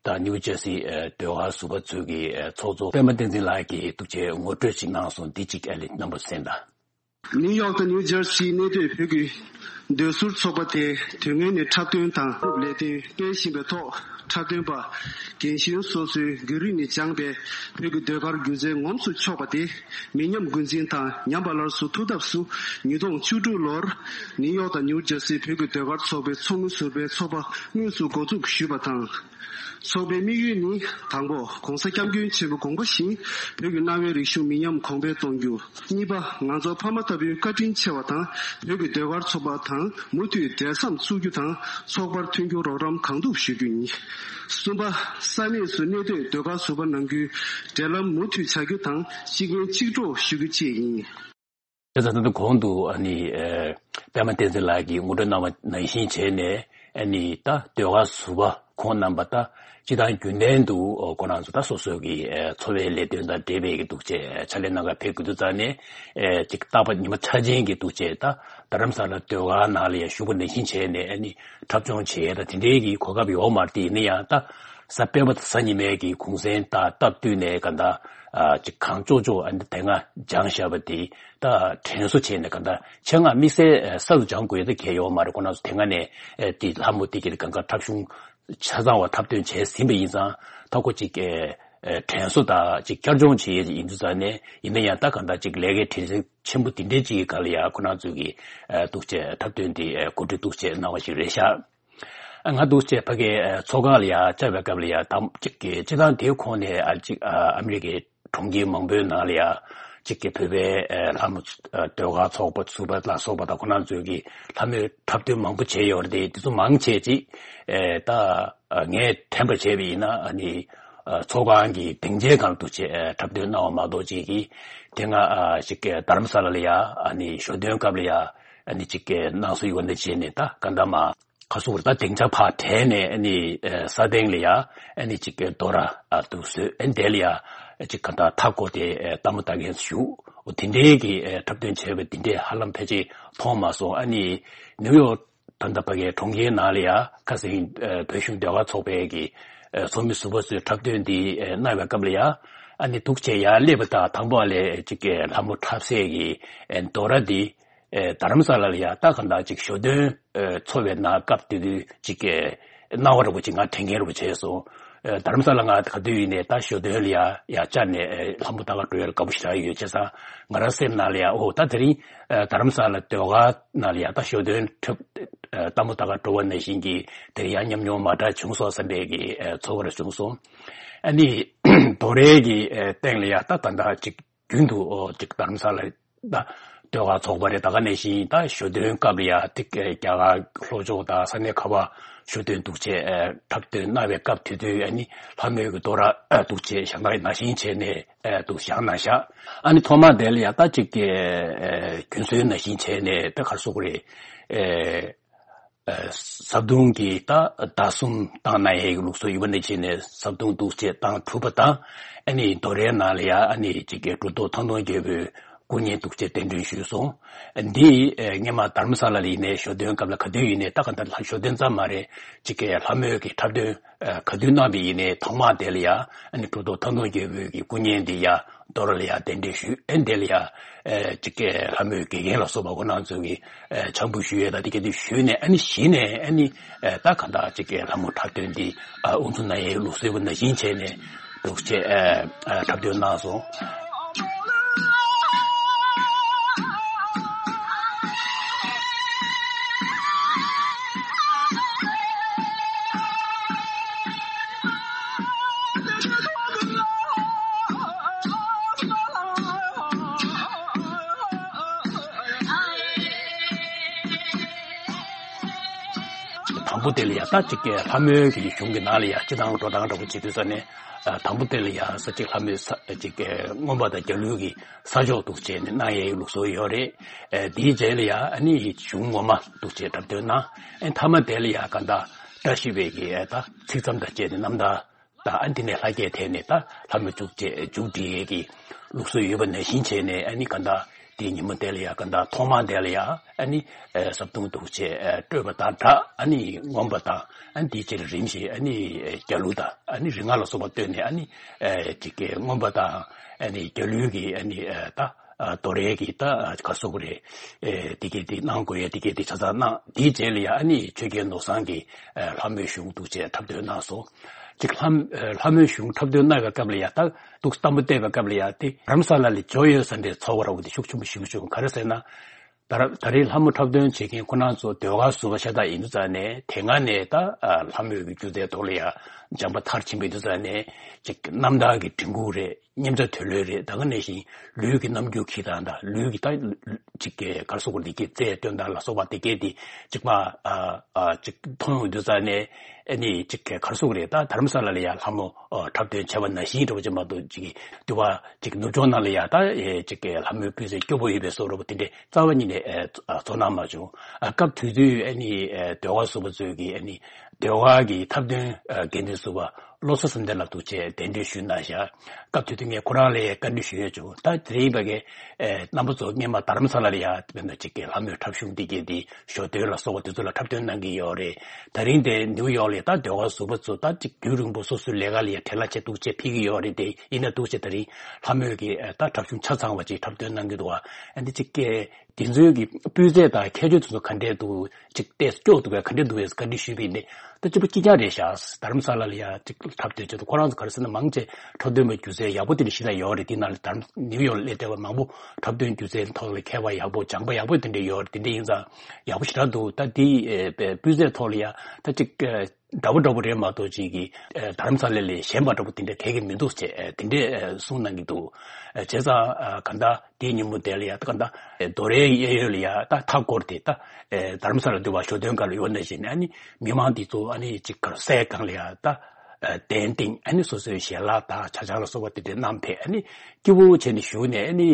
དང་ནིའུ་ཇེར་སི་ཨ་ཟློས་གར་ཟུར་པ་ཚོས་ཀྱི་ཨ་ཚོགས་གཙོ་པད་མ་བསྟན་འཛིན་ལགས་ཀྱིས་འདུག་བྱས་ངོ་སྤྲོད་ཅིག་གནང་སོང་། འདི་གཅིག་ཨ་ལེ་རྣམ་པ་གསན་དང་། ནིའུ་ཡོག་དང་ནིའུ་ཇར་སིའི་གནས་སྡོད་བོད་ཀྱི་ཟློས་ཟུར་ཚོགས་པ་དེ་དོན་ལྔའི་ནས་འཁྲབ་སྟོན་དང་ལས་དོན་སྤེལ་བཞིན་པའི་ཐོག་འཁྲབ་སྟོན་པ་རྒན་གཞོན་སོ་སོའི་རྒྱུན་རིང་ནས་སྦྱངས་པའི་བོད་ཀྱི་ཟློས་གར་སྒྱུ་རྩལ་ངོམས་སུ་ཆོག་པ་དེ་མི་ཉམས་རྒུད་འཛིན་དང་ཉམས་པ་སླར་གསོ་ཐུབ་ཐབས་སུ་ཉིས་སྟོང་བཅུ་དྲུག་ལོར་ནིའུ་ཡོག་དང་ནིའུ་ཇར་སིའི་བོད་ཀྱི་ཟློས་གར་ཚོགས་པའི་ཚོགས་མི་ཟུར་པའི་ཚོགས་པ་དངོས་སུ་འགོ་འཛུགས་ཞུས་པ་དང་། ཚོགས་པའི་དམིགས་ཡུལ་ནི་དང་པོ་༸གོང་ས་༸སྐྱབས་མགོན་ཆེན་པོའི་དགོངས་པ་བཞིན་བོད་ཀྱི་གནའ་བོའི་རིག་གཞུང་མི་ཉམས་གོང་འཕེལ་གཏོང་རྒྱུ། གཉིས་པ། ང་ཚོ་ཕ་མ་ལྟ་བུའི་བཀའ་དྲིན་ཆེ་བ་དང་བོད་ཀྱི་ཟློས་གར་ཚོགས་པ་དང་མུ་མཐུད་འབྲེལ་ཟམ་བཙུགས་རྒྱུ་དང་ཚོགས་པར་མཐུན་འགྱུར་རོགས་རམ་གང་ཐུབ་ཞུ་རྒྱུ་ཡིན། གསུམ་པ། ས་གནས་སུ་གནས་སྡོད་ཟློས་གར་ཟུར་པ་ནང་ཁུལ་འབྲེལ་ལམ་མུ་མཐུད་བྱ་རྒྱུ་དང་སྤྱི་འགན་གཅིག་སྒྲོག་ཞུ་རྒྱུ་བཅས་ཡིན། དེ་ཙམ་དུ་གོང་དུ་ཨ་ནི་ཨེ་པད་མ་བསྟན་འཛིན་ལགས་ཀྱིས་ངོ་སྤྲོད་གནང་བ་ནང་བཞིན་བྱས་ནས་ཨ་ནི་ད་ཟློས་གར་ཟུར་པ་ཁོང་རྣམ་པ་ད་སྤྱི་བཏང་རྒྱུན་ལྡན་དུ་ཁོ་རང་ཚོ་ད་སོ་སོ་གི་ཨེ་འཚོ་བའི་ལས་དོན་དང་འབྲེལ་བའི་གི་འདུག་ཅེས་ཕྱག་ལས་གནང་གར་ཕེབས་དགོས་དུས་ཙང་ནས་ཨེ་ཅིག་རྟག་པར་ཉི་མ་འཆར་ཅན་གྱི་འདུག་ཅེས་ད་རྡ་རམ་ས་ལ་ཟློས་གར་ནང་ལ་ཡང་ཞུགས་པ་ནང་བཞིན་བྱས་ནས་ཨ་ནི་འཁྲབ་སྦྱོང་བྱེད་ཡས་ད་དེ་འདྲའི་གི་གོ་སྐབས་ཡོད་མ་རེད། དེ་ཡིན་ན་ཡང་ད་གཟའ་སྤེན་པ་དང་གཟའ་ཉི་མའི་གི་གུང་སེང་དང་སྟབས་བསྟུན་ནས་ག་ད་ཨ་ཅིག་གང་ལྕོགས་ལྕོགས་ཨ་ནི་དེ་སྔ་སྦྱངས་བཞག་པ་དེ་ད་དྲན་གསོ་བྱས་ནས་ག་ད་ཆེད་མངགས་དམིགས་བསལ་ཨ་གསར་དུ་སྦྱང་དགོས་ཡ་ད་གལ་ཡོད་མ་རེད། ཁོ་རང་ཚོ་དེ་སྔ་ནས་ཨ་དེ་ལྷ་མོ་དེ་གི་གང་ག་འཁྲབ་གཞུང་ཆ་ཚང་བ་འཁྲབ་སྟོན་བྱས་ཟིན་པ་ཡིན་ཙང་ད་ཁོ་ཅིག་ཨ་ཨ་དྲན་གསོ་དང་ཅིག་བསྐྱར་སྦྱོང་བྱེད་ཡ་ཡིན་དུས་ཙང་ནས་ཡིན་ན་ཡང་ད་ག་ད་ཅིག་ལས་ཀའི་དྲན་ཤེས་ཆེན་པོ་དེ་འདྲའི་ཅིག་གི་སྒང་ལ་ཡ་ཁོ་རང་ཚོ་གི་ཨ་འདུག་ཅེས་འཁྲབ་སྟོན་དེ་ཨ་གོ་སྒྲིག་འདུག་ཅེས་གནང་བ་ཞིག་རེད་ཤག་ང་འདུག་ཅེས་ཕ་གིའི་ཚོགས་ཁང་ལ་ཡ་བཅར་བའི་སྐབས་ལ་ཡ་དང་གཅིག་གི་སྤྱི་བཏང་དེའི་ཁོངས་ནས་ཨ་ཅིག་ཨ་ཨ་མི་རི་ཀའི་གྲོང་ཁྱེར་མང་པོའི་ནང་ལ་ཡ་གཅིག་གི་བོད་པའི་ལྷ་མོ་ཟློས་གར་ཚོགས་པ་ཚུགས་པ་ལ་སོགས་པ་དང་ཁོ་རང་ཚོས་ཀྱི་ལྷ་མོའི་འཁྲབ་སྟོན་མང་པོ་བྱས་ཡོད་རེད། དེ་ཚོ་མང་ཆེ་ཅིག་ད་ངས་དྲན་པ་བྱས་པ་ཡིན་ན་ཨ་ནི་ཚོགས་ཁང་གི་སྡིངས་ཆའི་སྒང་འདུག་ཅེས་འཁྲབ་སྟོན་གནང་བ་མ་གཏོགས་ཅིག་གི་དེ་སྔ་ཅིག་རྡ་རམ་ས་ལ་ལ་ཡ་ཨ་ནི་ཞོ་སྟོན་སྐབས་ལ་ཡ་ཨ་ནི་ཅིག་གནང་སྲོལ་ཡོད་ནས་བྱས་ནས་ད་ག་འདྲ་མ། ཁ་སུ་བར་ད་སྡིངས་ཆ་ཕར་བྲལ་ནས་ཨ་ནི་ས་སྟེང་ལ་ཡ་ཨ་ནི་ཅིག་གི་དོ་ར་ཨ་འདུག་བཟོས་ཨ་ནི་དེ་ལ་ཡ་ཅིག་ག་ད་མཐའ་བསྐོར་ཏེ་ལྟད་མོ་ལྟ་མཁན་བཞུགས། འོ་དེ་འདྲའི་གི་འཁྲབ་སྟོན་བྱས་པ་དེ་འདྲས་ཧ་ལམ་ཕལ་ཆེར་མཐོང་མ་སོང་། ཨ་ནི་ནིའུ་ཡོག་ད་ལྟ་ཕ་གའི་གྲོང་ཁྱེར་ནང་ལ་ཡ་ཁ་སང་བོད་གཞུང་ཟློས་གར་ཚོགས་པའི་གི་ཚོགས་མི་ཟུར་པ་ཚོས་འཁྲབ་སྟོན་འདི་གནང་བའི་སྐབས་ལ་ཡ་ཨ་ནི་འདུག་བྱས་ཡར་སླེབས་པ་དང་དང་པོ་ལ་ཅིག་གི་ལྷ་མོ་འཁྲབ་སའི་གི་དོ་ར་འདི། ཨེ་རྡ་རམ་ས་ལ་ལ་ཡ་ད་ག་འདྲ་ཅིག་ཞོ་སྟོན་ཨེ་འཚོགས་པའི་ནང་སྐབས་དེ་དུས་ཅིག་ཨེ་སྣང་བ་རིག་པོ་ཅིག་ང་དྲན་མཁན་རིག་པོ་བྱས་སོང་། ཨེ་རྡ་རམ་ས་ལ་ང་ག་དུས་ཡིན་ནའི་ད་ཞོ་སྟོན་ལ་ཡ་ཡ་བཅར་ནས་ཨེ་ལྷ་མོ་ལྟ་ག་འགྲོ་ཡ་ལ་དགའ་པོ་ཞེ་དྲག་ཡོད་བྱས་ཙང་ང་རང་སེམས་ནང་ལ་ཡ་ཨོ་ད་དེ་རིང་ཨེ་རྡ་རམ་ས་ལ་ཟློས་གར་ནང་ལ་ཡ་ད་ཞོ་སྟོན་འཁྲབ་ཨེ་ལྟད་མོ་ལྟ་ག་འགྲོ་བ་ནང་བཞིན་གྱི་དེ་ཡ་ཉམས་མྱོང་མ་འདྲ་བྱུང་སོང་བསམ་པའི་གི་ཨེ་ཚོར་བ་རེ་བྱུང་སོང་། ཨ་ནི་དོ་རའི་གི་ཨེ་སྟེང་ལ་ཡ་ད་ད་ད་ཅིག་རྒྱུན་དུ་ཨོ་ཅིག་རྡ་རམ་ས་ལ་ད་ཟློས་གར་ཚོགས་པ་རེད། ད་ག་ནང་བཞིན་ད་ཞོ་སྟོན་སྐབས་ལ་ཡ་ཏིག་རྒྱ་གར་ལྷོ་ཕྱོགས་དང་ས་གནས་ཁ་བ་ཞོ་སྟོན་འདུག་བྱས་འཁྲབ་སྟོན་གནང་བའི་སྐབས་དེ་དུས་ཨ་ནི་ལྷ་མོའི་གི་དོ་ར་འདུག་བྱས་ཞག་ནང་ནང་བཞིན་བྱས་ནས་འདུག་ཞག་ནང་བཞག་ཨ་ནི་ཐོག་མ་དེ་ལ་ཡ་ད་ཅིག་གི་རྒྱུན་སྲོལ་ནང་བཞིན་བྱས་ནས་ད་ག་རེ་ཟེར་དགོས་རེད། བཟའ་བཏུང་གི་ད་ཟླ་གསུམ་བཏང་ན་ཡའི་ལུགས་སྲོལ་ཡོད་པ་ནང་བཞིན་ནས་བཟའ་བཏུང་འདུག་བྱས་བཏང་གྲུབ་པ་དང་ཨ་ནི་དོ་རའི་ནང་ལ་ཡ་ཨ་ནི་ཅིག་གི་གྲུབ་ཐོབ་ཐང་སྟོང་རྒྱལ་པོའི་སྐུ་བརྙན་འདུག་བྱས་གདན་འདྲེན་ཞུས་སོང་། འདི་སྔོན་མ་རྡ་རམ་ས་ལ་ལ་ཡིན་ནའི་ཞོ་སྟོན་སྐབས་ལ་ག་དུས་ཡིན་ནའི་ད་ག་ད་ལྷ་ཞོ་སྟོན་ཙམ་མ་རེད། ཅིག་གི་ལྷ་མོའི་གི་འཁྲབ་སྟོན་ག་དུས་གནང་བ་ཡིན་ནའི་ཐོག་མ་དེ་ལ་ཡ་ཨ་ནི་གྲུབ་ཐོབ་ཐང་སྟོང་རྒྱལ་པོའི་གི་སྐུ་བརྙན་འདི་ཡ། དོ་ར་ལ་ཡ་གདན་འདྲེན་ཞུས། ཨ་ནི་དེ་ལ་ཡ་ཨེ་ཅིག་གི་ལྷ་མོའི་དགེ་རྒན་ལ་སོགས་པ་ཁོ་རང་ཚོ་གིས་ཨེ་ཕྱག་འབུལ་ཞུ་ཡས་དང་དེ་ག་དུས་ཞུས་ནས་ཨ་ནི་གཞི་ནས་ཨ་ནི་ཨེ་ད་གང་ལྟར་ཅིག་གི་ལྷ་མོ་འཁྲབ་སྟོན་འདི་ཨ་དབུ་འཛུགས་གནང་ཡས་ལུགས་སྲོལ་བ་ནང་བཞིན་བྱས་ནས་འདུག་བྱས་ཨེ་ཨེ་འཁྲབ་སྟོན་གནང་སོང་། དང་པོ་དེ་ལ་ཡ་ད་ཅིག་ལྷ་མོའི་གི་གཞུང་གི་ནང་ལ་ཡ་སྤྱི་དང་འགྲོ་སྟངས་འདྲ་པོ་བྱེད་དུས་ཙ་ནས་དང་པོ་དེ་ལ་ཡ་ས་ཅིག་ལྷ་མོའི་ས་ཅིག་མངོན་པ་དང་རྒྱ་ལུས་ཀྱི་ས་ཕྱོགས་འདུག་བྱས་ནས་གནང་ཡའི་ལུགས་སྲོལ་ཡོད་རེད། དེའི་རྗེས་ལ་ཡ་ཨ་ནི་གཞུང་ངོ་མ་འདུག་བྱས་འཁྲབ་སྟོན་གནང་། ཨ་ནི་མཐའ་མ་དེ་ལ་ཡ་ག་ད་བཀྲ་ཤིས་པའི་གི་ད་ཚིག་མཚམས་དང་བཅས་ནས་རྣམ་ཐར། ད་ཨ་འདི་ནས་ལྷ་བརྒྱད་ཐད་ནས་ད་ལྷ་མོ་མཇུག་བཅད་མཇུག་སྒྲིལ་ཡས་ཀྱི་ལུགས་སྲོལ་ཡོད་པ་ནང་བཞིན་བྱས་ནས་ཨ་ནི་ག་ད་དེའི་ཉིན་མོ་དེ་ལ་ཡ་ག་ད་ཐོག་མ་དེ་ལ་ཡ་ཨ་ནི་ཨེ་བཟའ་བཏུང་འདུག་བྱས་ཨེ་སྤྲོས་པ་དང་སྦྲགས་ཨ་ནི་མངོན་པ་དང་ཨ་ནི་དེའི་རྗེས་ལ་རིམ་བཞིན་ཨ་ནི་ཨེ་རྒྱ་ལུས་དང་ཨ་ནི་རིག་སྔགས་ལ་སོགས་པ་བཏོན་ནས་ཨ་ནི་ཨེ་ཅིག་གི་མངོན་པ་དང་ཨ་ནི་རྒྱ་ལུས་ཀྱི་ཨ་ནི་ཨེ་ད་ཨ་དོ་རེད་ཀྱི་ད་ག་སོགས་རེད། ཨེ་དེ་གས་དེ་གནང་དགོས་ཡ་དེ་གས་དེ་ཆ་ཚང་གནང་། དེའི་རྗེས་ལ་ཡ་ཨ་ནི་ཆོས་རྒྱལ་ནོར་བཟང་གི་ཨེ་ལྷ་མོའི་གཞུང་འདུག་བྱས་འཁྲབ་སྟོན་གནང་སོང་། ཅིག་ལྷ་ཨེ་ལྷ་མོའི་གཞུང་འཁྲབ་སྟོན་གནང་བའི་སྐབས་ལ་ཡ་ད་འདུག་སྟངས་པོ་བལྟས་པའི་སྐབས་ལ་ཡ་དེ་རྡ་རམ་ས་ལ་ལ་འབྱོར་ཡོད་ས་འདྲའི་ཚོར་བ་འདྲ་པོ་དེ་ཤུགས་ཆེན་པོ་ཞིག་བྱུང་། ག་རེ་ཟེར་ན། ད་ར་ད་རེས་ལྷ་མོ་འཁྲབ་སྟོན་བྱེད་མཁན་ཁོ་རང་ཚོ་ཟློས་གར་ཟུར་པ་ཤ་སྟག་ཡིན་དུས་ཙང་ནས་དེ་སྔ་ནས་ད་ཨ་ལྷ་མོའི་གི་སྒྱུ་རྩལ་ཐོག་ལ་ཡ་སྦྱངས་པ་མཐར་ཕྱིན་པ་ཡིན་དུས་ཙང་ནས་ཅིག་རྣམ་ཐར་གྱི་འབྲི་འགུག་རེད། མཉམ་བྱ་དུལ་ལོས་རེད། ད་ག་ནང་བཞིན་ལུས་ཀྱི་རྣམ་འགྱུར་འཁྱེར་སྟངས་དང་ལུས་ཀྱི་ད་ཅིག་གི་གར་སོགས་ཀྱི་འདི་གའི་རྩལ་སྟོན་སྟངས་ལ་སོགས་པ་དེ་གས་དེ་ཅིག་མ་ཨ་ཨ་ཅིག་མཐོང་ཡོང་དུས་ཙང་ནས་ཨ་ནི་ཅིག་གི་གར་སོགས་རེད། ད་རྡ་རམ་ས་ལ་ལ་ཡ་ལྷ་མོ་ཨ་འཁྲབ་སྟོན་བྱས་པ་ནང་བཞིན་འདྲ་པོ་ཅིག་མ་གཏོགས་ཅིག་གི་འདུལ་བ་ཅིག་ནུབ་ཕྱོགས་ནང་ལ་ཡ་ད་ཨེ་ཅིག་གི་ལྷ་མོའི་སྤུས་ཚད་སྐྱོ་པོ་ཡོད་པའི་བཟོ་འདྲ་པོ་དེ་འདྲའི་རྩ་བ་ཉིད་ནས་ཨེ་ཚོར་སྣང་མ་བྱུང་། ཨ་སྐབས་དེ་དུས་ཨ་ནི་ཨེ་ཟློས་གར་ཟུར་པ་ཚོས་ཀྱི་ཨ་ནི་ཟློས་གར་གྱི་འཁྲབ་སྟོན་ཨ་འགན་འཛིན་ཟུར་པ་བློ་བཟང་བསམ་གཏན་ལགས་འདུག་བྱས་གདན་འདྲེན་ཞུས་གནང་བཞག་སྐབས་དེ་དུས་ངས་ཁོ་རང་ལ་བཀའ་འདྲི་ཞུས་ཡོད་བྱུང་། ད་དེ་རིང་བ་གའི་ཨེ་རྣམ་པ་ཚོ་སྔོན་མ་རྡ་རམ་ས་ལ་ལ་ཡ་དཔེར་ན་ཅིག་གི་ལྷ་མོའི་འཁྲབ་གཞུང་འདི་གས་འདི་ཞོ་སྟོན་ལ་སོགས་པ་དེ་ཚོ་ལ་འཁྲབ་སྟོན་གནང་གི་ཡོད་རེད། ད་རིང་དེ་ནིའུ་ཡོག་ལ་ད་ཟློས་གར་ཟུར་པ་ཚོ་ད་ཅིག་རྒྱུན་རིང་པོ་སོ་སོའི་ལས་ཀ་ལ་ཡ་བྲེལ་བ་ཆེ་འདུག་བྱས་ཕེབས་ཀྱི་ཡོད་རེད། དེ་ཡིན་ན་འདུག་བྱས་ད་རིང་ལྷ་མོའི་གི་ཨེ་ད་འཁྲབ་གཞུང་ཆ་ཚང་བ་ཅིག་འཁྲབ་སྟོན་གནང་གི་འདུག་བ། ཨ་འདི་ཅིག་གི་དེ་ཚོའི་གི་སྤུས་ཚད་དང་ཁྱད་ཆོས་དེ་ཚོ་ག་འདྲས་འདུག་ཅིག་ཏོག་ཙམ་སྐྱོ་འདུག་གས་ག་འདྲས་འདུག་གས་བཀའ་འདྲི་ཞུས་པ་ཡིན་ཏེ། ད་སྤྱི་པ་སྐྱིད་ཀྱང་རེད་ཤག་རྡ་རམ་ས་ལ་ལ་ཡ་ཅིག་འཁྲབ་སྟོན་བྱེད་དུས་ཁོ་རང་ཚོ་ག་རེ་ཟེར་ན་མང་ཆེ་འཁྲབ་སྟོན་པའི་སྒྱུ་རྩལ་ཡག་པོ་དེ་འདྲ་ཞིག་ད་ཡོད་རེད། དེ་ནང་ལ་རྡ་རམ་ནིའུ་ཡོག་ལ་སླེབས་བསྡད་པ་མང་པོ་འཁྲབ་སྟོན་སྒྱུ་རྩལ་ཐོག་ལ་མཁས་པ་ཡག་པོ་སྦྱངས་པ་ཡག་པོ་དེ་འདྲ་ཡོད་རེད། དེ་འདྲ་ཡིན་ཙང་ཡག་པོ་ཞེ་དྲག་འདུག་ད་དེ་ཨེ་སྤུས་ཚད་ཐོག་ལ་ཡ་ད་ཅིག་ཨེ་འདྲ་པོ་འདྲ་པོ་རེད་མ་གཏོགས་ཅིག་གི་ཨེ་རྡ་རམ་ས་ལ་ལས་ཞན་པ་འདྲ་པོ་དེ་འདྲ་གས་ཀྱི་མི་འདུག་ཅེས་ཨེ་དེ་འདྲས་ཨེ་གསུངས་གནང་གི་འདུག་ཨེ་བྱས་ཙང་ཨེ་ག་ད་དེའི་ཉིན་མོ་དེ་ལ་ཡ་ད་ག་ད་ཨེ་རྡོ་རའི་གཡས་གཡོན་ལ་ཡ་ད་མཐའ་བསྐོར་ཏེ་ད་ཨེ་རྡ་རམ་ས་ལ་འདུལ་བ་ཞོ་སྟོན་སྒང་ལ་ཡོད་ནང་བཞིན་ཨ་ནི་མི་མང་འདི་ཚོ་ཨ་ནི་ཅིག་གར་སའི་སྒང་ལ་ཡ་ད་ཨེ་གདན་བཏིང་ཨ་ནི་སོ་སོའི་ཞལ་ལག་དང་ཇ་ཆང་ལ་སོགས་པ་དེ་འདྲས་བསྣམས་ཕེབས་ཨ་ནི་སྐྱིད་པོ་བྱས་ནས་བཞུགས་ནས་ཨ་ནི་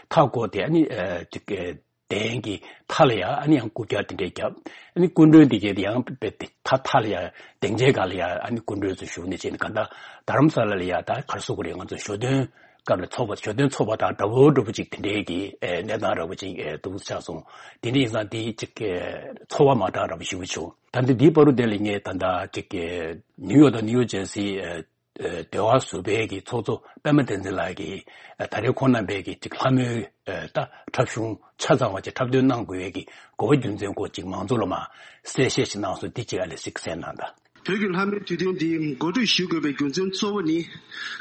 མཐའ་བསྐོར་ཏེ་ཨ་ནི་ཨེ་ཅིག་ཨེ་གདན་གྱི་མཐའ་ལ་ཡ་ཨ་ནི་ཡང་རྐུབ་བཀྱག་དེ་འདྲས་བརྒྱབ། ཨ་ནི་སྐུ་མགྲོན་དེ་གས་དེ་ཡང་དཔེ་དེ་མཐའ་མཐའ་ལ་ཡ་སྡིངས་ཆའི་སྒང་ལ་ཡ་ཨ་ནི་སྐུ་མགྲོན་ཚོ་བཞུགས་ནས་བྱས་ནས་ག་ད་རྡ་རམ་ས་ལ་ལ་ཡ་ད་ག་རེ་ཟེར་དགོས་རེད། ང་ཚོ་ཞོ་སྟོན་སྐབས་ལ་ཚོགས་པ་ཞོ་སྟོན་ཚོགས་པ་དང་འདྲ་པོ་འདྲ་པོ་ཅིག་དེ་འདྲས་ཀྱི་ཨེ་གནས་སྟངས་འདྲ་པོ་ཅིག་ཨེ་འདུག་ཆགས་སོང་། དེ་འདྲ་ཡིན་ཙང་དེ་ཅིག་ཨེ་ཚོར་བ་མ་འདྲ་འདྲ་པོ་ཞེ་པོ་བྱུང་། ད་འདི་འདིའི་བར་དུ་དེ་ལ་ངས་ད་ལྟ་ཅིག་ཨེ་ནིའུ་ཡོག་དང་ནིའུ་ཇར་སི་ཨེ་ཨ་ཟློས་གར་ཟུར་པའི་གི་ཚོགས་གཙོ་པད་མ་བསྟན་འཛིན་ལགས་ཀྱིས་ཨ་ད་རེས་ཁོང་རྣམ་པའི་གི་ཅིག་ལྷ་མོའི་ཨ་ད་འཁྲབ་གཞུང་ཆ་ཚང་བ་ཅིག་འཁྲབ་སྟོན་གནང་དགོས་ཡས་ཀྱི་དགོས་པ་རྒྱུ་མཚན་སྐོར་ཅིག་མང་ཚོགས་ལ་མར་གསལ་བཤད་ཅིག་གནང་སོང་། འདི་ཅིག་ཨ་ལས་ཅིག་གསན་གནང་དང་། བོད་ཀྱི་ལྷ་མོའི་དུས་སྟོན་འདི་འགོ་ཁྲིད་ཞུ་དགོས་པའི་རྒྱུ་མཚན་གཙོ་བོ་ནི།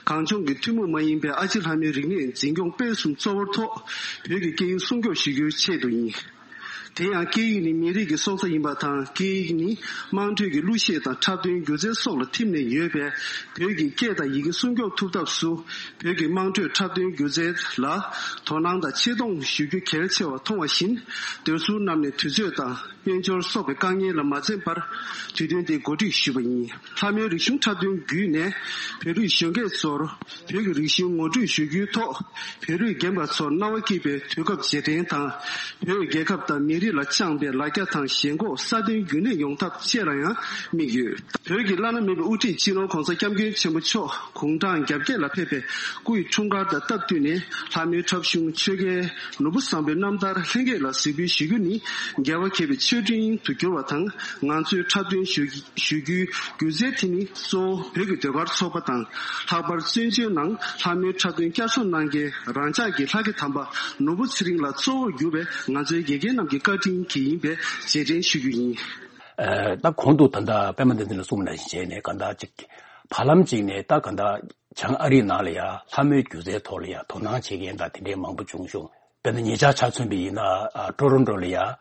གངས་ལྗོངས་ཀྱི་ཐུན་མོང་མ་ཡིན་པའི་ཨ་ཕྱི་ལྷ་མོའི་རིག་གནས་འཛིན་སྐྱོང་སྤེལ་གསུམ་གཙོ་བོར་ཐོག་བོད་ཀྱི་སྐད་ཡིག་སྲུང་སྐྱོབ་ཞུ་རྒྱུའི་ཆེད་དུ་ཡིན། དེ་ཡང་སྐད་ཡིག་ནི་མི་རིགས་ཀྱི་སྲོག་རྩ་ཡིན་པ་དང་། སྐད་ཡིག་ནི་དམངས་ཁྲོད་ཀྱི་གླུ་གཞས་དང་འཁྲབ་སྟོན་སྒྱུ་རྩལ་སོགས་ལ་ཐིམ་ནས་ཡོད་པས། བོད་ཀྱི་སྐད་དང་ཡི་གེ་སྲུང་སྐྱོབ་ཐུབ་ཐབས་སུ། བོད་ཀྱི་དམངས་ཁྲོད་འཁྲབ་སྟོན་སྒྱུ་རྩལ་ལ་དོ་སྣང་དང་ཆེ་མཐོང་ཞུ་རྒྱུ་གལ་ཆེ་བར་མཐོང་བ་བཞིན། འདོད་སྲུང་རྣམས་ནས་དུས་ཚོད་དང་དཔལ་འབྱོར་སོགས་པའི་དཀའ་ངལ་ལ་མ་འཛེམས་པར་དུས་སྟོན་འདི་གོ་སྒྲིག་ཞུས་པ་ཡིན། ལྷ་མོའི་རིག་གཞུང་འཁྲབ་སྟོན་བརྒྱུད་ནས་བོད་རིགས་གཞོན་སྐྱེས་ཚོར་བོད་ཀྱི་རིག་གཞུང་ངོ་སྤྲོད་ཞུ་རྒྱུའི་ཐོག་བོད་རིགས་རྒན་པ་ཚོར་སྣང་བ་སྐྱིད་པའི་དུས་སྐབས་རྗེས་དྲན་དང་། བོད་རྒྱལ་ཁབ་དང་མི་རིགས་ལ་བཅངས་པའི་ལ་རྒྱ་དང་ཞེན་ཁོག་སྲ་བརྟན་རྒྱུན་གནས་ཡོང་ཐབས་བཅས་ལ་ཡང་དམིགས་ཡོད། བོད་ཀྱི་བླ་ན་མེད་པའི་དབུ་ཁྲིད་སྤྱི་ནོར་༧གོང་ས་༧སྐྱབས་མགོན་ཆེན་པོ་མཆོག་དགུང་གྲངས་གྱ་བརྒྱད་ལ་ཕེབས་པའི་སྐུ་ཡི་འཁྲུངས་སྐར་དང་སྟབས་བསྟུན་ནས། ལྷ་མོའི་འཁྲབ་གཞུང་ཆོས་རྒྱལ་ནོར་བུ་བཟང་པོའི་རྣམ་ཐར་ལྷན་རྒྱས་ལ་གཟིགས་འབུལ་ཞུ་རྒྱུ་ནི་རྒྱལ་བ་དགྱེས་པའི་མཆོད་སྤྲིན་དུ་གྱུར་བ་དང་། ང་ཚོས་འཁྲབ་སྟོན་ཞུ་ཞུ་རྒྱུའི་སྒྱུ་རྩལ་དེ་ནི་གཙོ་བོ་བོད་ཀྱི་ཟློས་གར་ཚོགས་པ་དང་། ལྷག་པར་བཙན་བྱོལ་ནང་ལྷ་མོའི་འཁྲབ་སྟོན་བསྐྱར་གསོ་གནང་མཁན་རང་ཅག་གི་ལྷ་སྐལ་དམ་པ་ནོར་བུ་ཚེ་རིང་ལགས་གཙོ་བོར་གྱུར་པའི་ང་ཚོའི་དགེ་རྒན་རྣམས་ཀྱི་བཀའ་དྲིན་གྱིས་ཡིན་པའི་རྗེས་དྲན་ཞུ་རྒྱུ་ཡིན། ཨ་ད་གོང་དུ་ད་ལྟ་པད་མ་བསྟན་འཛིན་ལགས་གསུངས་པ་ནང་བཞིན་བྱས་ནས། ག་ད་ཅིག་བར་ལམ་ཅིག་ནས་ད་ག་ད་བྱང་ཨ་རིའི་ནང་ལ་ཡ་ལྷ་མོའི་སྒྱུ་རྩལ་ཐོག་ལ་ཡ་དོ་སྣང་བྱེད་མཁན་དང་དེ་འདྲའི་མང་པོ་བྱུང་བྱུང་། དཔེར་ན་ཉེ་ཆར་ཆ་མཚོན་པ་ཡིན་ན་ཨ་ཊོ་རོན་ཊོ་ལ་ཡ་ཨ་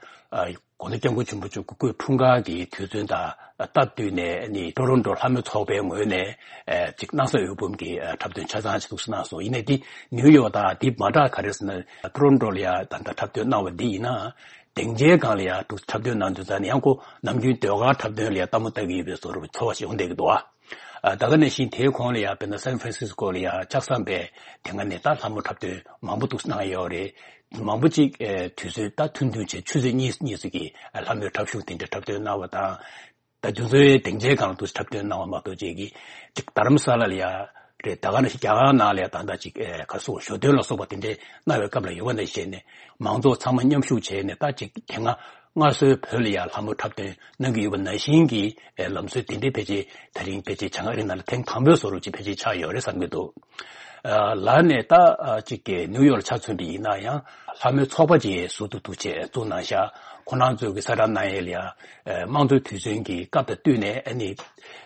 དགོངས་དོན་སྐྱབས་མགོན་ཆེན་པོ་མཆོག་སྐུ་འཁྲུངས་སྐར་གྱི་དུས་ཚོད་དང་སྟབས་བསྟུན་ནས་ཨ་ནི་ཊོ་རོན་ཊོ་ལྷ་མོའི་ཚོགས་པའི་ངོས་ནས་ཨ་ཅིག་སྣང་ས་འོད་འབུམ་གྱི་ཨ་འཁྲབ་སྟོན་ཆ་ཚང་ཅིག་འདུག་སེ་གནང་སོང་། ཡིན་ནའི་འདི་ནིའུ་ཡོག་དང་འདི་མ་འདྲ་ག་རེ་ཟེར་ན་ཊོ་རོན་ཊོ་ལ་ཡ་ད་ལྟ་འཁྲབ་སྟོན་གནང་བ་འདི་ཡིན་ན་སྡིངས་ཆའི་སྒང་ལ་ཡ་འདུག་འཁྲབ་སྟོན་གནང་དུས་ཙང་ནས་ཡང་ཁོ་ནམ་རྒྱུན་ཟློས་གར་འཁྲབ་སྟོན་ལ་ཡ་ལྟད་མོ་ལྟ་གི་ཡོད་པའི་བཟོ་འདྲ་ཚོར་བ་ཞིག་ཡོང་བསྡད་ཀྱི་འདུག་ཨ། ཨ་ད་ག་ནང་བཞིན་དེའི་གོང་ལ་ཡང་དཔེར་ན་སན་ཧྥ་རན་སིས་ཀོ་ལ་ཡང་ལྕགས་ཟམ་པའི་དེ་སྔ་ནས་ད་ལྷ་མོ་འཁྲབ་སྟོན་མང་པོ་འདུག་གནང་ཡོད་རེད། མང་པོ་ཅིག་ཨེ་དུས་ཚོད་ད་ཐུང་ཐུང་བྱས་ཆུ་ཚོད་གཉིས་གཉིས་ཙམ་གྱི་ལྷ་མོའི་འཁྲབ་གཞུང་དེ་འདྲ་འཁྲབ་སྟོན་གནང་བ་དང་། ད་དུས་ཚོད་སྡིངས་ཆའི་སྒང་ལ་འདུག་འཁྲབ་སྟོན་གནང་བ་མ་གཏོགས་ཅིག་གིས་ཅིག་རྡ་རམ་ས་ལ་ལ་ཡང་རེད། ད་ག་ནང་བཞིན་རྒྱ་གར་ནང་ལ་ཡང་ད་ལྟ་ཅིག་ཨེ་ག་སོགས་ཞོ་སྟོན་ལ་སོགས་པ་དེ་འདྲའི་གནང་བའི་སྐབས་ལ་ཡོད་པ་ནང་བཞིན་ནས་མང་ཚོགས་ཚང་མ་མཉམ་ཞུགས་བྱས་ནས་ད་ཅིག་དེ་སྔ་སྔར་སྲོལ་བོད་ལ་ཡང་ལྷ་མོ་འཁྲབ་སྟོན་གནང་གི་ཡོད་པ་ནང་བཞིན་གྱི་ཨེ་ལམ་སྲོལ་དེ་འདྲའི་ཕལ་ཆེར་ད་རིང་ཕལ་ཆེར་བྱང་ཨ་རི་ནང་ལ་ཐེངས་དང་པོའི་བཟོ་འདྲ་ཅིག་ཕལ་ཆེར་ཆགས་ཡོད་རེད་བསམ་གྱི་འདུག་ཨ་ལར་ནས་ད་ཨ་ཅིག་གི་ནིའུ་ཡོག་ལ་ཆ་མཚོན་པ་ཡིན་ན་ཡང་ལྷ་མོའི་ཚོགས་པ་ཅིག་ཟུར་དུ་འདུག་བྱས་བཙུགས་གནང་ཤག་ཁོང་རྣམ་ཚོས་ཀྱི་གསལ་བསྒྲགས་གནང་ཡས་ལ་ཡང་ཨེ་དམངས་གཙོའི་དུས་ཚོད་ཀྱི་སྐབས་དང་བསྟུན་ནས་ཨ་ནི་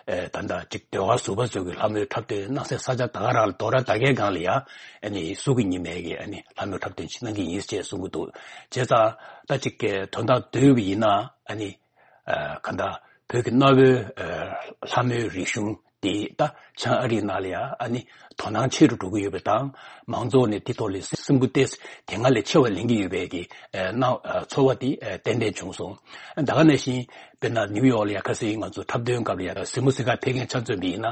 ཨེ་ད་ལྟ་ཅིག་ཟློས་གར་ཟུར་པ་ཚོས་ཀྱི་ལྷ་མོའི་འཁྲབ་སྟོན་གནང་སའི་ས་ཆ་ད་ག་རང་ལ་དོ་ར་ད་གའི་སྒང་ལ་ཡང་ཨ་ནི་གཟུགས་ཀྱི་ཉི་མའི་གི་ཨ་ནི་ལྷ་མོའི་འཁྲབ་སྟོན་ཅིག་གནང་གི་ཡིན་ཅེས་གསུང་གི་འདུག་བྱས་ཙང་ད་ཅིག་གི་དོན་དག་བསྡུས་པ་ཡིན་ན་ཨ་ནི། ཨ་གང་ལྟར་བོད་ཀྱི་གནའ་བོའི་ཨ་ལྷ་མོའི་རིག་གཞུང་འདི་ད་བྱང་ཨ་རིའི་ནང་ལ་ཡང་ཨ་ནི་དོ་སྣང་ཆེ་རུ་འགྲོ་གི་ཡོད་པ་དང་མང་ཚོགས་ནས་འདི་ཐོག་ལ་སེམས་འགུལ་ཏོག་ཙམ་དེ་སྔ་ལས་ཆེ་བ་ལེན་གྱི་ཡོད་པའི་གི་ཨ་སྣང་ཨ་ཚོར་བ་དེ་ཨ་ཏན་ཏན་བྱུང་སོང་། ད་ག་ནང་བཞིན་དཔེར་ན་ནིའུ་ཡོག་ལ་ཡང་ཁ་སང་ང་ཚོ་འཁྲབ་སྟོན་སྐབས་ལ་ཡང་གཟིགས་མོ་གཟིགས་གར་ཕེབས་མཁན་ཆ་མཚོན་པ་ཡིན་ན་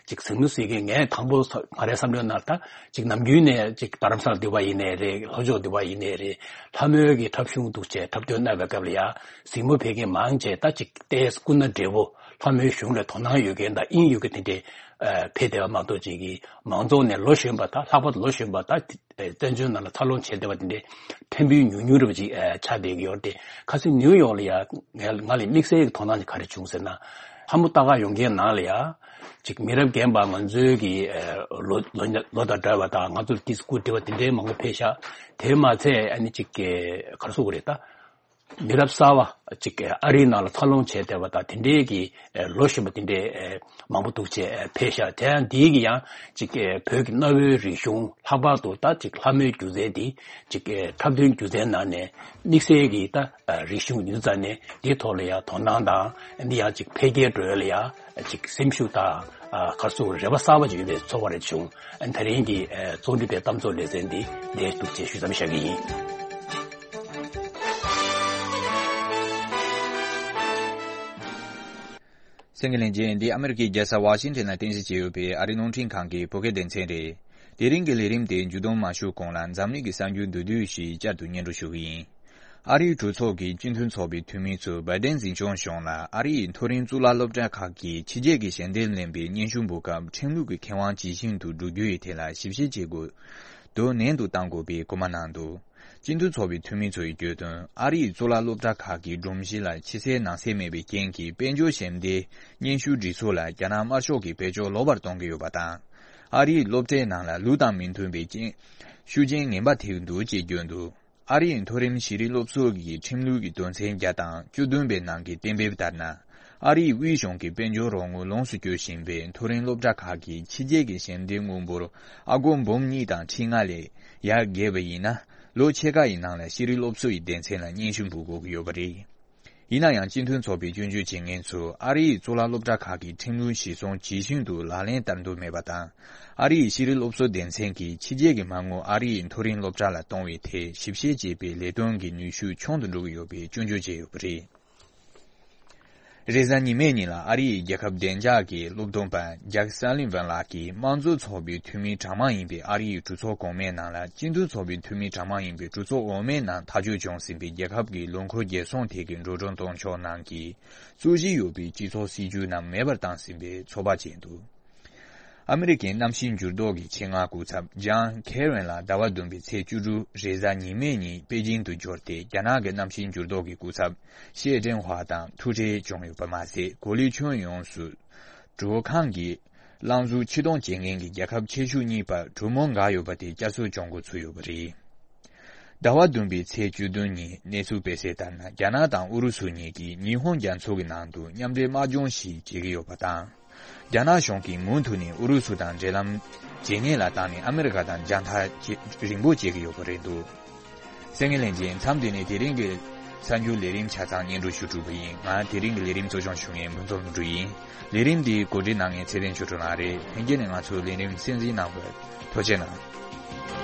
ཅིག་གཟིགས་མོ་གཟིགས་མཁན་ངས་དང་པོ་ང་རའི་བསམ་བློའི་ནང་ད་ཅིག་ནམ་རྒྱུན་ནས་ཅིག་རྡ་རམ་ས་ལ་འདུས་པ་ཡིན་ནའི་རེད། ལྷོ་ཕྱོགས་འདུས་པ་ཡིན་ནའི་རེད། ལྷ་མོའི་གི་འཁྲབ་གཞུང་འདུག་བྱས་འཁྲབ་སྟོན་གནང་བའི་སྐབས་ལ་ཡང་གཟིགས་མོ་ཕེབས་མཁན་མང་ཆེ་ད་ཅིག་ཏོག་ཙམ་སྐུ་ན་བགྲེས་པོ་ལྷ་མོའི་གཞུང་ལ་དོ་སྣང་ཡོད་མཁན་དང་དབྱིངས་ཡོད་མཁན་དེ་འདྲས་ཨ་ཕེབས་བསྡད་པ་མ་གཏོགས་ཅིག་གིས་མང་ཚོགས་ནས་ལོ་གཞོན་པ་དང་ལྷག་པར་དུ་ལོ་གཞོན་པ་དང་བཙན་བྱོལ་ནང་ལ་འཚར་ལོངས་བྱས་བསྡད་པ་དེ་འདྲས་ཕྲན་བུ་ཉུང་ཉུང་འདྲ་པོ་ཅིག་ཨ་ཆགས་བསྡད་ཀྱི་ཡོད་རེད་དེ། ཁ་སང་ནིའུ་ཡོག་ལ་ཡང་ང་ང་ལ་དམིགས་བསལ་གྱི་དོ་སྣང་ཅིག་ག་རེ་བྱུང་ཟེར་ན་ལྷ་མོ་ལྟ་ག་ཡོང་མཁན་ནང་ལ་ཡང་ཅིག་མི་རབས་རྒན་པ་ང་ཚོའི་གི་ཨ་ལོ་ལོ་ལོ་དང་འདྲ་བ་དང་ང་ཚོར་ཏོག་ཙམ་སྐུ་བགྲེས་པ་དེ་འདྲའི་མང་པོ་ཕེབས་ཤག་དེ་མ་ཚད་ཨ་ནི་ཅིག་གི་ག་རེ་ཟེར་དགོས་རེད་ད། མི་རབས་གསར་བ་ཅིག་ཨ་རིའི་ནང་ལ་འཚར་ལོངས་བྱས་བསྡད་པ་དང་དེ་འདྲའི་གི་ལོ་གཞོན་པ་དེ་འདྲའི་མང་པོ་འདུག་བྱས་ཕེབས་ཤག་དེ་ཡང་འདིའི་གི་ཡང་ཅིག་བོད་ཀྱི་གནའ་བོའི་རིག་གཞུང་ལྷག་པར་དུ་ད་ཅིག་ལྷ་མོའི་སྒྱུ་རྩལ་འདི་ཅིག་འཁྲབ་སྟོན་སྒྱུ་རྩལ་ནང་ནས་དམིགས་བསལ་གྱི་ད་རིག་གཞུང་ཡིན་ཙང་ནས་འདིའི་ཐོག་ལ་ཡང་དོ་སྣང་དང་འདི་ཡང་ཅིག་འཕེལ་རྒྱས་འགྲོ་ཡ་ལ་ཡང་ཅིག་སེམས་ཤུགས་དང་ག་རེ་ཟེར་དགོས་རེད་པ། གསར་པ་ཅིག་ཡོད་པའི་ཚོར་བ་རེ་བྱུང་། ད་རིང་གི་རྩོམ་སྒྲིག་པའི་གཏམ་ཚོགས་ལེ་ཚན་འདི་འདིར་གཏུགས་བྱས་ཞུས་ཙམ་བཞག་གི་ཡིན། གསན་མཁན་ལྷན་རྒྱས། འདི་ཨ་མི་རི་ཀའི་རྒྱལ་ས་ཝ་ཤིང་ཊོན་ལ་རྟེན་གཞི་བྱས་ཡོད་པའི་ཨ་རིའི་རླུང་འཕྲིན་ཁང་གི་བོད་སྐད་སྡེ་ཚན་རེད། དེ་རིང་གི་ལས་རིམ་དེ་མཇུག་བསྡོམས་མ་ཞུ་གོང་ལ་འཛམ་གླིང་གི་གསར་འགྱུར་མདོར་བསྡུས་ཤིག་བསྐྱར་དུ་སྙན་སྒྲོན་ཞུ་གི་ཡིན། ཨ་རིའི་གྲོས་ཚོགས་ཀྱི་སྤྱི་མཐུན་ཚོགས་པའི་འཐུས་མི་ཚོས་བྷའི་ཌེན་འཛིན་སྐྱོང་གཞུང་ལ་ཨ་རིའི་མཐོ་རིམ་གཙུག་ལག་སློབ་གྲྭ་ཁག་གིས་ཕྱི་རྒྱལ་གྱི་ཞལ་འདེབས་ལེན་པའི་སྙན་ཞུ་འབུལ་སྐབས་ཁྲིམས་ལུགས་ཀྱི་ཁེ་དབང་ཇི་བཞིན་དུ་བསྒྲུབ་རྒྱུ་ཡི་ཐད་ལ་ཞིབ་བཤེར་བྱེད་དགོས་འདུག་ནན་དུ་གཏང་དགོས་པའི་སྐུལ་མ་གནང་འདུག་སྤྱི་མཐུན་ཚོགས་པའི་འཐུས་མི་ཚོ་ཡིས་བརྗོད་དོན། ཨ་རིའི་གཙུག་ལག་སློབ་གྲྭ་ཁག་གི་སྒྲོམ་གཞི་ལ་ཕྱི་གསལ་ནང་གསལ་མེད་པའི་རྐྱེན་གྱིས་དཔལ་འབྱོར་ཞལ་འདེབས་སྙན་ཞུ་སྒྲིག་ཚུལ་ལ་རྒྱ་ནག་དམར་ཤོག་གིས་བེད་སྤྱོད་ལོག་པར་གཏོང་གི་ཡོད་པ་དང་། ཨ་རིའི་སློབ་གྲྭའི་ནང་ལ་ལུགས་དང་མི་མཐུན་པའི་རྐྱེན་ཤུགས་རྐྱེན་ངན་པ་ཐེབས་འདུག་ཅེས་བརྗོད་འདུག་ཨ་རིའི་མཐོ་རིམ་ཤེས་རིག་སློབ་གསོ་གི་ཁྲིམས་ལུགས་ཀྱི་དོན་ཚན་བརྒྱ་དང་བཅུ་བདུན་པའི་ནང་གི་གཏན་འབེབས་ལྟར་ན། ཨ་རིའི་དབུས་གཞུང་གི་དཔལ་འབྱོར་རོགས་དངུལ་ལོངས་སུ་སྤྱོད་བཞིན་པའི་མཐོ་རིམ་སློབ་གྲྭ་ཁག་གིས་ཕྱི་རྒྱལ་གྱི་ཞལ་འདེབས་དངུལ་འབོར་ཨ་སྒོར་འབུམ་གཉིས་དང་ཁྲི་ལྔ་ལས་ཡར་བརྒལ་བ་ཡིན་ན། ལོ་ཕྱེད་ཀ་ཡི་ནང་ལ་ཤེས་རིག་སློབ་གསོ་ཡི་སྡེ་ཚན་ལ་སྙན་ཞུ་འབུལ་དགོས་ཀྱི་ཡོད་པ་རེད། ཡིན་ན་ཡང་སྤྱི་མཐུན་ཚོགས་པའི་སྐྱོན་བརྗོད་བྱེད་མཁན་ཚོས་ཨ་རིའི་གཙུག་ལག་སློབ་གྲྭ་ཁག་གི་ཁྲིམས་ལུགས་གཞིར་བཟུང་ཇི་བཞིན་དུ་ལག་ལེན་བསྟར་འདོད་མེད་པ་དང་། ཨ་རིའི་ཤེས་རིག་སློབ་གསོ་སྡེ་ཚན་གྱིས་ཕྱི་རྒྱལ་གྱི་མ་དངུལ་ཨ་རིའི་མཐོ་རིམ་སློབ་གྲྭ་ལ་གཏོང་བའི་ཐད་ཞིབ་བཤེར་བྱེད་པའི་ལས་དོན་གྱི་ནུས་ཤུགས་ཆུང་དུ་འགྲོ་གི་ཡོད་པའི་སྐྱོན་བརྗོད་བྱས་ཡོད་པ་རེད། རེས་གཟའ་ཉི་མའི་ཉིན་ལ་ཨ་རིའི་རྒྱལ་ཁབ་བདེ་འཇགས་ཀྱི་སློབ་སྟོན་པ་ཇག་སཱ་ལི་ཝན་ལགས་ཀྱིས་དམངས་གཙོ་ཚོགས་པའི་འཐུས་མི་གྲངས་མང་ཡིན་པའི་ཨ་རིའི་གྲོས་ཚོགས་གོང་མའི་ནང་ལ་སྤྱི་མཐུན་ཚོགས་པའི་འཐུས་མི་གྲངས་མང་ཡིན་པའི་གྲོས་ཚོགས་འོག་མའི་ནང་ཐག་གཅོད་བྱུང་ཟིན་པའི་རྒྱལ་ཁབ་ཀྱི་ལོ་འཁོར་རྒྱལ་སྲུང་ཐད་ཀྱི་འགྲོ་གྲོན་གཏོང་ཕྱོགས་ནང་གི་རྩོད་གཞི་ཡོད་པའི་སྤྱི་ཚོགས་སྲིད་ཇུས་རྣམས་མེད་པར་བཏང་ཟིན་པའི་ཚོད་དཔག་བྱས་འདུག་ཨ་མི་རི་ཀའི་གནམ་གཤིས་འགྱུར་ལྡོག་གི་ཆེད་མངགས་སྐུ་ཚབ་ཇཱན་ཁེ་རན་ལ་ཟླ་བ་བདུན་པའི་ཚེས་བཅུ་དྲུག་རེས་གཟའ་ཉི་མའི་ཉིན་པེ་ཅིང་དུ་འབྱོར་ཏེ། རྒྱ་ནག་གི་གནམ་གཤིས་འགྱུར་ལྡོག་གི་སྐུ་ཚབ་ཤེ་ཀྲེང་ཧྭ་དང་ཐུག་འཕྲད་བྱུང་ཡོད་པ་མ་ཟད། གོ་ལའི་ཁྱོན་ཡོངས་སུ་དྲོད་ཁང་གི་རླངས་གཟུགས་ཕྱིར་གཏོང་བྱེད་མཁན་གྱི་རྒྱལ་ཁབ་ཆེ་ཤོས་གཉིས་བར་གྲོས་མོལ་འགག་ཡོད་པ་དེ་བསྐྱར་གསོ་བྱུང་འགོ་ཚུགས་ཡོད་པ་རེད། ཟླ་བ་བདུན་པའི་ཚེས་བཅུ་བདུན་ཉིན་གནས་ཚུལ་སྤེལ་གསལ་ལྟར་ན། རྒྱ་ནག་དང་ཨུ་རུ་སུ་གཉིས་ཀྱིས་ཉི་ཧོང་རྒྱ་མཚོ་གི་ནང་དུ་མཉམ་འབྲེལ་དམག་སྦྱོང་ཞིག་བྱེད་ཀྱི་ཡོད་པ་དང་། རྒྱ་ནག་གཞུང་གིས་མུ་མཐུད་ནས་ཨུ་རུ་སུ་དང་འབྲེལ་ལམ་ཇེ་ཉེ་ལ་བཏང་ནས་ཨ་མི་རི་ཀ་དང་རྒྱང་ཐག་ཇེ་རིང་པོ་བྱེད་ཀྱི་ཡོད་པ་རེད་འདུག་གསན་མཁན་ལྷན་རྒྱས། མཚམས་འདི་ནས་དེ་རིང་གི་གསར་འགྱུར་ལས་རིམ་ཆ་ཚང་སྙན་སྒྲོན་ཞུ་གྲུབ་པ་ཡིན། ང་དེ་རིང་གི་ལས་རིམ་གཙོ་སྐྱོང་ཞུ་མཁན་ཕུན་ཚོགས་ལྷུན་གྲུབ་ཡིན། ལས་རིམ་འདི་གོ་སྒྲིག་གནང་མཁན་ཚེ་བརྟན་ཆོས་གྲགས་ལགས་རེད། ལྷན་རྒྱས་ནས་ང་ཚོའི་ལས་རིམ་གསན་གཟིགས་གནང་བར་ཐུགས་རྗེ་གནང་།